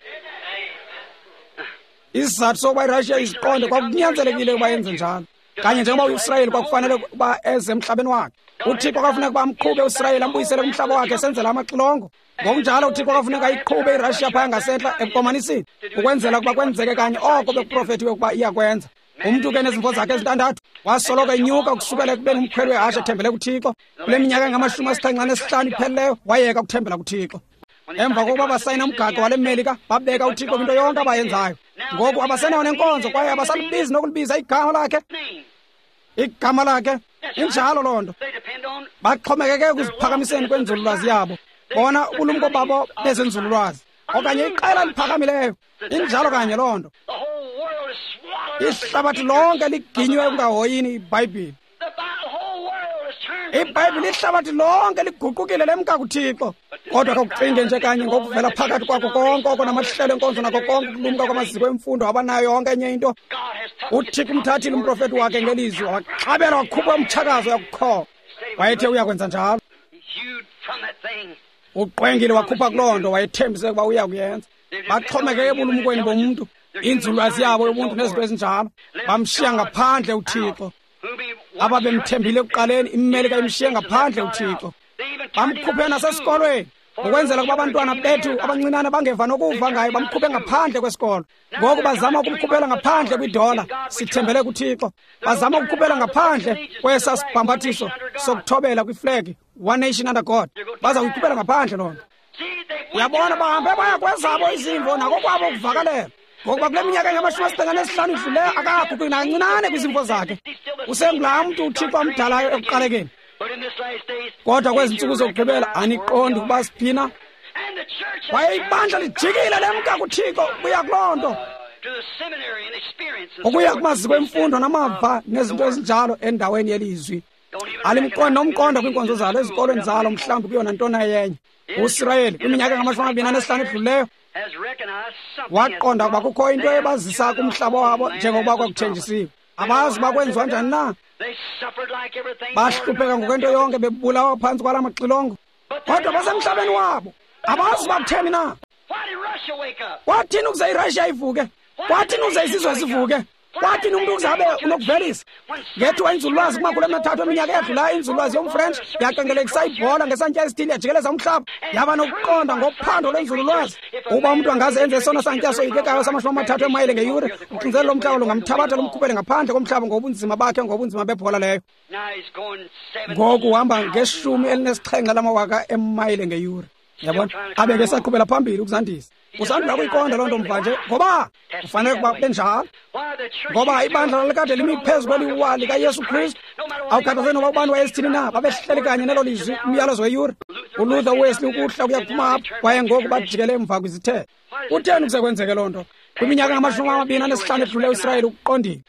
Isizathu sokuba iRussia iziqonde kwakunyanzelekile ukuba yenze njalo. Kanye njengoba uIsrayeli kwakufanele ukuba eze emhlabeni wakhe. uThixo kwafuneka ukuba amqhube uIsrayeli ambuyisele kumhlaba wakhe esenzela amaxilongo. Ngokunjalo uThixo kwafuneka ayiqhube iRussia phaya ngasentla ebukomanisini, ukwenzela ukuba kwenzeke kanye oko bekuprofethiwe ukuba iyakwenza. Umntu ke nezimvo zakhe ezintandathu wasoloko enyuka ukusukela ekubeni umkhweli wehashe ethembele kuThixo. Kule minyaka engama-75 iphelileyo wayeka ukuthembela kuThixo. Emva kokuba basayina umgaqo wale Melika, babeka uThixo kwinto yonke abayenzayo. Ngoku abasenayo nenkonzo kwaye abasalubizi nokulibiza igama lakhe. Igama lakhe. Injalo loo nto. Baxhomekeke ekuziphakamiseni kwenzululwazi yabo. Bona ubulumko babo bezenzululwazi okanye iqela liphakamileyo. Injalo kanye loo nto. Ihlabathi lonke liginywe ekungahoyini iBhayibhile. IBhayibhile ihlabathi lonke liguqukile lemka kuThixo. Kodwa khawucinge nje kanye ngokuvela phakathi kwakho konke oko namahlelo enkonzo nako konke ukulumka kwamaziko emfundo abanayo yonke enye into. uThixo umthathile umprofeti wakhe ngelizwi, waxabela wakhupha umtshakazo yakukhola. Wayethe uyakwenza njalo. Uqwengile wakhupha kuloo nto wayethembise ukuba uya kuyenza. Baxhomekeke ebulumkweni bomntu, inzululwazi yabo yobuntu nezinto ezinjalo. Bamshiya ngaphandle uThixo. Ababemthembile ekuqaleni, iMelika imshiye ngaphandle uThixo. Bamkhuphe nasesikolweni ukwenzela ukuba abantwana bethu abancinane bangeva nokuva ngayo, bamkhuphe ngaphandle kwesikolo. Ngoku bazama ukumkhuphela ngaphandle kwidola, sithembele kuThixo. Bazama ukukhuphela ngaphandle kwesa sibhambathiso sokuthobela kwiflegi, One Nation Under God. Baza kuyikhuphela ngaphandle loo nto. Uyabona, bahambe baya kwezabo izimvo nakokwabo ukuvakalela. Ngokuba kule minyaka engama-75 idluleyo akaguquki nakancinane kwizimvo zakhe. Usengulaa mntu uThixo amdalayo ekuqalekeni. Kodwa kwezi ntsuku zokugqibela aniqondi ukuba siphina. Kwaye ibandla lijikile lemka kuThixo ukuya kuloo nto, ukuya kumaziko emfundo namava nezinto ezinjalo endaweni yelizwi. Alimqondi nomqondo kwiinkonzo zalo, ezikolweni zalo, mhlawumbi kuyona ntona yenye. USirayeli kwiminyaka engama-25 edluleyo waqonda ukuba kukho into ebazisa kumhlaba wabo njengokuba kwakuthenjisiwe. Abazi uba kwenziwa njani na. Bahlupheka ngokwento yonke, bebulawa phantsi kwala maxilongo, kodwa basemhlabeni wabo. Abazi uba kutheni na. Kwathini ukuze iRussia ivuke? Kwathini ukuze isizwe sivuke? Kwathini umntu ukuze abe unokuvelisa? Ngethuba inzululwazi kumakhulu amathathu eminyaka eyadlulayo, inzululwazi yomFrench yaqengelekisa ibhola ngesantya esithile yajikeleza umhlaba, yaba nokuqonda ngophando lwenzululwazi ukuba umntu angaze enze esona santya soyikekayo sama-30 eemayile ngeyure, uxinzelelo lomhlaba lungamthabatha lumkhuphele ngaphandle komhlaba ngobunzima bakhe, ngobunzima bebhola leyo. Ngoku uhamba nge-17 lamawaka emayile ngeyure. Yabona, abe ke saqhubela phambili ukuzandisa. Usandula kuyiqonda loo nto mva nje, ngoba kufanele ukuba benjalo, ngoba ibandla lalikade limi phezu kweliwa likaYesu Kristu. Awukhathazeki noba ubani wayesithini na, babehleli kanye nelo lizwi, umyalezo weyure. ULuther, uWesley, ukuhla ukuya kuphuma apho, kwaye ngoku bajikele emva kwizithethe. Kutheni kuze kwenzeke loo nto? Kwiminyaka ngama-25 edluleyo uIsrayeli ukuqondile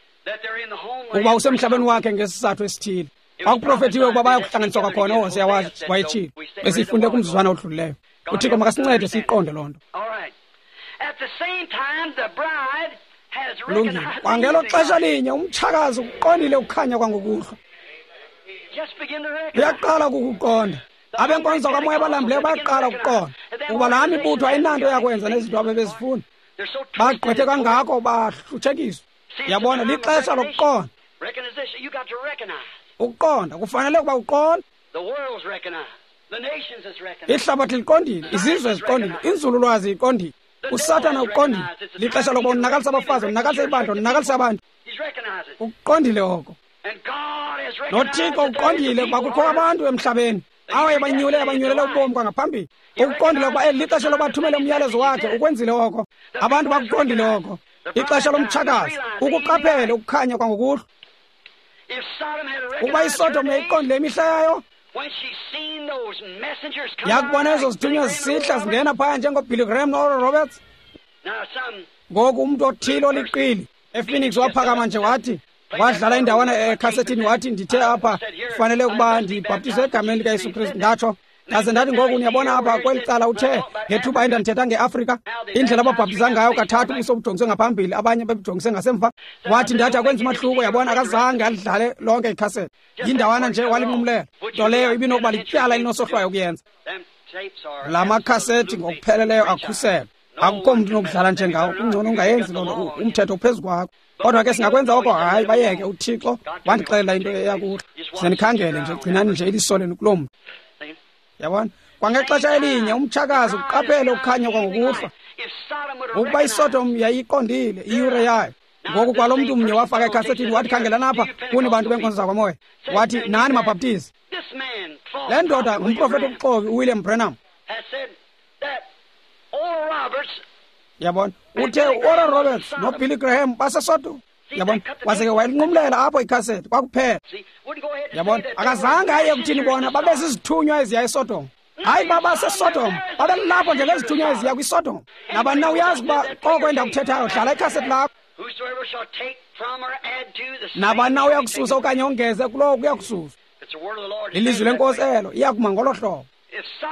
ukuba usemhlabeni wakhe ngesizathu esithile. Kwakuprofethiwe ukuba bayakuhlanganiswa kwakhona. UHosea wayetshilo, besiyifunde kumzuzwana odlulileyo. UThixo makasincede siyiqonde loo nto. Kulungile. Kwangelo xesha linye umtshakazi ukuqondile ukukhanya kwangokuhlwa. Uyaqala ukukuqonda. Abenkonzo kamoya abalambileyo bayaqala ukuqonda ukuba laa mibutho ayinanto yakwenza nezinto abebezifuna. Bagqwethe kangako bahlutshekiswa. Yabona, lixesha lokuqonda. Ukuqonda kufanele ukuba uqonde. Ihlabathi liqondile, izizwe ziqondile, inzululwazi iqondile, uSathana uqondile. Lixesha lokuba unakalisa abafazi, unakalisa ibandla, unakalisa abantu. Ukuqondile oko. NoThixo uqondile ukuba kukho abantu emhlabeni awaye banyule, abanyulela ubomi kwangaphambili. Ukuqondile ukuba eli lixesha lokuba athumele umyalezo wakhe, ukwenzile oko. Abantu bakuqondile oko. Ixesha lomtshakazi, ukuqaphele ukukhanya kwangokuhlwa. Ukuba iSodom yayiqondile imihla yayo, yakubona ezo zithunywa zisihla zingena phaya njengoBilly Graham no-Oral Roberts. Ngoku umntu othile oliqili ePhoenix waphakama nje wathi, wadlala indawana ekhasetini wathi, ndithe apha kufanele ukuba ndibhaptizwe egameni likaYesu Kristu. Ndatsho ndaze ndathi, ngoku niyabona apha kweli cala uthe ngethuba endandithetha ngeAfrika, indlela ababhaptiza ngayo kathathu ubuso bujongiswe ngaphambili, abanye bebujongise ngasemva. Wathi ndathi akwenza umahluko. Yabona, akazange alidlale lonke ikhasethi, yindawana nje walinqumlela. Nto leyo ibinokuba lityala elinosohlwayo ukuyenza. La makhasethi ngokupheleleyo akhuselwe, akukho mntu unokudlala njengawo. Kungcono ungayenzi loo nto, umthetho uphezu kwakho. Kodwa ke singakwenza oko? Hayi, bayeke. UThixo wandixelela into eyakuhle. Zenikhangele nje, gcinani nje iliso lenu kuloo mntu. Yabona, kwangexesha elinye umtshakazi ukuqaphele ukukhanya kwangokuhlwa. Ukuba iSodom yayiqondile iyure yayo. Ngoku kwalo mntu mnye wafaka ekhasethini wathi, khangelani apha kuni bantu benkonzo zakwamoya. Wathi, nani mabhaptizi. Le ndoda ngumprofethi obuxoki uWilliam Branham. Yabona, uthe uOral Roberts noBilly Graham baseSodom. Yabona, waze ke wayilinqumlela apho ikhasethi kwakuphela. Yabona, akazange aye kuthini bona babezizithunywa eziya eSodom. Hayi, babaseSodom, babelapho njengezithunywa eziya kwiSodom. Nabani na uyazi ukuba koko endakuthethayo, dlala ikhasethi lakho. Nabani na uyakususa okanye ongeze kulowo kuyakususwa. Lilizwi lenkosi elo, iyakuma ngolo hlobo.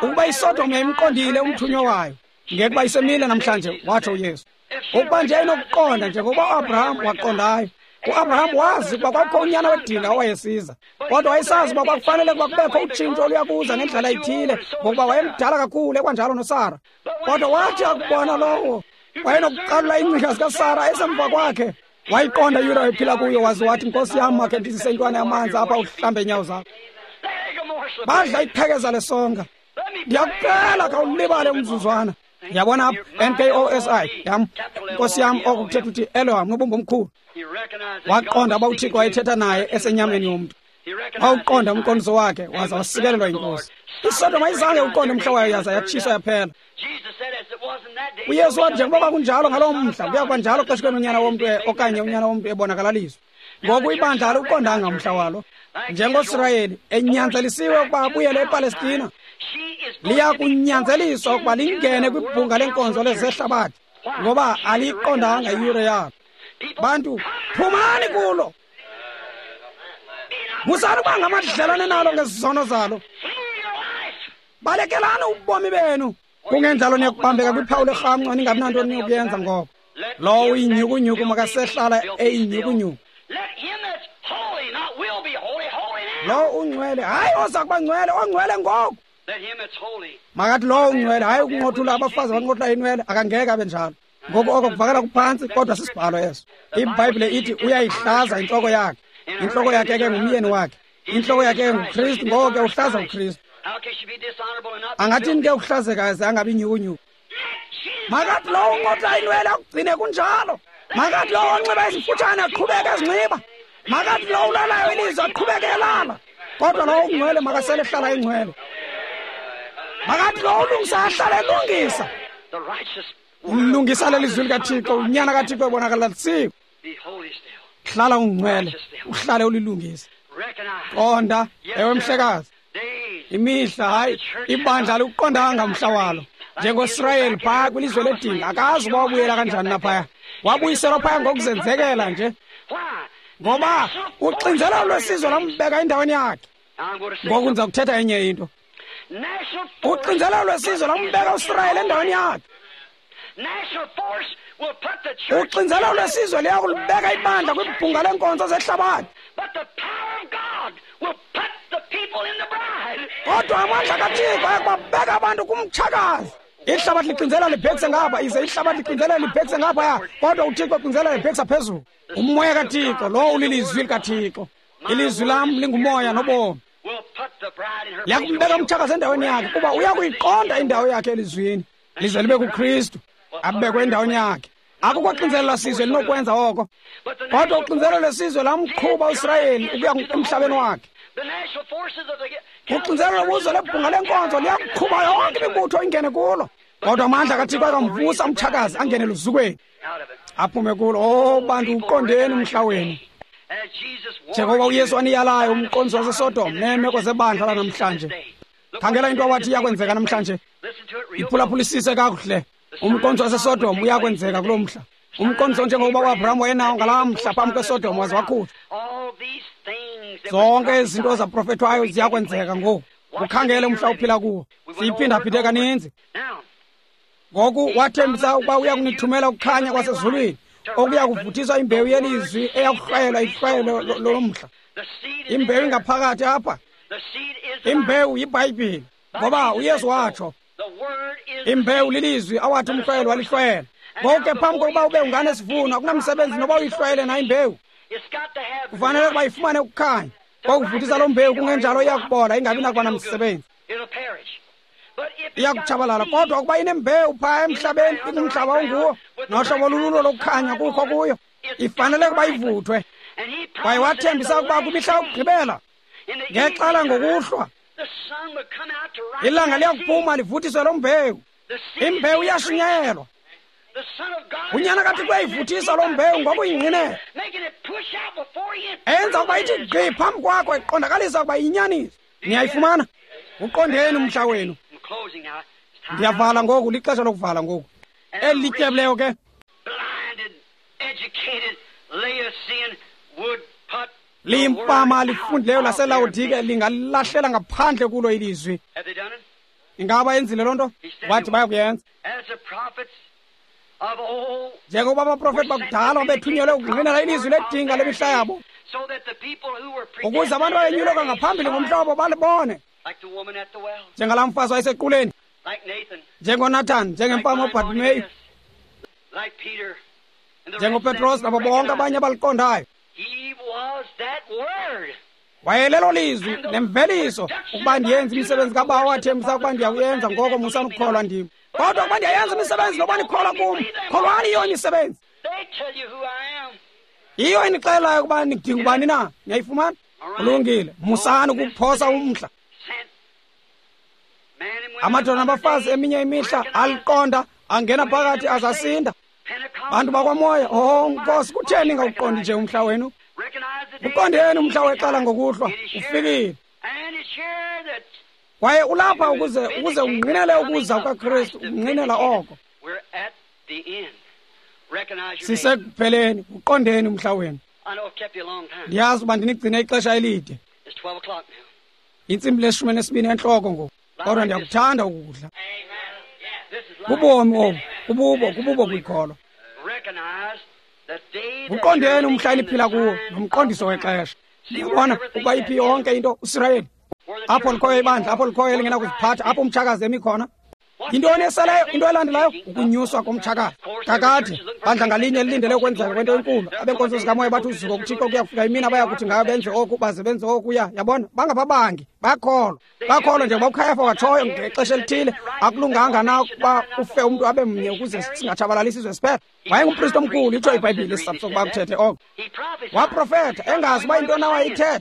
Ukuba iSodom yayimqondile umthunywa wayo, ngekuba isemile namhlanje, watsho uYesu. Ukuba nje inokuqonda njengokuba uAbraham waqondayo. UAbraham wazi ukuba kwakukho unyana wedinga owayesiza, kodwa wayesazi ukuba kwakufanele ukuba kubekho utshintsho oluyakuza ngendlela ethile, ngokuba wayemdala kakhulu, ekwanjalo noSara. Kodwa wathi akubona lowo wayenokuqalula iingcinga zikaSara esemva kwakhe, wayiqonda iyure wayephila kuyo, waze wathi, Nkosi yam, makhe ndizise intwana yamanzi apha uhlambe iinyawo zakho. Badla iqhekeza lesonka. Ndiyakucela khawulibale umzuzwana. Yabona apha, Nkosi yam, Nkosi yam, oko kuthetha uthi Elohim, nobumba omkhulu. Waqonda uba uThixo wayethetha naye esenyameni yomntu. Wawuqonda umqondiso wakhe, waza wasikelelwa yinkosi. ISodom ayizange uqonde umhla wayo, yaza yatshiswa yaphela. UYesu wathi, njengoba kwakunjalo ngaloo mhla, kuya kuba njalo xeshikweni unyana womntu okanye unyana womntu ebonakalaliswa. Ngoku ibandla aliwuqondanga umhla walo. NjengoSirayeli enyanzelisiwe ukuba abuyele ePalestina, liya kunyanzeliswa ukuba lingene kwibhunga lenkonzo lezehlabathi, ngoba aliyiqondanga iyure yalo. Bantu, phumani kulo. Musani ukuba ngamadlelane nalo ngezizono zalo. Balekelani ubomi benu. Kungenjalo niyakubambeka kwiphawu lerhamncwa, ningabi nanto niyokuyenza ngoko. Lowo uyinyhukunyhuku makasehlala eyinyhukunyhuku. Lowo ungcwele, hayi oza kuba ngcwele, ongcwele ngoku. Makathi lowo ungcwele, hayi ukunqothula abafazi abanqothula inwele, akangeke abe njalo. Ngoku oko kuvakala kuphantsi, kodwa sisibhalo eso. IBhayibhile ithi uyayihlaza intloko yakhe. Intloko yakhe ke ngumyeni wakhe. Intloko yakhe nguKristu, ngoko ke uhlaza uKristu. Angathini ke ukuhlazeka ze angabi nyukunyuku? Makathi lowo unqotla inwele akugcine kunjalo. Makathi lowo onxiba izifutshane aqhubeke ezinxiba. Makathi lowo ulalayo ilizwi aqhubeke elala. Kodwa lowo ungcwele makasele ehlala engcwele. Makathi lowo ulungisa ahlale elungisa. Umlungisa lelizwi likaThixo, unyana kaThixo ebonakalisiwe. Hlala ungcwele, uhlale ulilungisa. Qonda, ewe mhlekazi. Imihla, hayi, ibandla alikuqondanga umhla walo. NjengoSirayeli phaya kwilizwe ledinga, akazi uba wabuyela kanjani naphaya. Wabuyiselwa phaya ngokuzenzekela nje. Ngoba uxinzelelo lwesizwe lambeka endaweni yakhe. Ngoku ndiza kuthetha enye into. Uxinzelelo lwesizwe lambeka uSirayeli endaweni yakhe. Uxinzelelo lwesizwe liya kulibeka ibandla kwibhunga leenkonzo zehlabathi. Kodwa amandla kaThixo ayakubabeka abantu kumtshakazi. Ihlabathi lixinzelela libhekise ngapha, ize ihlabathi lixinzelela libhekise ngaphaya, kodwa uThixo uxinzelela libhekisa phezulu. Umoya kaThixo lowo ulilizwi likaThixo. Ilizwi lam lingumoya nobomi. Liyakumbeka umtshakazi endaweni yakhe, kuba uyakuyiqonda indawo yakhe elizwini. Lize libe kuKristu, abekwe endaweni yakhe. Akukho xinzelelo lwesizwe linokwenza oko. Kodwa uxinzelelo lwesizwe lamqhuba uSirayeli ukuya emhlabeni wakhe. Uxinzelelo lobuzwe lebhunga lenkonzo liyakuqhuba yonke imibutho ingene kulo. Kodwa amandla kaThixo akamvusa umtshakazi angene luzukweni, aphume kulo. Oh bantu, uqondeni umhla wenu. Njengoba uYesu aniyalayo umqondiso waseSodom neemeko zebandla lanamhlanje. Khangela into awathi iyakwenzeka namhlanje. Iphulaphulisise kakuhle. Umqondiso waseSodom uyakwenzeka kulo mhla. Umqondiso njengokuba uAbraham wayenawo ngalaa mhla phambi kweSodom waze wakhutshwa. Zonke izinto zaprofethwayo ziyakwenzeka ngoku. Ukhangele umhla uphila kuwo. Siyiphindaphinde kaninzi. Ngoku wathembisa ukuba uya kunithumela ukukhanya kwasezulwini, okuya kuvuthiswa imbewu yelizwi eyakuhlwayelwa ihlwayelo lo mhla. Imbewu ingaphakathi apha. Imbewu yiBhayibhile, ngoba uYesu watsho. Imbewu lilizwi awathi umhlwayelo walihlwayela. Ngoku ke phambi kokuba ube unganesivuno, akunamsebenzi noba uyihlwayele na imbewu. Kufanele ukuba ifumane ukukhanya. Kokuvuthisa loo mbewu, kungenjalo iyakubola ingabi nakuba namsebenzi. Iyakutshabalala. Kodwa ukuba inembewu phaa emhlabeni, ikumhlaba onguwo, nohlobo lululo lokukhanya kukho kuyo, ifanele ukuba ivuthwe. Kwaye wathembisa ukuba kwimihla yokugqibela, ngexala ngokuhlwa, ilanga liyakuphuma livuthiswe loo mbewu. Imbewu iyashunyayelwa. Unyana kaThixo uyayivuthisa loo mbewu ngokuyingqinela, enza ukuba ithi gqi phambi kwakho, iqondakalisa ukuba iyinyaniso. Niyayifumana? Uqondeni umhla wenu. Ndiyavala ngoku, lixesha lokuvala ngoku. Eli lityebileyo ke liyimpama lifundileyo laseLawodike lingalahlela ngaphandle kulo ilizwi. Ingaba yenzile loo nto? Wathi bayakuyenza. Njengokuba abaprofeti bakudala babethunyelwe ukungqinela ilizwi ledinga lemihla yabo, ukuze abantu abayenyuleka ngaphambili ngomhlobo balibone, njengalaa mfazi wayesequleni, njengoNathan, njengempama uBartimeyu, njengoPetros nabo bonke abanye abaliqondayo. Wayelelo lizwi nemveliso ukuba ndiyenze imisebenzi kaBawo wathembisa ukuba ndiyakuyenza, ngoko musani ukukholwa ndim. Kodwa ukuba ndiyayenza imisebenzi noba nikholwa kum, kholwani yiyo imisebenzi. Yiyo enixelayo ukuba nidinga ubani na. Niyayifumana? Kulungile. Musani ukuphosa umhla. Amadoda nabafazi eminye imihla aliqonda, angena phakathi azasinda. Bantu bakwamoya, oh Nkosi, kutheni ningawuqondi nje umhla wenu? Uqondeni umhla wexala ngokuhlwa, ufikile. Kwaye ulapha ukuze ungqinele ukuza kukaKristu, ungqinela oko. Sisekupheleni, uqondeni umhla wenu. Ndiyazi uba ndinigcine ixesha elide. Intsimbi le-12 entloko ngoku, kodwa ndiyakuthanda ukudla. Kubomi obu, kububo kwikholwa. Uqondeni umhla eniphila kuwo nomqondiso wexesha. Ndiyabona ukuba iphi yonke into uSirayeli. Apho likhoyo ibandla, apho likhoyo elingenakuziphatha, apho umtshakazi emi khona. Yintoni eseleyo? Into elandelayo, ukunyuswa komtshakazi. Kakade, bandla ngalinye lilindele ukwenzeka kwento enkulu. Abenkonzo zikamoya bathi uzuko kuThixo kuyafika imini abayakuthi ngayo benze oku, baze benze okuya. Yabona, bangababangi, bayakholwa. Bayakholwa njengoba uKhayafa watshoyo ngexesha elithile, akulunganga na ukuba ufe umntu abe mnye ukuze singatshabalalisi isizwe siphela. Wayengumpristi omkhulu, itsho iBhayibhile isizathu sokuba kuthethe oko. Waprofetha engazi uba yintoni awayithetha.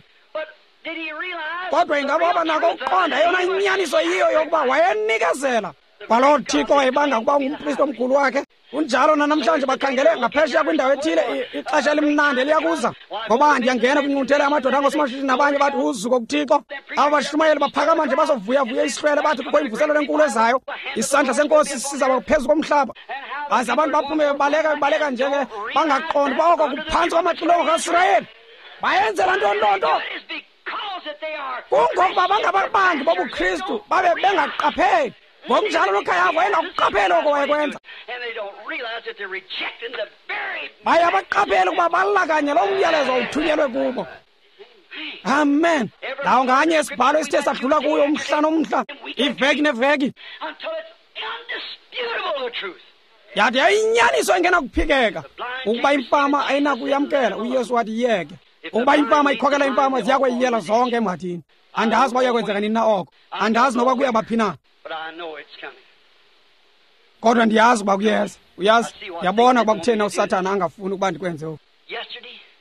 Kodwa ingaba wabanako ukuqonda eyona inyaniso yiyo yokuba wayenikezela kwaloo Thixo wayebanga ukuba ungumpristi omkhulu wakhe. Kunjalo nanamhlanje, bakhangele ngaphesheya kwindawo ethile, ixesha elimnandi eliyakuza. Ngoba ndiyangena kwinqunthela yamadoda angosomashishini nabanye bathi uzuko kuThixo. Aba bashumayeli baphakama nje bazovuyavuya isihlwele bathi kukho imvuselelo enkulu ezayo. Isandla senkosi sizaba phezu komhlaba. Baze abantu baphume bebaleka bebaleka nje ke bangaqondi uba oko kuphantsi kwamaxilongo kaSirayeli. Bayenzela ntoni loo nto? Kungokuba bangababangi bobuKristu babe bengaqapheli. Ngokunjalo noKhayafa wayengakuqapheli oko wayekwenza. Baye abaqapheli ukuba balakanye loo myalezo uthunyelwe kubo. Amen. Ndawo nganye isibhalo esithe sadlula kuyo umhla nomhla, iveki neveki, yathi yayinyaniso engenakuphikeka ukuba imfama ayinakuyamkela. uYesu wathi yeke. Ukuba imfama ikhokela imfama, ziyakweyiyela zonke emhathini. Andazi uba kuyakwenzeka nini na oko, andazi noba kuyabaphi na, kodwa ndiyazi uba kuyeza. Uyazi, ndiyabona ukuba kutheni uSathana angafuni ukuba ndikwenze oku.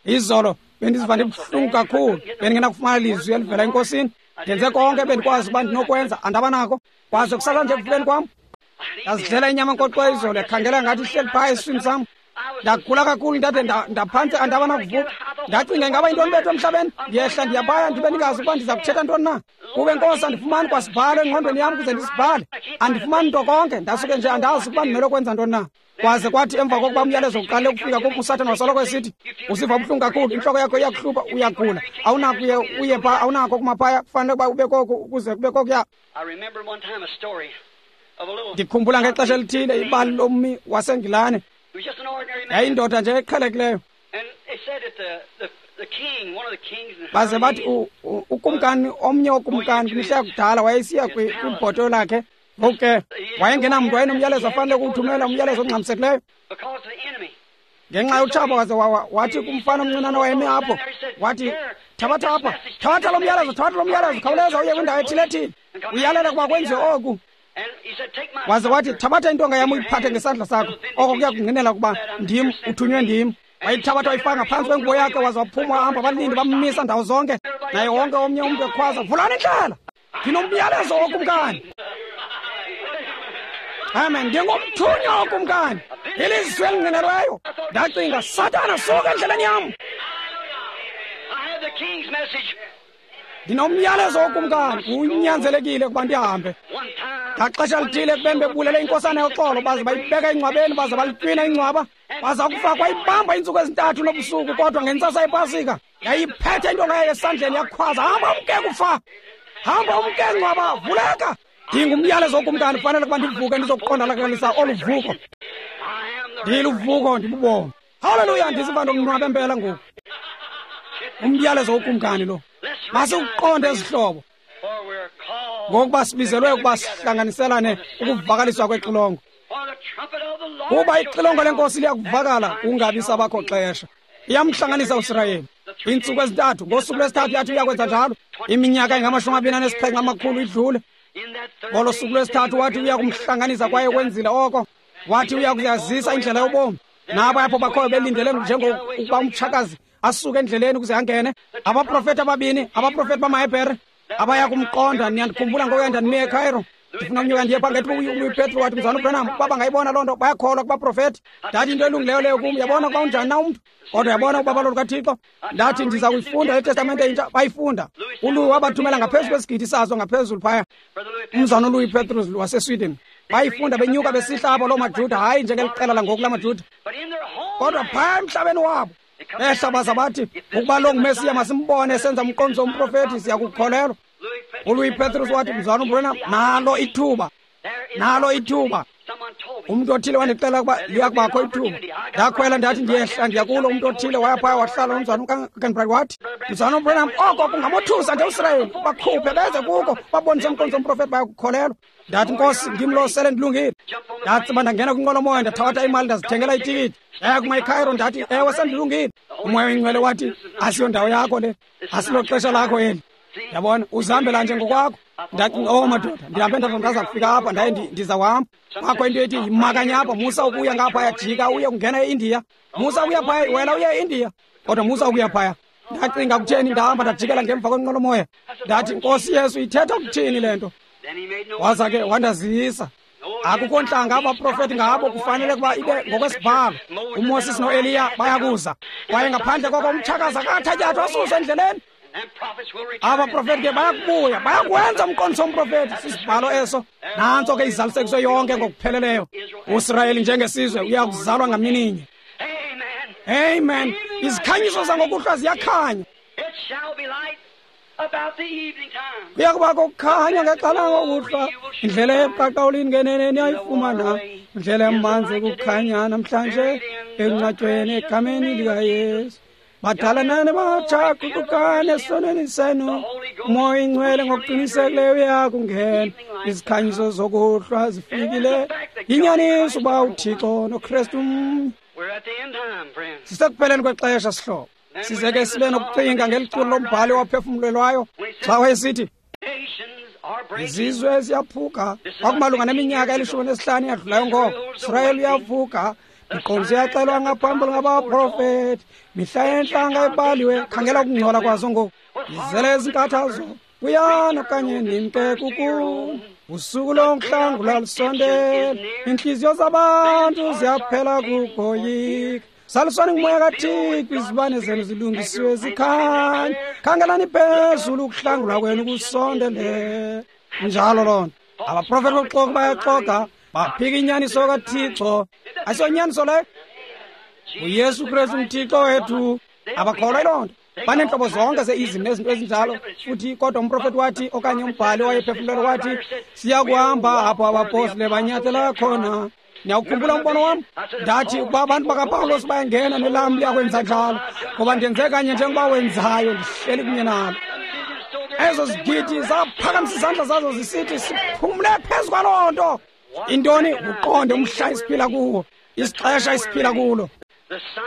Izolo bendiziva ndibuhlungu kakhulu, bendingenakufumana lizwi elivela enkosini. Ndenze konke ebendikwazi uba ndinokwenza, andabanako. Kwaze kusasa nje ekuvukeni kwam, ndazidlela inyama enkoxo izolo, yakhangela ngathi ihleli phaa esiswini sam. Ndagula kakhulu ndade ndaphantse andabanakuvuka. Ndacinga ingaba yintoni bethu emhlabeni. Ndiyehla ndiyabaya ndibe ndingazi ukuba ndiza kuthetha ntoni na. Kube nkosi andifumani kwasibhalo engqondweni yam ukuze ndisibhale. Andifumani nto konke, ndasuke nje andazi ukuba ndimele ukwenza ntoni na. Kwaze kwathi emva kokuba umyalezo uqale ukufika kum, uSathana wasoloko esithi, usiva buhlungu kakhulu, intloko yakho iyakuhlupha, uyagula, awunako uye uye phaa, awunako kumaphaya, kufanele ukuba ube koku ukuze kube kokuya. Ndikhumbula ngexesha elithile ibali lommi waseNgilane. Yayindoda nje eqhelekileyo. Baze bathi ukumkani, omnye wokumkani kwimihla yakudala, wayesiya kwibhoto lakhe. Ngoku ke wayengenamntu, wayenomyalezo afanele ukuwuthumela, umyalezo ongxamisekileyo ngenxa yotshaba. Waze wathi kumfana omncinane wayemi apho, wathi, thabatha apha, thabatha lo myalezo, thabatha lo myalezo, khawuleza uye kwindawo ethile ethile, uyalele ukuba kwenziwe oku. Waze wathi, thabatha intonga yam uyiphathe ngesandla sakho, oko kuya kungqinela ukuba ndim, uthunywe ndim. Wayithabatha wayifaka ngaphantsi kwengubo yakhe, waze waphuma wahamba. Abalindi bammisa ndawo zonke, naye wonke omnye umntu ekhwaza, vulani indlela, ndinomyalezo wokumkani. Amen, ndingumthunywa wokumkani, ilizwi elingqinelweyo. Ndacinga, Sathana, suka endleleni yam. Ndinomyalezo wokumkani, unyanzelekile ukuba ndihambe. Ngaxesha lithile ekubeni bebulele inkosana yoxolo, baze bayibeka engcwabeni, baze balitywina ingcwaba, baza kufa kwayibamba iintsuku ezintathu nobusuku. Kodwa ngentsasa yepasika yayiphethe intonga yayo esandleni, yakhwaza, hamba umke kufa, hamba umke ngcwaba, vuleka. Ndingumyalezo wokumkani, kufanele ukuba ndivuke ndizokuqondalakalisa olu vuko. Ndiluvuko, ndibubomi. Haleluya, ndiziva ndonwabe mpela ngoku. Umyalezo wokumkani lo. Masiwuqonde ezihlobo, ngokuba sibizelwe ukuba sihlanganiselane ukuvakaliswa kwexilongo. Kuba ixilongo lenkosi liyakuvakala kungabi sabakho xesha. Iyamhlanganisa uSirayeli. Iintsuku ezintathu, ngosuku lwesithathu yathi uyakwenza njalo. Iminyaka engama-27 idlule. Ngolo suku lwesithathu wathi uyakumhlanganisa, kwaye kwenzile oko. Wathi uyakuyazisa indlela yobomi. Nabo apho bakhoyo belindele njengokuba umtshakazi asuke endleleni ukuze angene. Abaprofeti ababini, abaprofeti bamaHebhere abaya kumqonda. Niyandikhumbula ngokuya ndandime eCairo, ndifuna unyuka ndiye phaa ngethuba uLouis Petro wathi, mzalwana uBranham, ukuba bangayibona loo nto, bayakholwa kubaprofeti. Ndathi into elungileyo leyo kum, yabona ukuba unjani na umntu, kodwa yabona ubabalo lukaThixo. Ndathi ndiza kuyifunda iTestamente entsha, bayifunda. ULouis wabathumela ngaphezu kwesigidi sazo ngaphezulu phaya, umzalwana uLouis Petrus waseSweden. Bayifunda benyuka besihla apho loo maJuda, hayi njengeliqela langoku lamaJuda, kodwa phaya emhlabeni wabo behla baza bathi, ukuba lo nguMesiya masimbone esenza umqondiso womprofethi, siyakukholelwa. ULouis Petrus wathi, mzalwana uBranham, nalo ithuba, nalo ithuba. Umntu othile wandixela ukuba liyakubakho ithuba. Ndakhwela ndathi ndiyehla ndiya kulo. Umntu othile waya phaya wahlala umzana uKenbright wathi, "Mzana uBranham, oko kungamothusa nje uSirayeli, bakhuphe beze kuko, babonise umqondiso womprofeti, bayakukholelwa." Ndathi, "Nkosi, ndim lo, sele ndilungile." Ndatsiba ndangena kwinqwelomoya, ndathabatha imali, ndazithengela itikiti. Ndaya kuma eCairo, ndathi, "Ewe, sendilungile." Umoya oyingcwele wathi, "Asiyondawo yakho le, asilo xesha lakho eli. Yabona, uzihambela nje ngokwakho." Ndacinga, "Oh madoda, ndihambe ndaza ndaza kufika apha, ndaye ndizawuhamba. Kwakho into ethi yimakanye apha, musa ukuya ngaphaya, jika uye kungena eIndiya. Musa ukuya phaya, wena uye eIndiya, kodwa musa ukuya phaya." Ndacinga, kutheni, ndahamba ndajikela ngemva kwenqwelomoya. Ndathi, "Nkosi Yesu, ithetha kuthini le nto?" Waza ke wandazisa. Akukho ntlanga abaprofeti ngabo kufanele ukuba ibe ngokwesibhalo. UMoses noEliya bayakuza. Kwaye ngaphandle koko umtshakazi akathatyathwa asuswe endleleni. Abaprofeti ke bayakubuya, bayakuwenza umqondiso womprofeti. Sisibhalo eso. Nantso ke izalisekiswe yonke ngokupheleleyo. USirayeli njengesizwe uyakuzalwa ngamininye. Amen. Izikhanyiso zangokuhlwa ziyakhanya. Kuya kubakho ukukhanya ngexesha langokuhlwa. Indlela ebuqaqawulini ngenene niyayifumana. Indlela emanzi kukhanya namhlanje ekunqatshweni egameni likaYesu. Badala nani batsha, guqukani esonweni senu. Umoya oyingcwele ngokuqinisekileyo uyakungena. Izikhanyiso zokuhlwa zifikile. Yinyaniso uba uThixo noKristu mnye. Sisekupheleni kwexesha, sihlobo. Size ke sibe nokucinga ngeliculo lombhali owaphefumlelwayo xa wayesithi, "Izizwe ziyaphuka." Kwakumalunga neminyaka 15 yadlulayo ngoko. Israyeli uyavuka. Iqondiso iyaxelwa ngaphambili ngabaprofeti. Mihla yentlanga ibaliwe. Khangela ukungcola kwazo ngoku. Izele ezinkathazo. Buyani okanye nimke kukuni. Usuku lokuhlangula lusondele. Iintliziyo zabantu ziyaphela kukoyika. Zaliswani ngumoya kaThixo, izibane zenu zilungisiwe zikhanya. Khangelani phezulu, ukuhlangulwa kwenu kusondele. Njalo loo nto. Abaprofeti bobuxoki bayaxoka, baphika inyaniso kaThixo. Ayisonyaniso leyo. UYesu Kristu nguThixo wethu. Abakholwa yiloo nto. Baneentlobo zonke zeizim nezinto ezinjalo. Futhi kodwa umprofeti wathi, okanye umbhali owayephefumlelwe wathi, "Siya kuhamba apho abapostile banyathela khona." Niyawukhumbula umbono wam? Ndathi ukuba abantu bakaPawulos bayangena, nelam liyakwenza njalo, ngoba ndenze kanye njengoba wenzayo, ndihleli kunye nalo. Ezo zigidi zaphakamisa izandla zazo zisithi, "Siphumle phezu kwaloo nto." Intoni? Uqonde umhla esiphila kuwo, isixesha esiphila kulo,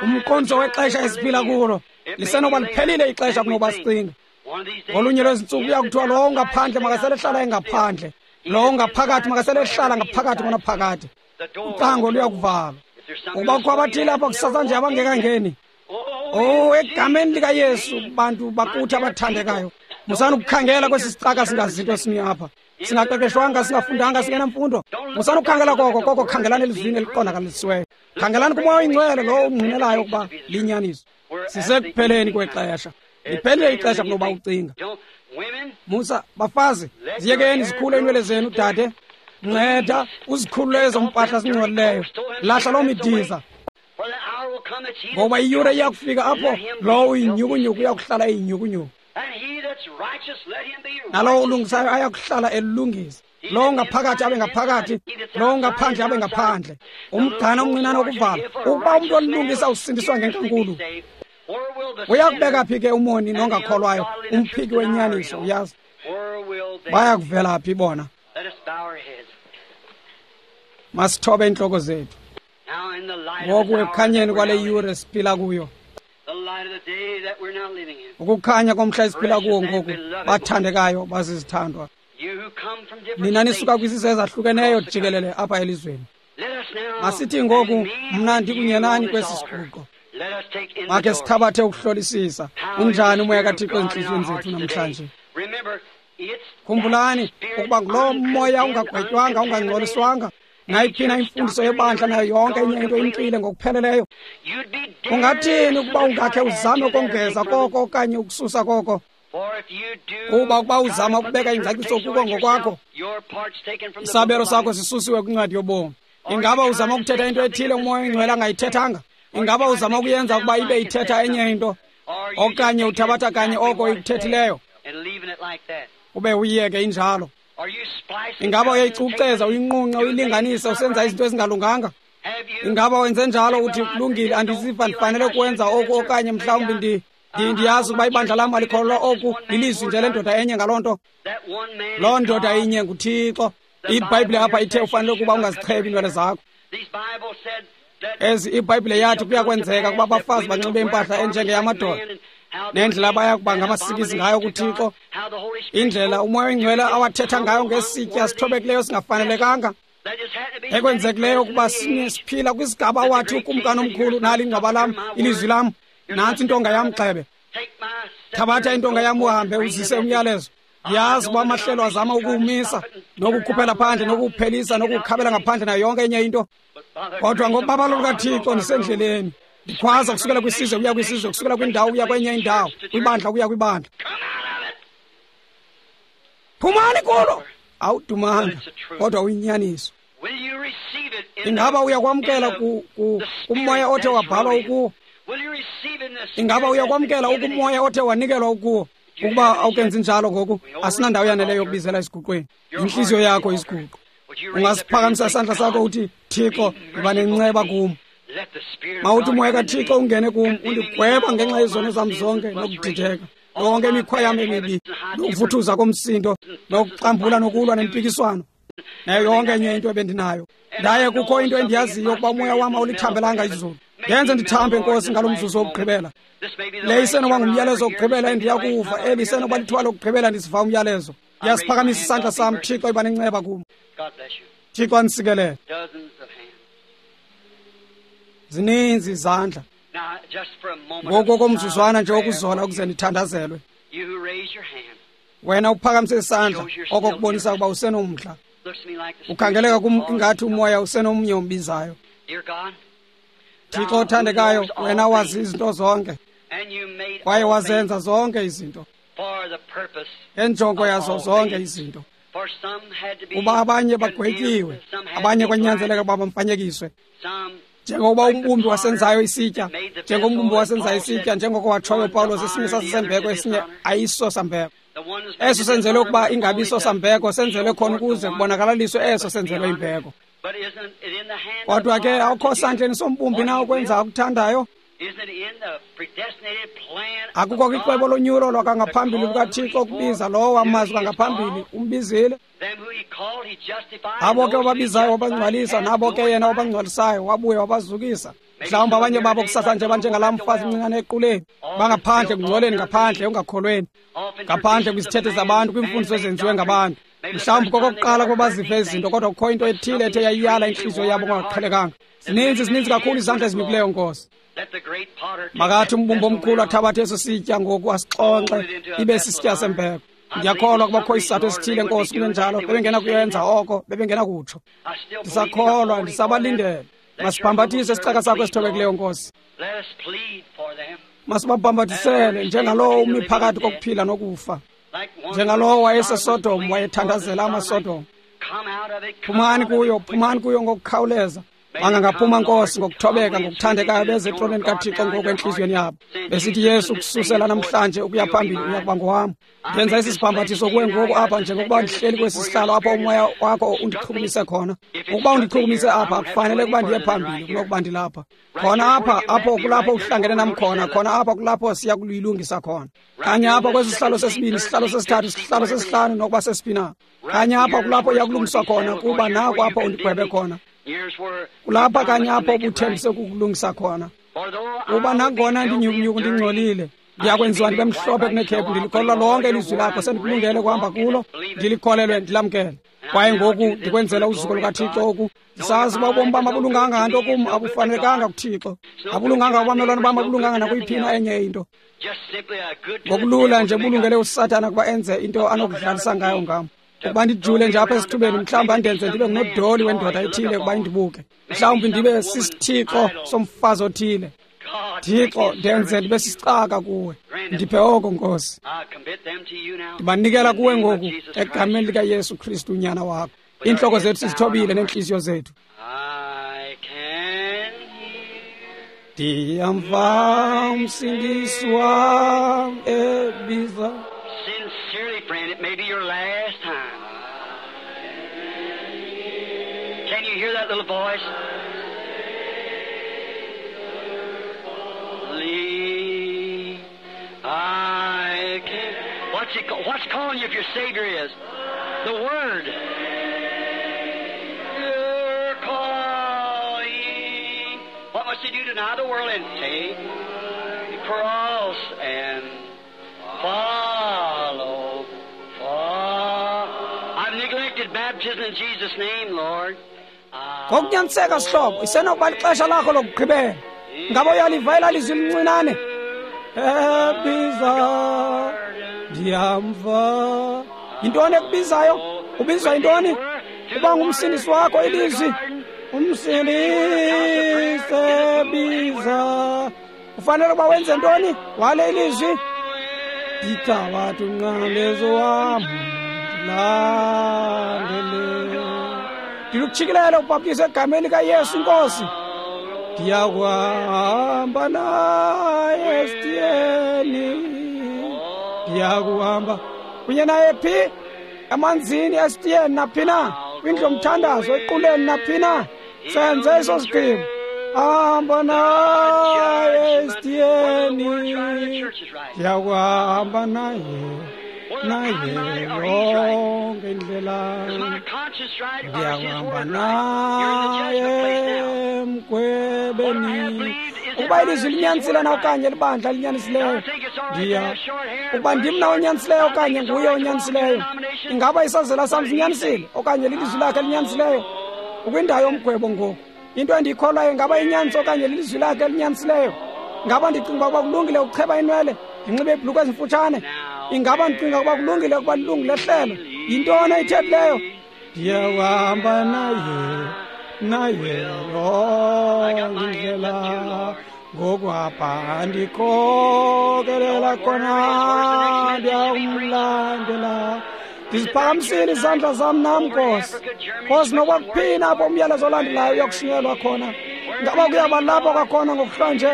umqondiso wexesha esiphila kulo. Lisenoba liphelile ixesha kunoba sicinga. Ngolunye lwezintsuku kuya kuthiwa lowo ungaphandle makasele ehlala engaphandle, lowo ungaphakathi makasele ehlala ngaphakathi ngonaphakade. Ucango luyakuvalwa. Ukuba kukho abathile apha kusasa nje abangekangeni, oh, egameni likaYesu, bantu bakuthi abathandekayo, musani ukukhangela kwesi sicaka singazinto esimi apha, singaqeqeshwanga, singafundanga, singenamfundo. Musani ukukhangela koko, koko khangelani elizwini eliqondakalisiweyo. Khangelani kuMoya oyingcwele lowo ungqinelayo ukuba linyaniso. Sisekupheleni kwexesha. Liphelile ixesha kunoba ucinga. Musa, bafazi, ziyekeni zikhule iinwele zenu. Dade, nceda uzikhulule ezo mpahla zingcolileyo. Lahla loo midiza, ngoba iyure iyakufika apho lowo uyinyhukunyhuku uyakuhlala eyinyhukunyhuku, nalowo ulungisayo ayakuhlala elungisa. Lowo ngaphakathi abe ngaphakathi, lowo ngaphandle abe ngaphandle. Umgcana omncinane wokuvala. Ukuba umntu olilungisa usindiswa ngenkankulu, uyakubeka phi ke umoni nongakholwayo, umphiki wenyaniso? Uyazi, bayakuvela phi bona? Masithobe iintloko zethu ngoku ekukhanyeni kwale yure siphila kuyo, ukukhanya komhla esiphila kuwo ngoku. Bathandekayo, bazizithandwa, nina nisuka kwizizwe ezahlukeneyo jikelele apha elizweni, masithi ngoku, mna ndikunye nani kwesi siguqo, makhe sithabathe ukuhlolisisa unjani umoya kaThixo ezintliziyweni zethu namhlanje. Khumbulani ukuba nguloo moya ungagwetywanga, ungangcoliswanga nayiphi na imfundiso yebandla nayo yonke enye into, imxile ngokupheleleyo. Ungathini ukuba ungakhe uzame ukongeza koko okanye ukususa koko? Kuba ukuba uzama ukubeka ingcaciso kuko ngokwakho, isabelo sakho sisusiwe kwincwadi yobomi. Ingaba uzama ukuthetha into ethile uMoya oyingcwele angayithethanga? Ingaba uzama ukuyenza ukuba ibe ithetha enye into, okanye uthabatha kanye oko ikuthethileyo ube uyiyeke injalo? Ingaba uyayicuceza, uyinqunqe, uyilinganise, usenza izinto ezingalunganga? Ingaba wenze njalo uthi kulungile, andiziva ndifanele ukwenza oku, okanye mhlawumbi ndiyazi ukuba ibandla lam alikholelwa oku, lilizwi nje lendoda enye ngaloo nto. Loo ndoda inye nguThixo. IBhayibhile apha ithe ufanele ukuba ungazichebi iinwele zakho. Ezi iBhayibhile yathi kuyakwenzeka ukuba abafazi banxibe impahla enjengeyamadoda, nendlela abaya kuba ngamasikizi ngayo kuThixo, indlela uMoya oyiNgcwele awathetha ngayo ngesitya sithobekileyo singafanelekanga, ekwenzekileyo ukuba siphila kwisigaba awathi ukumkani omkhulu, nali ingcwaba lam, ilizwi lam, nantsi intonga yam, gxebe. Thabatha intonga yam uhambe uzise umyalezo. Ndiyazi uba amahlelo azama ukuwumisa, nokukhuphela phandle, nokuwuphelisa, nokuwukhabela ngaphandle nayo yonke enye into. Kodwa ngobabalo lukaThixo ndisendleleni. Ndikhwaza kusukela kwisizwe kuya kwisizwe, kusukela kwindawo kuya kwenye indawo, kwibandla kuya kwibandla. Phumani kulo! Awudumanga, kodwa uyinyaniso. Ingaba uyakwamkela kumoya othe wabhalwa ukuwo? Ingaba uyakwamkela ukumoya othe wanikelwa ukuwo? Ukuba awukenzi njalo ngoku, asinandawo yaneleyo yokubizela esiguqweni. Intliziyo yakho isiguqo. Ungasiphakamisa isandla sakho uthi, Thixo, yiba nenceba kum. Mawuthi umoya kaThixo ungene kum, undigweba ngenxa yezono zam zonke nokudideka, yonke imikhwa yam emibi, nokuvuthuza komsindo, nokuxambula, nokulwa nempikiswano, nayo yonke enye into ebendinayo. Ndaye kukho into endiyaziyo ukuba umoya wam awulithambelanga izulu. Ndenze ndithambe, Nkosi, ngalo mzuzu wokugqibela. Le isenoba ngumyalezo wokugqibela endiya kuwuva, eli isenoba lithuba lokugqibela ndisiva umyalezo. Ndiyasiphakamisa isandla sam, Thixo, iba nenceba kum. Thixo andisikelele. Zininzi izandla. Ngoku komzuzwana nje wokuzola ukuze ndithandazelwe. Wena uphakamise isandla, oko kubonisa ukuba usenomdla. Ukhangeleka kum ingathi umoya usenomnye ombizayo. Thixo othandekayo, wena wazi izinto zonke, kwaye wazenza zonke izinto ngenjongo yazo zonke izinto. Kuba abanye bagwetyiwe, abanye kwanyanzeleka ukuba bamfanyekiswe. Njengokuba umbumbi wasenzayo isitya, njengombumbi wasenzayo isitya, njengoko watshoyo uPawulos, esinye sasisembeko, esinye ayiso sambeko. Eso senzelwe ukuba ingabi so sambeko, senzelwe khona ukuze kubonakalaliswe eso senzelwe imbeko. Kodwa ke awukho sandleni sombumbi na ukwenza akuthandayo? Akukho kwicwebo lonyulo lwakangaphambili lukaThixo ukubiza lowo wamazi kwangaphambili, umbizile. Abo ke wababizayo wabangcwalisa, nabo ke yena wabangcwalisayo wabuye wabazukisa. Mhlawumbi abanye babo kusasa nje banjengalaa mfazi mncinane equleni, bangaphandle kungcoleni, ngaphandle ungakholweni, ngaphandle kwizithethe zabantu, kwiimfundiso ezenziwe ngabantu. Mhlawumbi kokokuqala kuba bazive izinto, kodwa kukho into ethile ethe yayiyala intliziyo yabo kungaqhelekanga. Zininzi kakhulu izandla ezimikileyo, Nkosi. Makathi umbumbi omkhulu athabathe eso sitya ngoku asixonxe ibe sisitya sembeko. Ndiyakholwa ukuba kukho isizathu esithile, Nkosi, kungenjalo bebengena kuyenza oko, bebengena kutsho. Ndisakholwa, ndisabalindele. Masibhambathise isicaka sakho esithobekileyo, Nkosi. Masibabhambathisele njengalowo umi phakathi kokuphila nokufa, njengalowo wayeseSodom wayethandazela amaSodom. Phumani kuyo, phumani kuyo ngokukhawuleza. Bangangaphuma, Nkosi, ngokuthobeka, ngokuthandekayo, beze etroneni kaThixo ngoku entliziyweni yabo, besithi, Yesu, kususela namhlanje ukuya phambili uya kuba ngowam. Ndenza esi sibhambathiso kuwe ngoku apha, njengokuba ndihleli kwesi sihlalo apho umoya wakho undichukumise khona. Ukuba undichukumise apha, akufanele ukuba ndiye phambili kunokuba ndilapha. Khona apha, apho kulapho uhlangene nam khona, khona apha kulapho siya kuluyilungisa khona. Kanye apha kwesi sihlalo sesibini, sihlalo sesithathu, sihlalo sesihlanu, nokuba sesiphi na. Kanye apha kulapho uya kulungiswa khona, kuba naku apho undigwebe khona. Kulapha kanye apho ubuthembise ukukulungisa khona. Kuba nangona ndinyukunyuku ndingcolile, ndiyakwenziwa ndibe mhlophe kunekhephu. Ndilikholelwa lonke ilizwi lakho, sendikulungele ukuhamba kulo, ndilikholelwe, ndilamkele. Kwaye ngoku ndikwenzela uzuko lukaThixo oku. Ndisazi uba ubomi bam abulunganga nto kum, abufanelekanga kuThixo, abulunganga kubamelwane bam, abulunganga nakuyiphina enye into. Ngokulula nje bulungele uSathana ukuba enze into anokudlalisa ngayo ngam. Ukuba ndijule nje apha esithubeni, mhlawumbi andenze ndibe ngunodoli wendoda ethile ukuba indibuke. Mhlawumbi ndibe sisithixo somfazi othile. Thixo, ndenze ndibe sisicaka kuwe. Ndiphe oko, Nkosi. Ndibanikela kuwe ngoku egameni likaYesu Kristu unyana wakho. Iintloko zethu sizithobile neentliziyo zethu. Ndiyamva umsindisi wam ebiza.
Sincerely, friend, it may be your last time. that little voice. Lead, I can. What's it? What's calling you if your Savior is? The Word. You're calling. What must you do? Deny the world and take the cross and follow. Follow. I've neglected baptism in Jesus' name, Lord.
Ngokunyaniseka sihlobo, isenokuba lixesha lakho lokugqibela. Ngaba uyaliva elaa lizwi lincinane? Ebiza, ndiyamva. Yintoni ekubizayo? Ubizwa yintoni? Uba ngumsindisi wakho ilizwi. Umsindisi ebiza. Ufanele ukuba wenze ntoni? Wale ilizwi. Ndithabatha umnqamlezo wam ndilandele. Ndilukutshikilela ubhaptizo egameni likaYesu iNkosi. Ndiyakuhamba naye esitiyeni. Ndiyakuhamba kunye naye phi? Emanzini, esitiyeni, naphi na? Kwindlu yomthandazo, equleni, naphi na? Senze eso sigqibo. Hamba naye esitiyeni. Ndiyakuhamba naye, naye yonke indlela. Ndiyakuhamba naye emgwebeni. Ukuba ilizwi linyanisile na okanye libandla linyanisileyo, ndiya ukuba ndim na onyanisileyo okanye nguye onyanisileyo. Ingaba isazela sam sinyanisile okanye lilizwi lakhe linyanisileyo? Ukwindawo yomgwebo ngoku. Into endiyikholwayo ingaba inyaniso okanye lilizwi lakhe elinyanisileyo? Ingaba ndicinga ukuba kulungile ukucheba inwele ndinxibe iibhulukhwe ezimfutshane? Ingaba ndicinga ukuba kulungile ukuba lilungu lehlelo? Yintoni eyithethileyo? Ndiyahamba naye, naye yonke indlela. Ngoku apha andikhokelela khona, ndiyamlandela. Ndiziphakamisile izandla zam nam, Nkosi. Nkosi, nokuba kuphina apho umyalezo olandelayo uyakushunyelwa khona. Ngaba kuyaba lapho kwakhona ngokuhlwanje,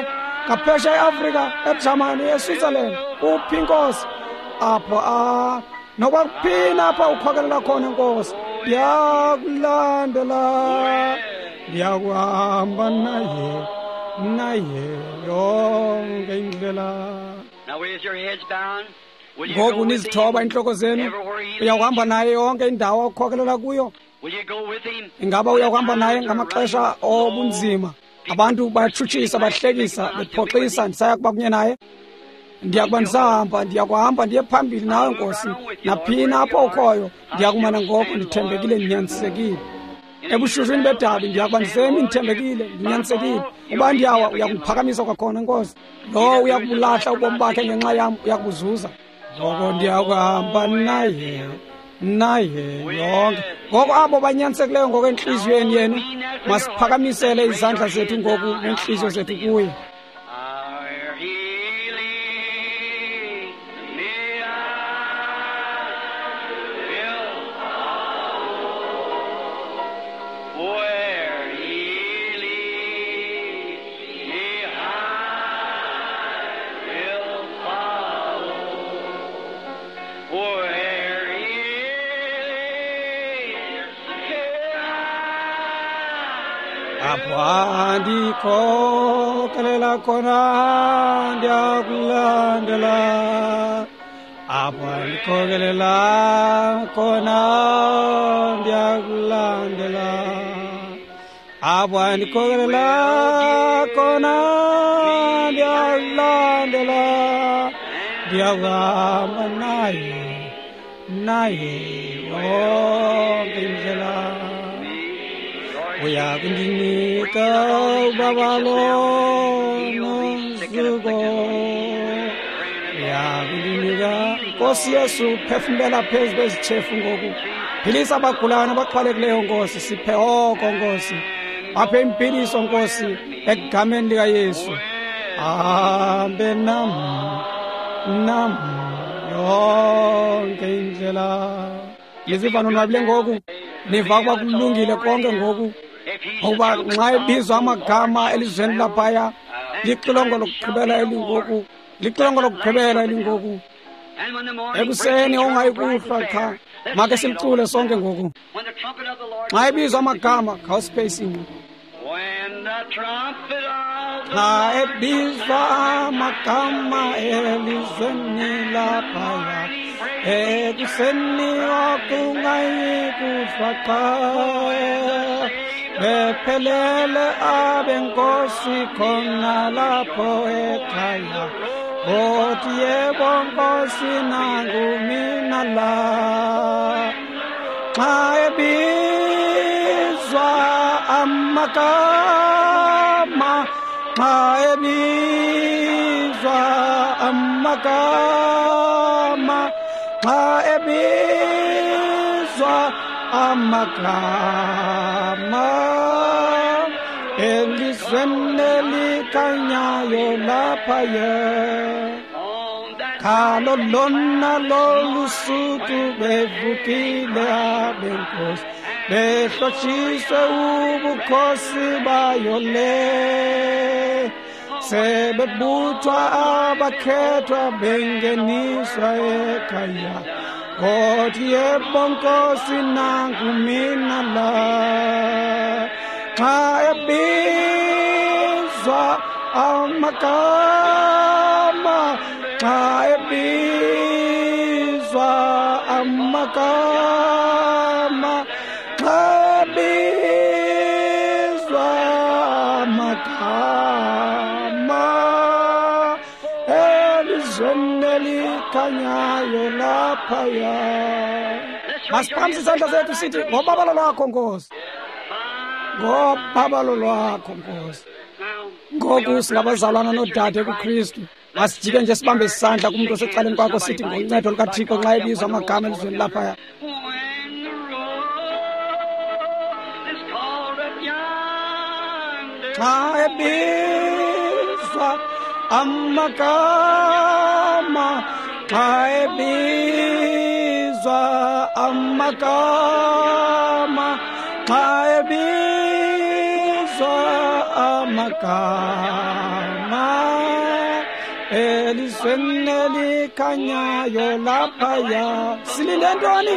ngaphesheya eAfrika, eJamani, eSwitzerland, uphi Nkosi? Apho nokuba kuphina apho ukhokelela khona, Nkosi, ndiyakulandela. Ndiyakuhamba naye, naye yonke indlela.
Now with your heads down, will you go
Ngoku
with
nizithoba
him
intloko zenu,
everywhere he
uyawuhamba
leads?
naye yonke indawo akukhokelela kuyo.
Will you go with him?
Ingaba uyakuhamba naye ngamaxesha obunzima? Abantu bayatshutshisa, bahlekisa, bephoxisa, ndisaya kuba kunye naye. Ndiyakuba ndisahamba, ndiyakuhamba ndiye phambili nawe Nkosi. Naphina apho ukhoyo, ndiyakumana ngoko ndithembekile, ndinyanisekile. Ebushushwini bedabi ndiyakuba ndisemi ndithembekile, ndinyanisekile. Uba ndiyawa, uyakundiphakamisa kwakhona Nkosi. Lowo uyakubulahla ubomi bakhe ngenxa yam, uyakubuzuza. Ngoko ndiyakuhamba naye, naye yonke. Ngoko abo banyanisekileyo ngokwentliziyweni yenu, masiphakamisele izandla zethu ngoku neentliziyo zethu kuye.
Where he leads me, I will follow. Where he leads me, I will follow. Where he leads me, I
Apho andikhokelela khona, ndiyakulandela. Apho andikhokelela khona, ndiyakulandela. Apho andikhokelela khona, ndiyakulandela. Ndiyakuhamba naye, naye yonke indlela. Uyakundinika ubabalo nozuko. Uyakundinika, Nkosi Yesu, phefumlela phezu kwezitshefu ngoku. Philisa abagulayo nabaxhwalekileyo, Nkosi. Siphe oko, Nkosi. Baphe impiliso, Nkosi, egameni likaYesu. Hambe nam, nam yonke indlela. Niziva nonwabile ngoku? Niva ukuba kulungile konke ngoku? Ngokuba nxa ebizwa amagama elizweni laphaya, lixilongo lokugqibela elingoku, lixilongo lokugqibela elingoku. Ekuseni ongayikuhlwa qha. Make simcule sonke ngoku. Xa ebizwa amagama, khawusiphe isinqe. Xa ebizwa amagama elizweni laphaya, ekuseni okungayikuhlwa qha. Bephelele abenkosi khona lapho ekhaya, othi yebo nkosi nangu mina la. Xa ebizwa amagama, xa ebizwa amagama, xa ebizwa amagama elizweni elikhanyayo laphaya. Khalo lona lolu suku bevukile abenkosi, behlotshiswe ubukhosi bayo le. Sebebuthwa abakhethwa bengeniswa ekhaya, othi yebo nkosi nangu mina la. Xa ebizwa amagama, xa ebizwa amagama, xa ebizwa amagama elizweni elikhanyayo laphaya. Masiphakamise isandla sethu sithi, ngobabalo lwakho Nkosi, ngobabalo lwakho Nkosi. Ngoku singabazalwana noodade kuKristu. Masijike nje sibambe isandla kumntu osecaleni kwakho sithi, ngoncedo lukaThixo xa ebizwa amagama elizweni laphaya. Xa ebizwa amagama, xa ebizwa amagama, xa ebizwa amagama elizweni elikhanyayo laphaya. Silinde ntoni?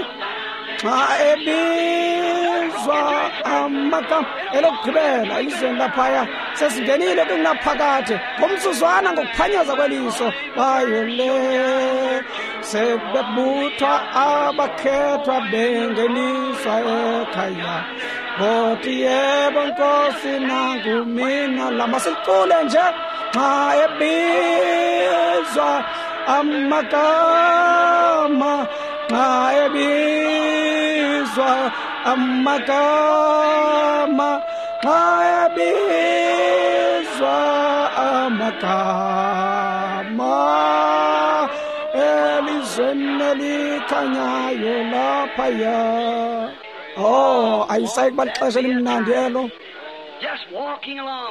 Xa ebizwa amagama elokugqibela elizweni laphaya, sesingenile kungunaphakade ngomzuzwana ngokuphanyaza kweliso bayo le. Sebebuthwa abakhethwa bengeniswa ekhaya, othi yebo nkosi nangu mina la. Masilicule nje. Xa ebizwa amagama, xa ebizwa amagama, xa ebizwa amagama elizweni elikhanyayo laphaya. Oh, ayisayi kuba lixesha elimnandi elo.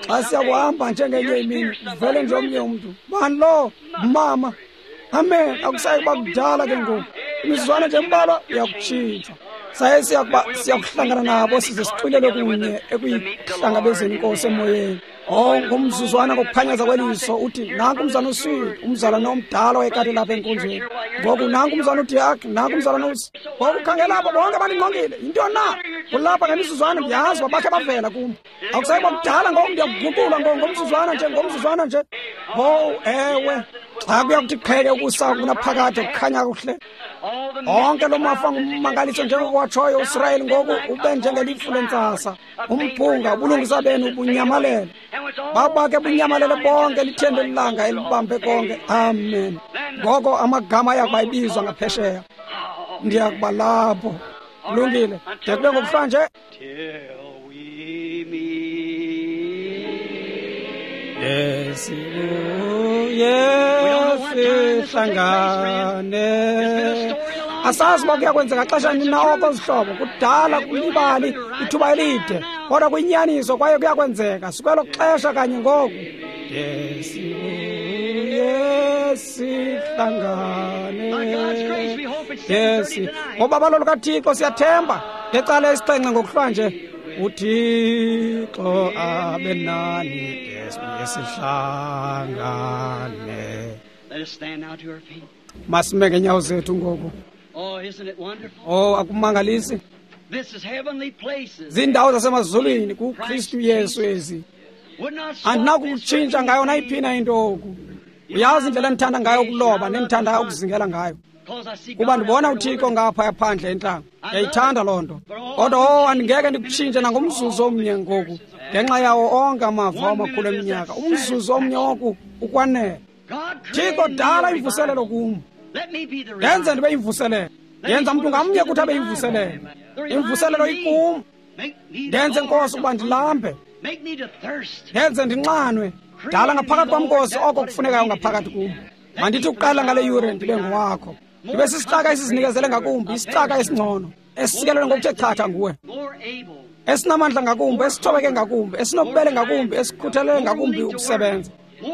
Xa siyakuhamba njengenye imini, vele nje omnye umntu, bani lo mama, amen. Akusayi kuba kudala ke ngoku, imizuzwana nje embalwa iyakutshintsha. Saye siyakuhlangana nabo size sixwilele kunye ekuyihlangabezeni inkosi emoyeni. Oh, ngomzuzwana ngokuphanyaza kweliso uthi, nanku umzana uSwidi, umzalwane omdala wayekade lapha enkonzweni. Ngoku nanku umzana uDiak, nanku umzalwane uS. Ngoku khangela apho, bonke bandingqongile. Yintoni na? Kulapha ngemizuzwana ndiyazi uba bakhe bavela kum. Akusayi kuba kudala ngoku, ndiyakuguqulwa ngomzuzwana nje, ngomzuzwana nje. Oh, ewe. Xa kuya kuthi qheke ukusa kunaphakade kukhanya kuhle. Onke lo mafa ngummangaliso njengokwatshoyo uSirayeli ngoku ube njengelifu lentsasa. Umphunga ubulungisa benu bunyamalele. Babake bunyamalele bonke lithembe lilanga elibambe konke. Amen. Ngoko amagama ayakuba ibizwa ngaphesheya. Ndiyakuba lapho. Kulungile. De kube ngokuhlwa nje. Sibuye sihlangane. Asazi uba kuyakwenzeka xesha nini na oko zihlobo. Kudala kulibali ithuba elide, kodwa kuyinyaniso kwaye kuyakwenzeka. Sikwelo xesha kanye ngoku. Sibuye sihlangane. Ngobabalo lukaThixo siyathemba ngecala esixhenxe ngokuhlwa nje. uThixo abe nani, sibuye sihlangane.
Let us stand now to our feet.
Masime ngeenyawo zethu ngoku.
Oh, isn't it wonderful?
Oh, akumangalisi?
This is heavenly places.
Ziindawo zasemazulwini kuKristu Yesu ezi.
Would not swap this for
Andinakukutshintsha ngayo
anything,
nayiphina into oku. Uyazi indlela endithanda ngayo ukuloba nendithanda ukuzingela ngayo.
'cause I see
Kuba
God
ndibona
out there in the
uThixo ngaphaya phandle entlango. Ndiyayithanda loo nto. Kodwa oh, andingeke ndikutshintshe nangomzuzu omnye ngoku ngenxa yawo onke amava amakhulu eminyaka. Umzuzu omnye oku ukwanele.
God created
Thixo
me
dala
a
imvuselelo
revival.
kum.
Let me be the
Ndenze
revival.
ndibe yimvuselelo. Yenza mntu ngamnye kuthi abe yimvuselelo. Imvuselelo ikum.
Make me,
Ndenze
Lord,
Nkosi
to
ukuba
hunger.
ndilambe.
Make me to thirst.
Ndenze ndinxanwe. Dala ngaphakathi kwam Nkosi oko kufunekayo ngaphakathi kum. Mandithi ukuqala ngale yure ndibe ngowakho. Ndibe sisicaka esizinikezele ngakumbi, isicaka esingcono, esisikelelwe ngokuthe chatha nguwe,
More able.
esinamandla ngakumbi, esithobeke ngakumbi, esinobubele ngakumbi, esikhuthalele ngakumbi ukusebenza,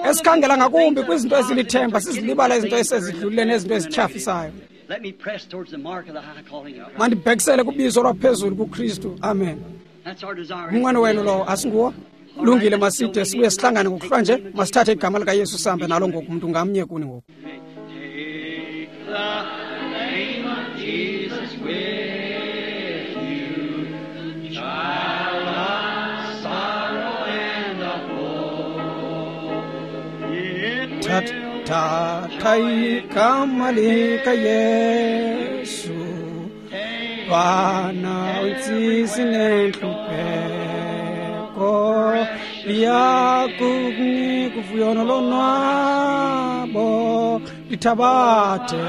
esikhangela ngakumbi kwizinto ezilithemba, sizilibala izinto esezidlulile nezinto ezityhafisayo.
Let me press towards the mark of the high calling of God.
Mandibhekisele kubizo lwaphezulu kuKristu. Amen.
That's our desire.
Umnqweno wenu lowo asinguwo? Lungile, maside sibuye sihlangane ngokuhlwa nje. Masithathe igama likaYesu sihambe nalo ngoku, mntu ngamnye kuni ngoku.
Take the name of Jesus with you, child of sorrow and of woe. It will
Thatha igama likaYesu, bana utsisi nentlupheko, liyakukunika uvuyo nolonwabo, lithabathe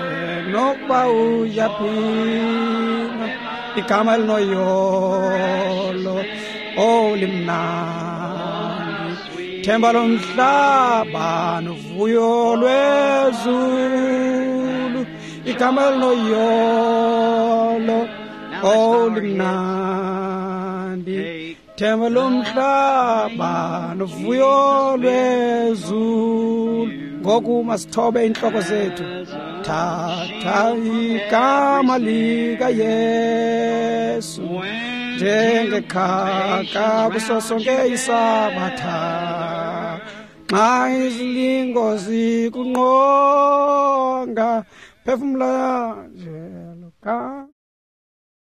nokuba uyaphina, igama elinoyolo, oh limnandi, themba lomhlaba novuyo lwezulu, igama elinoyolo, oh limnandi, themba lomhlaba novuyo lwezulu. Ngoku masithobe iintloko zethu. Thatha igama likaYesu njengekhaka kuso sonke isabatha, xa izilingo zikunqonga, phefumla nje lo gama.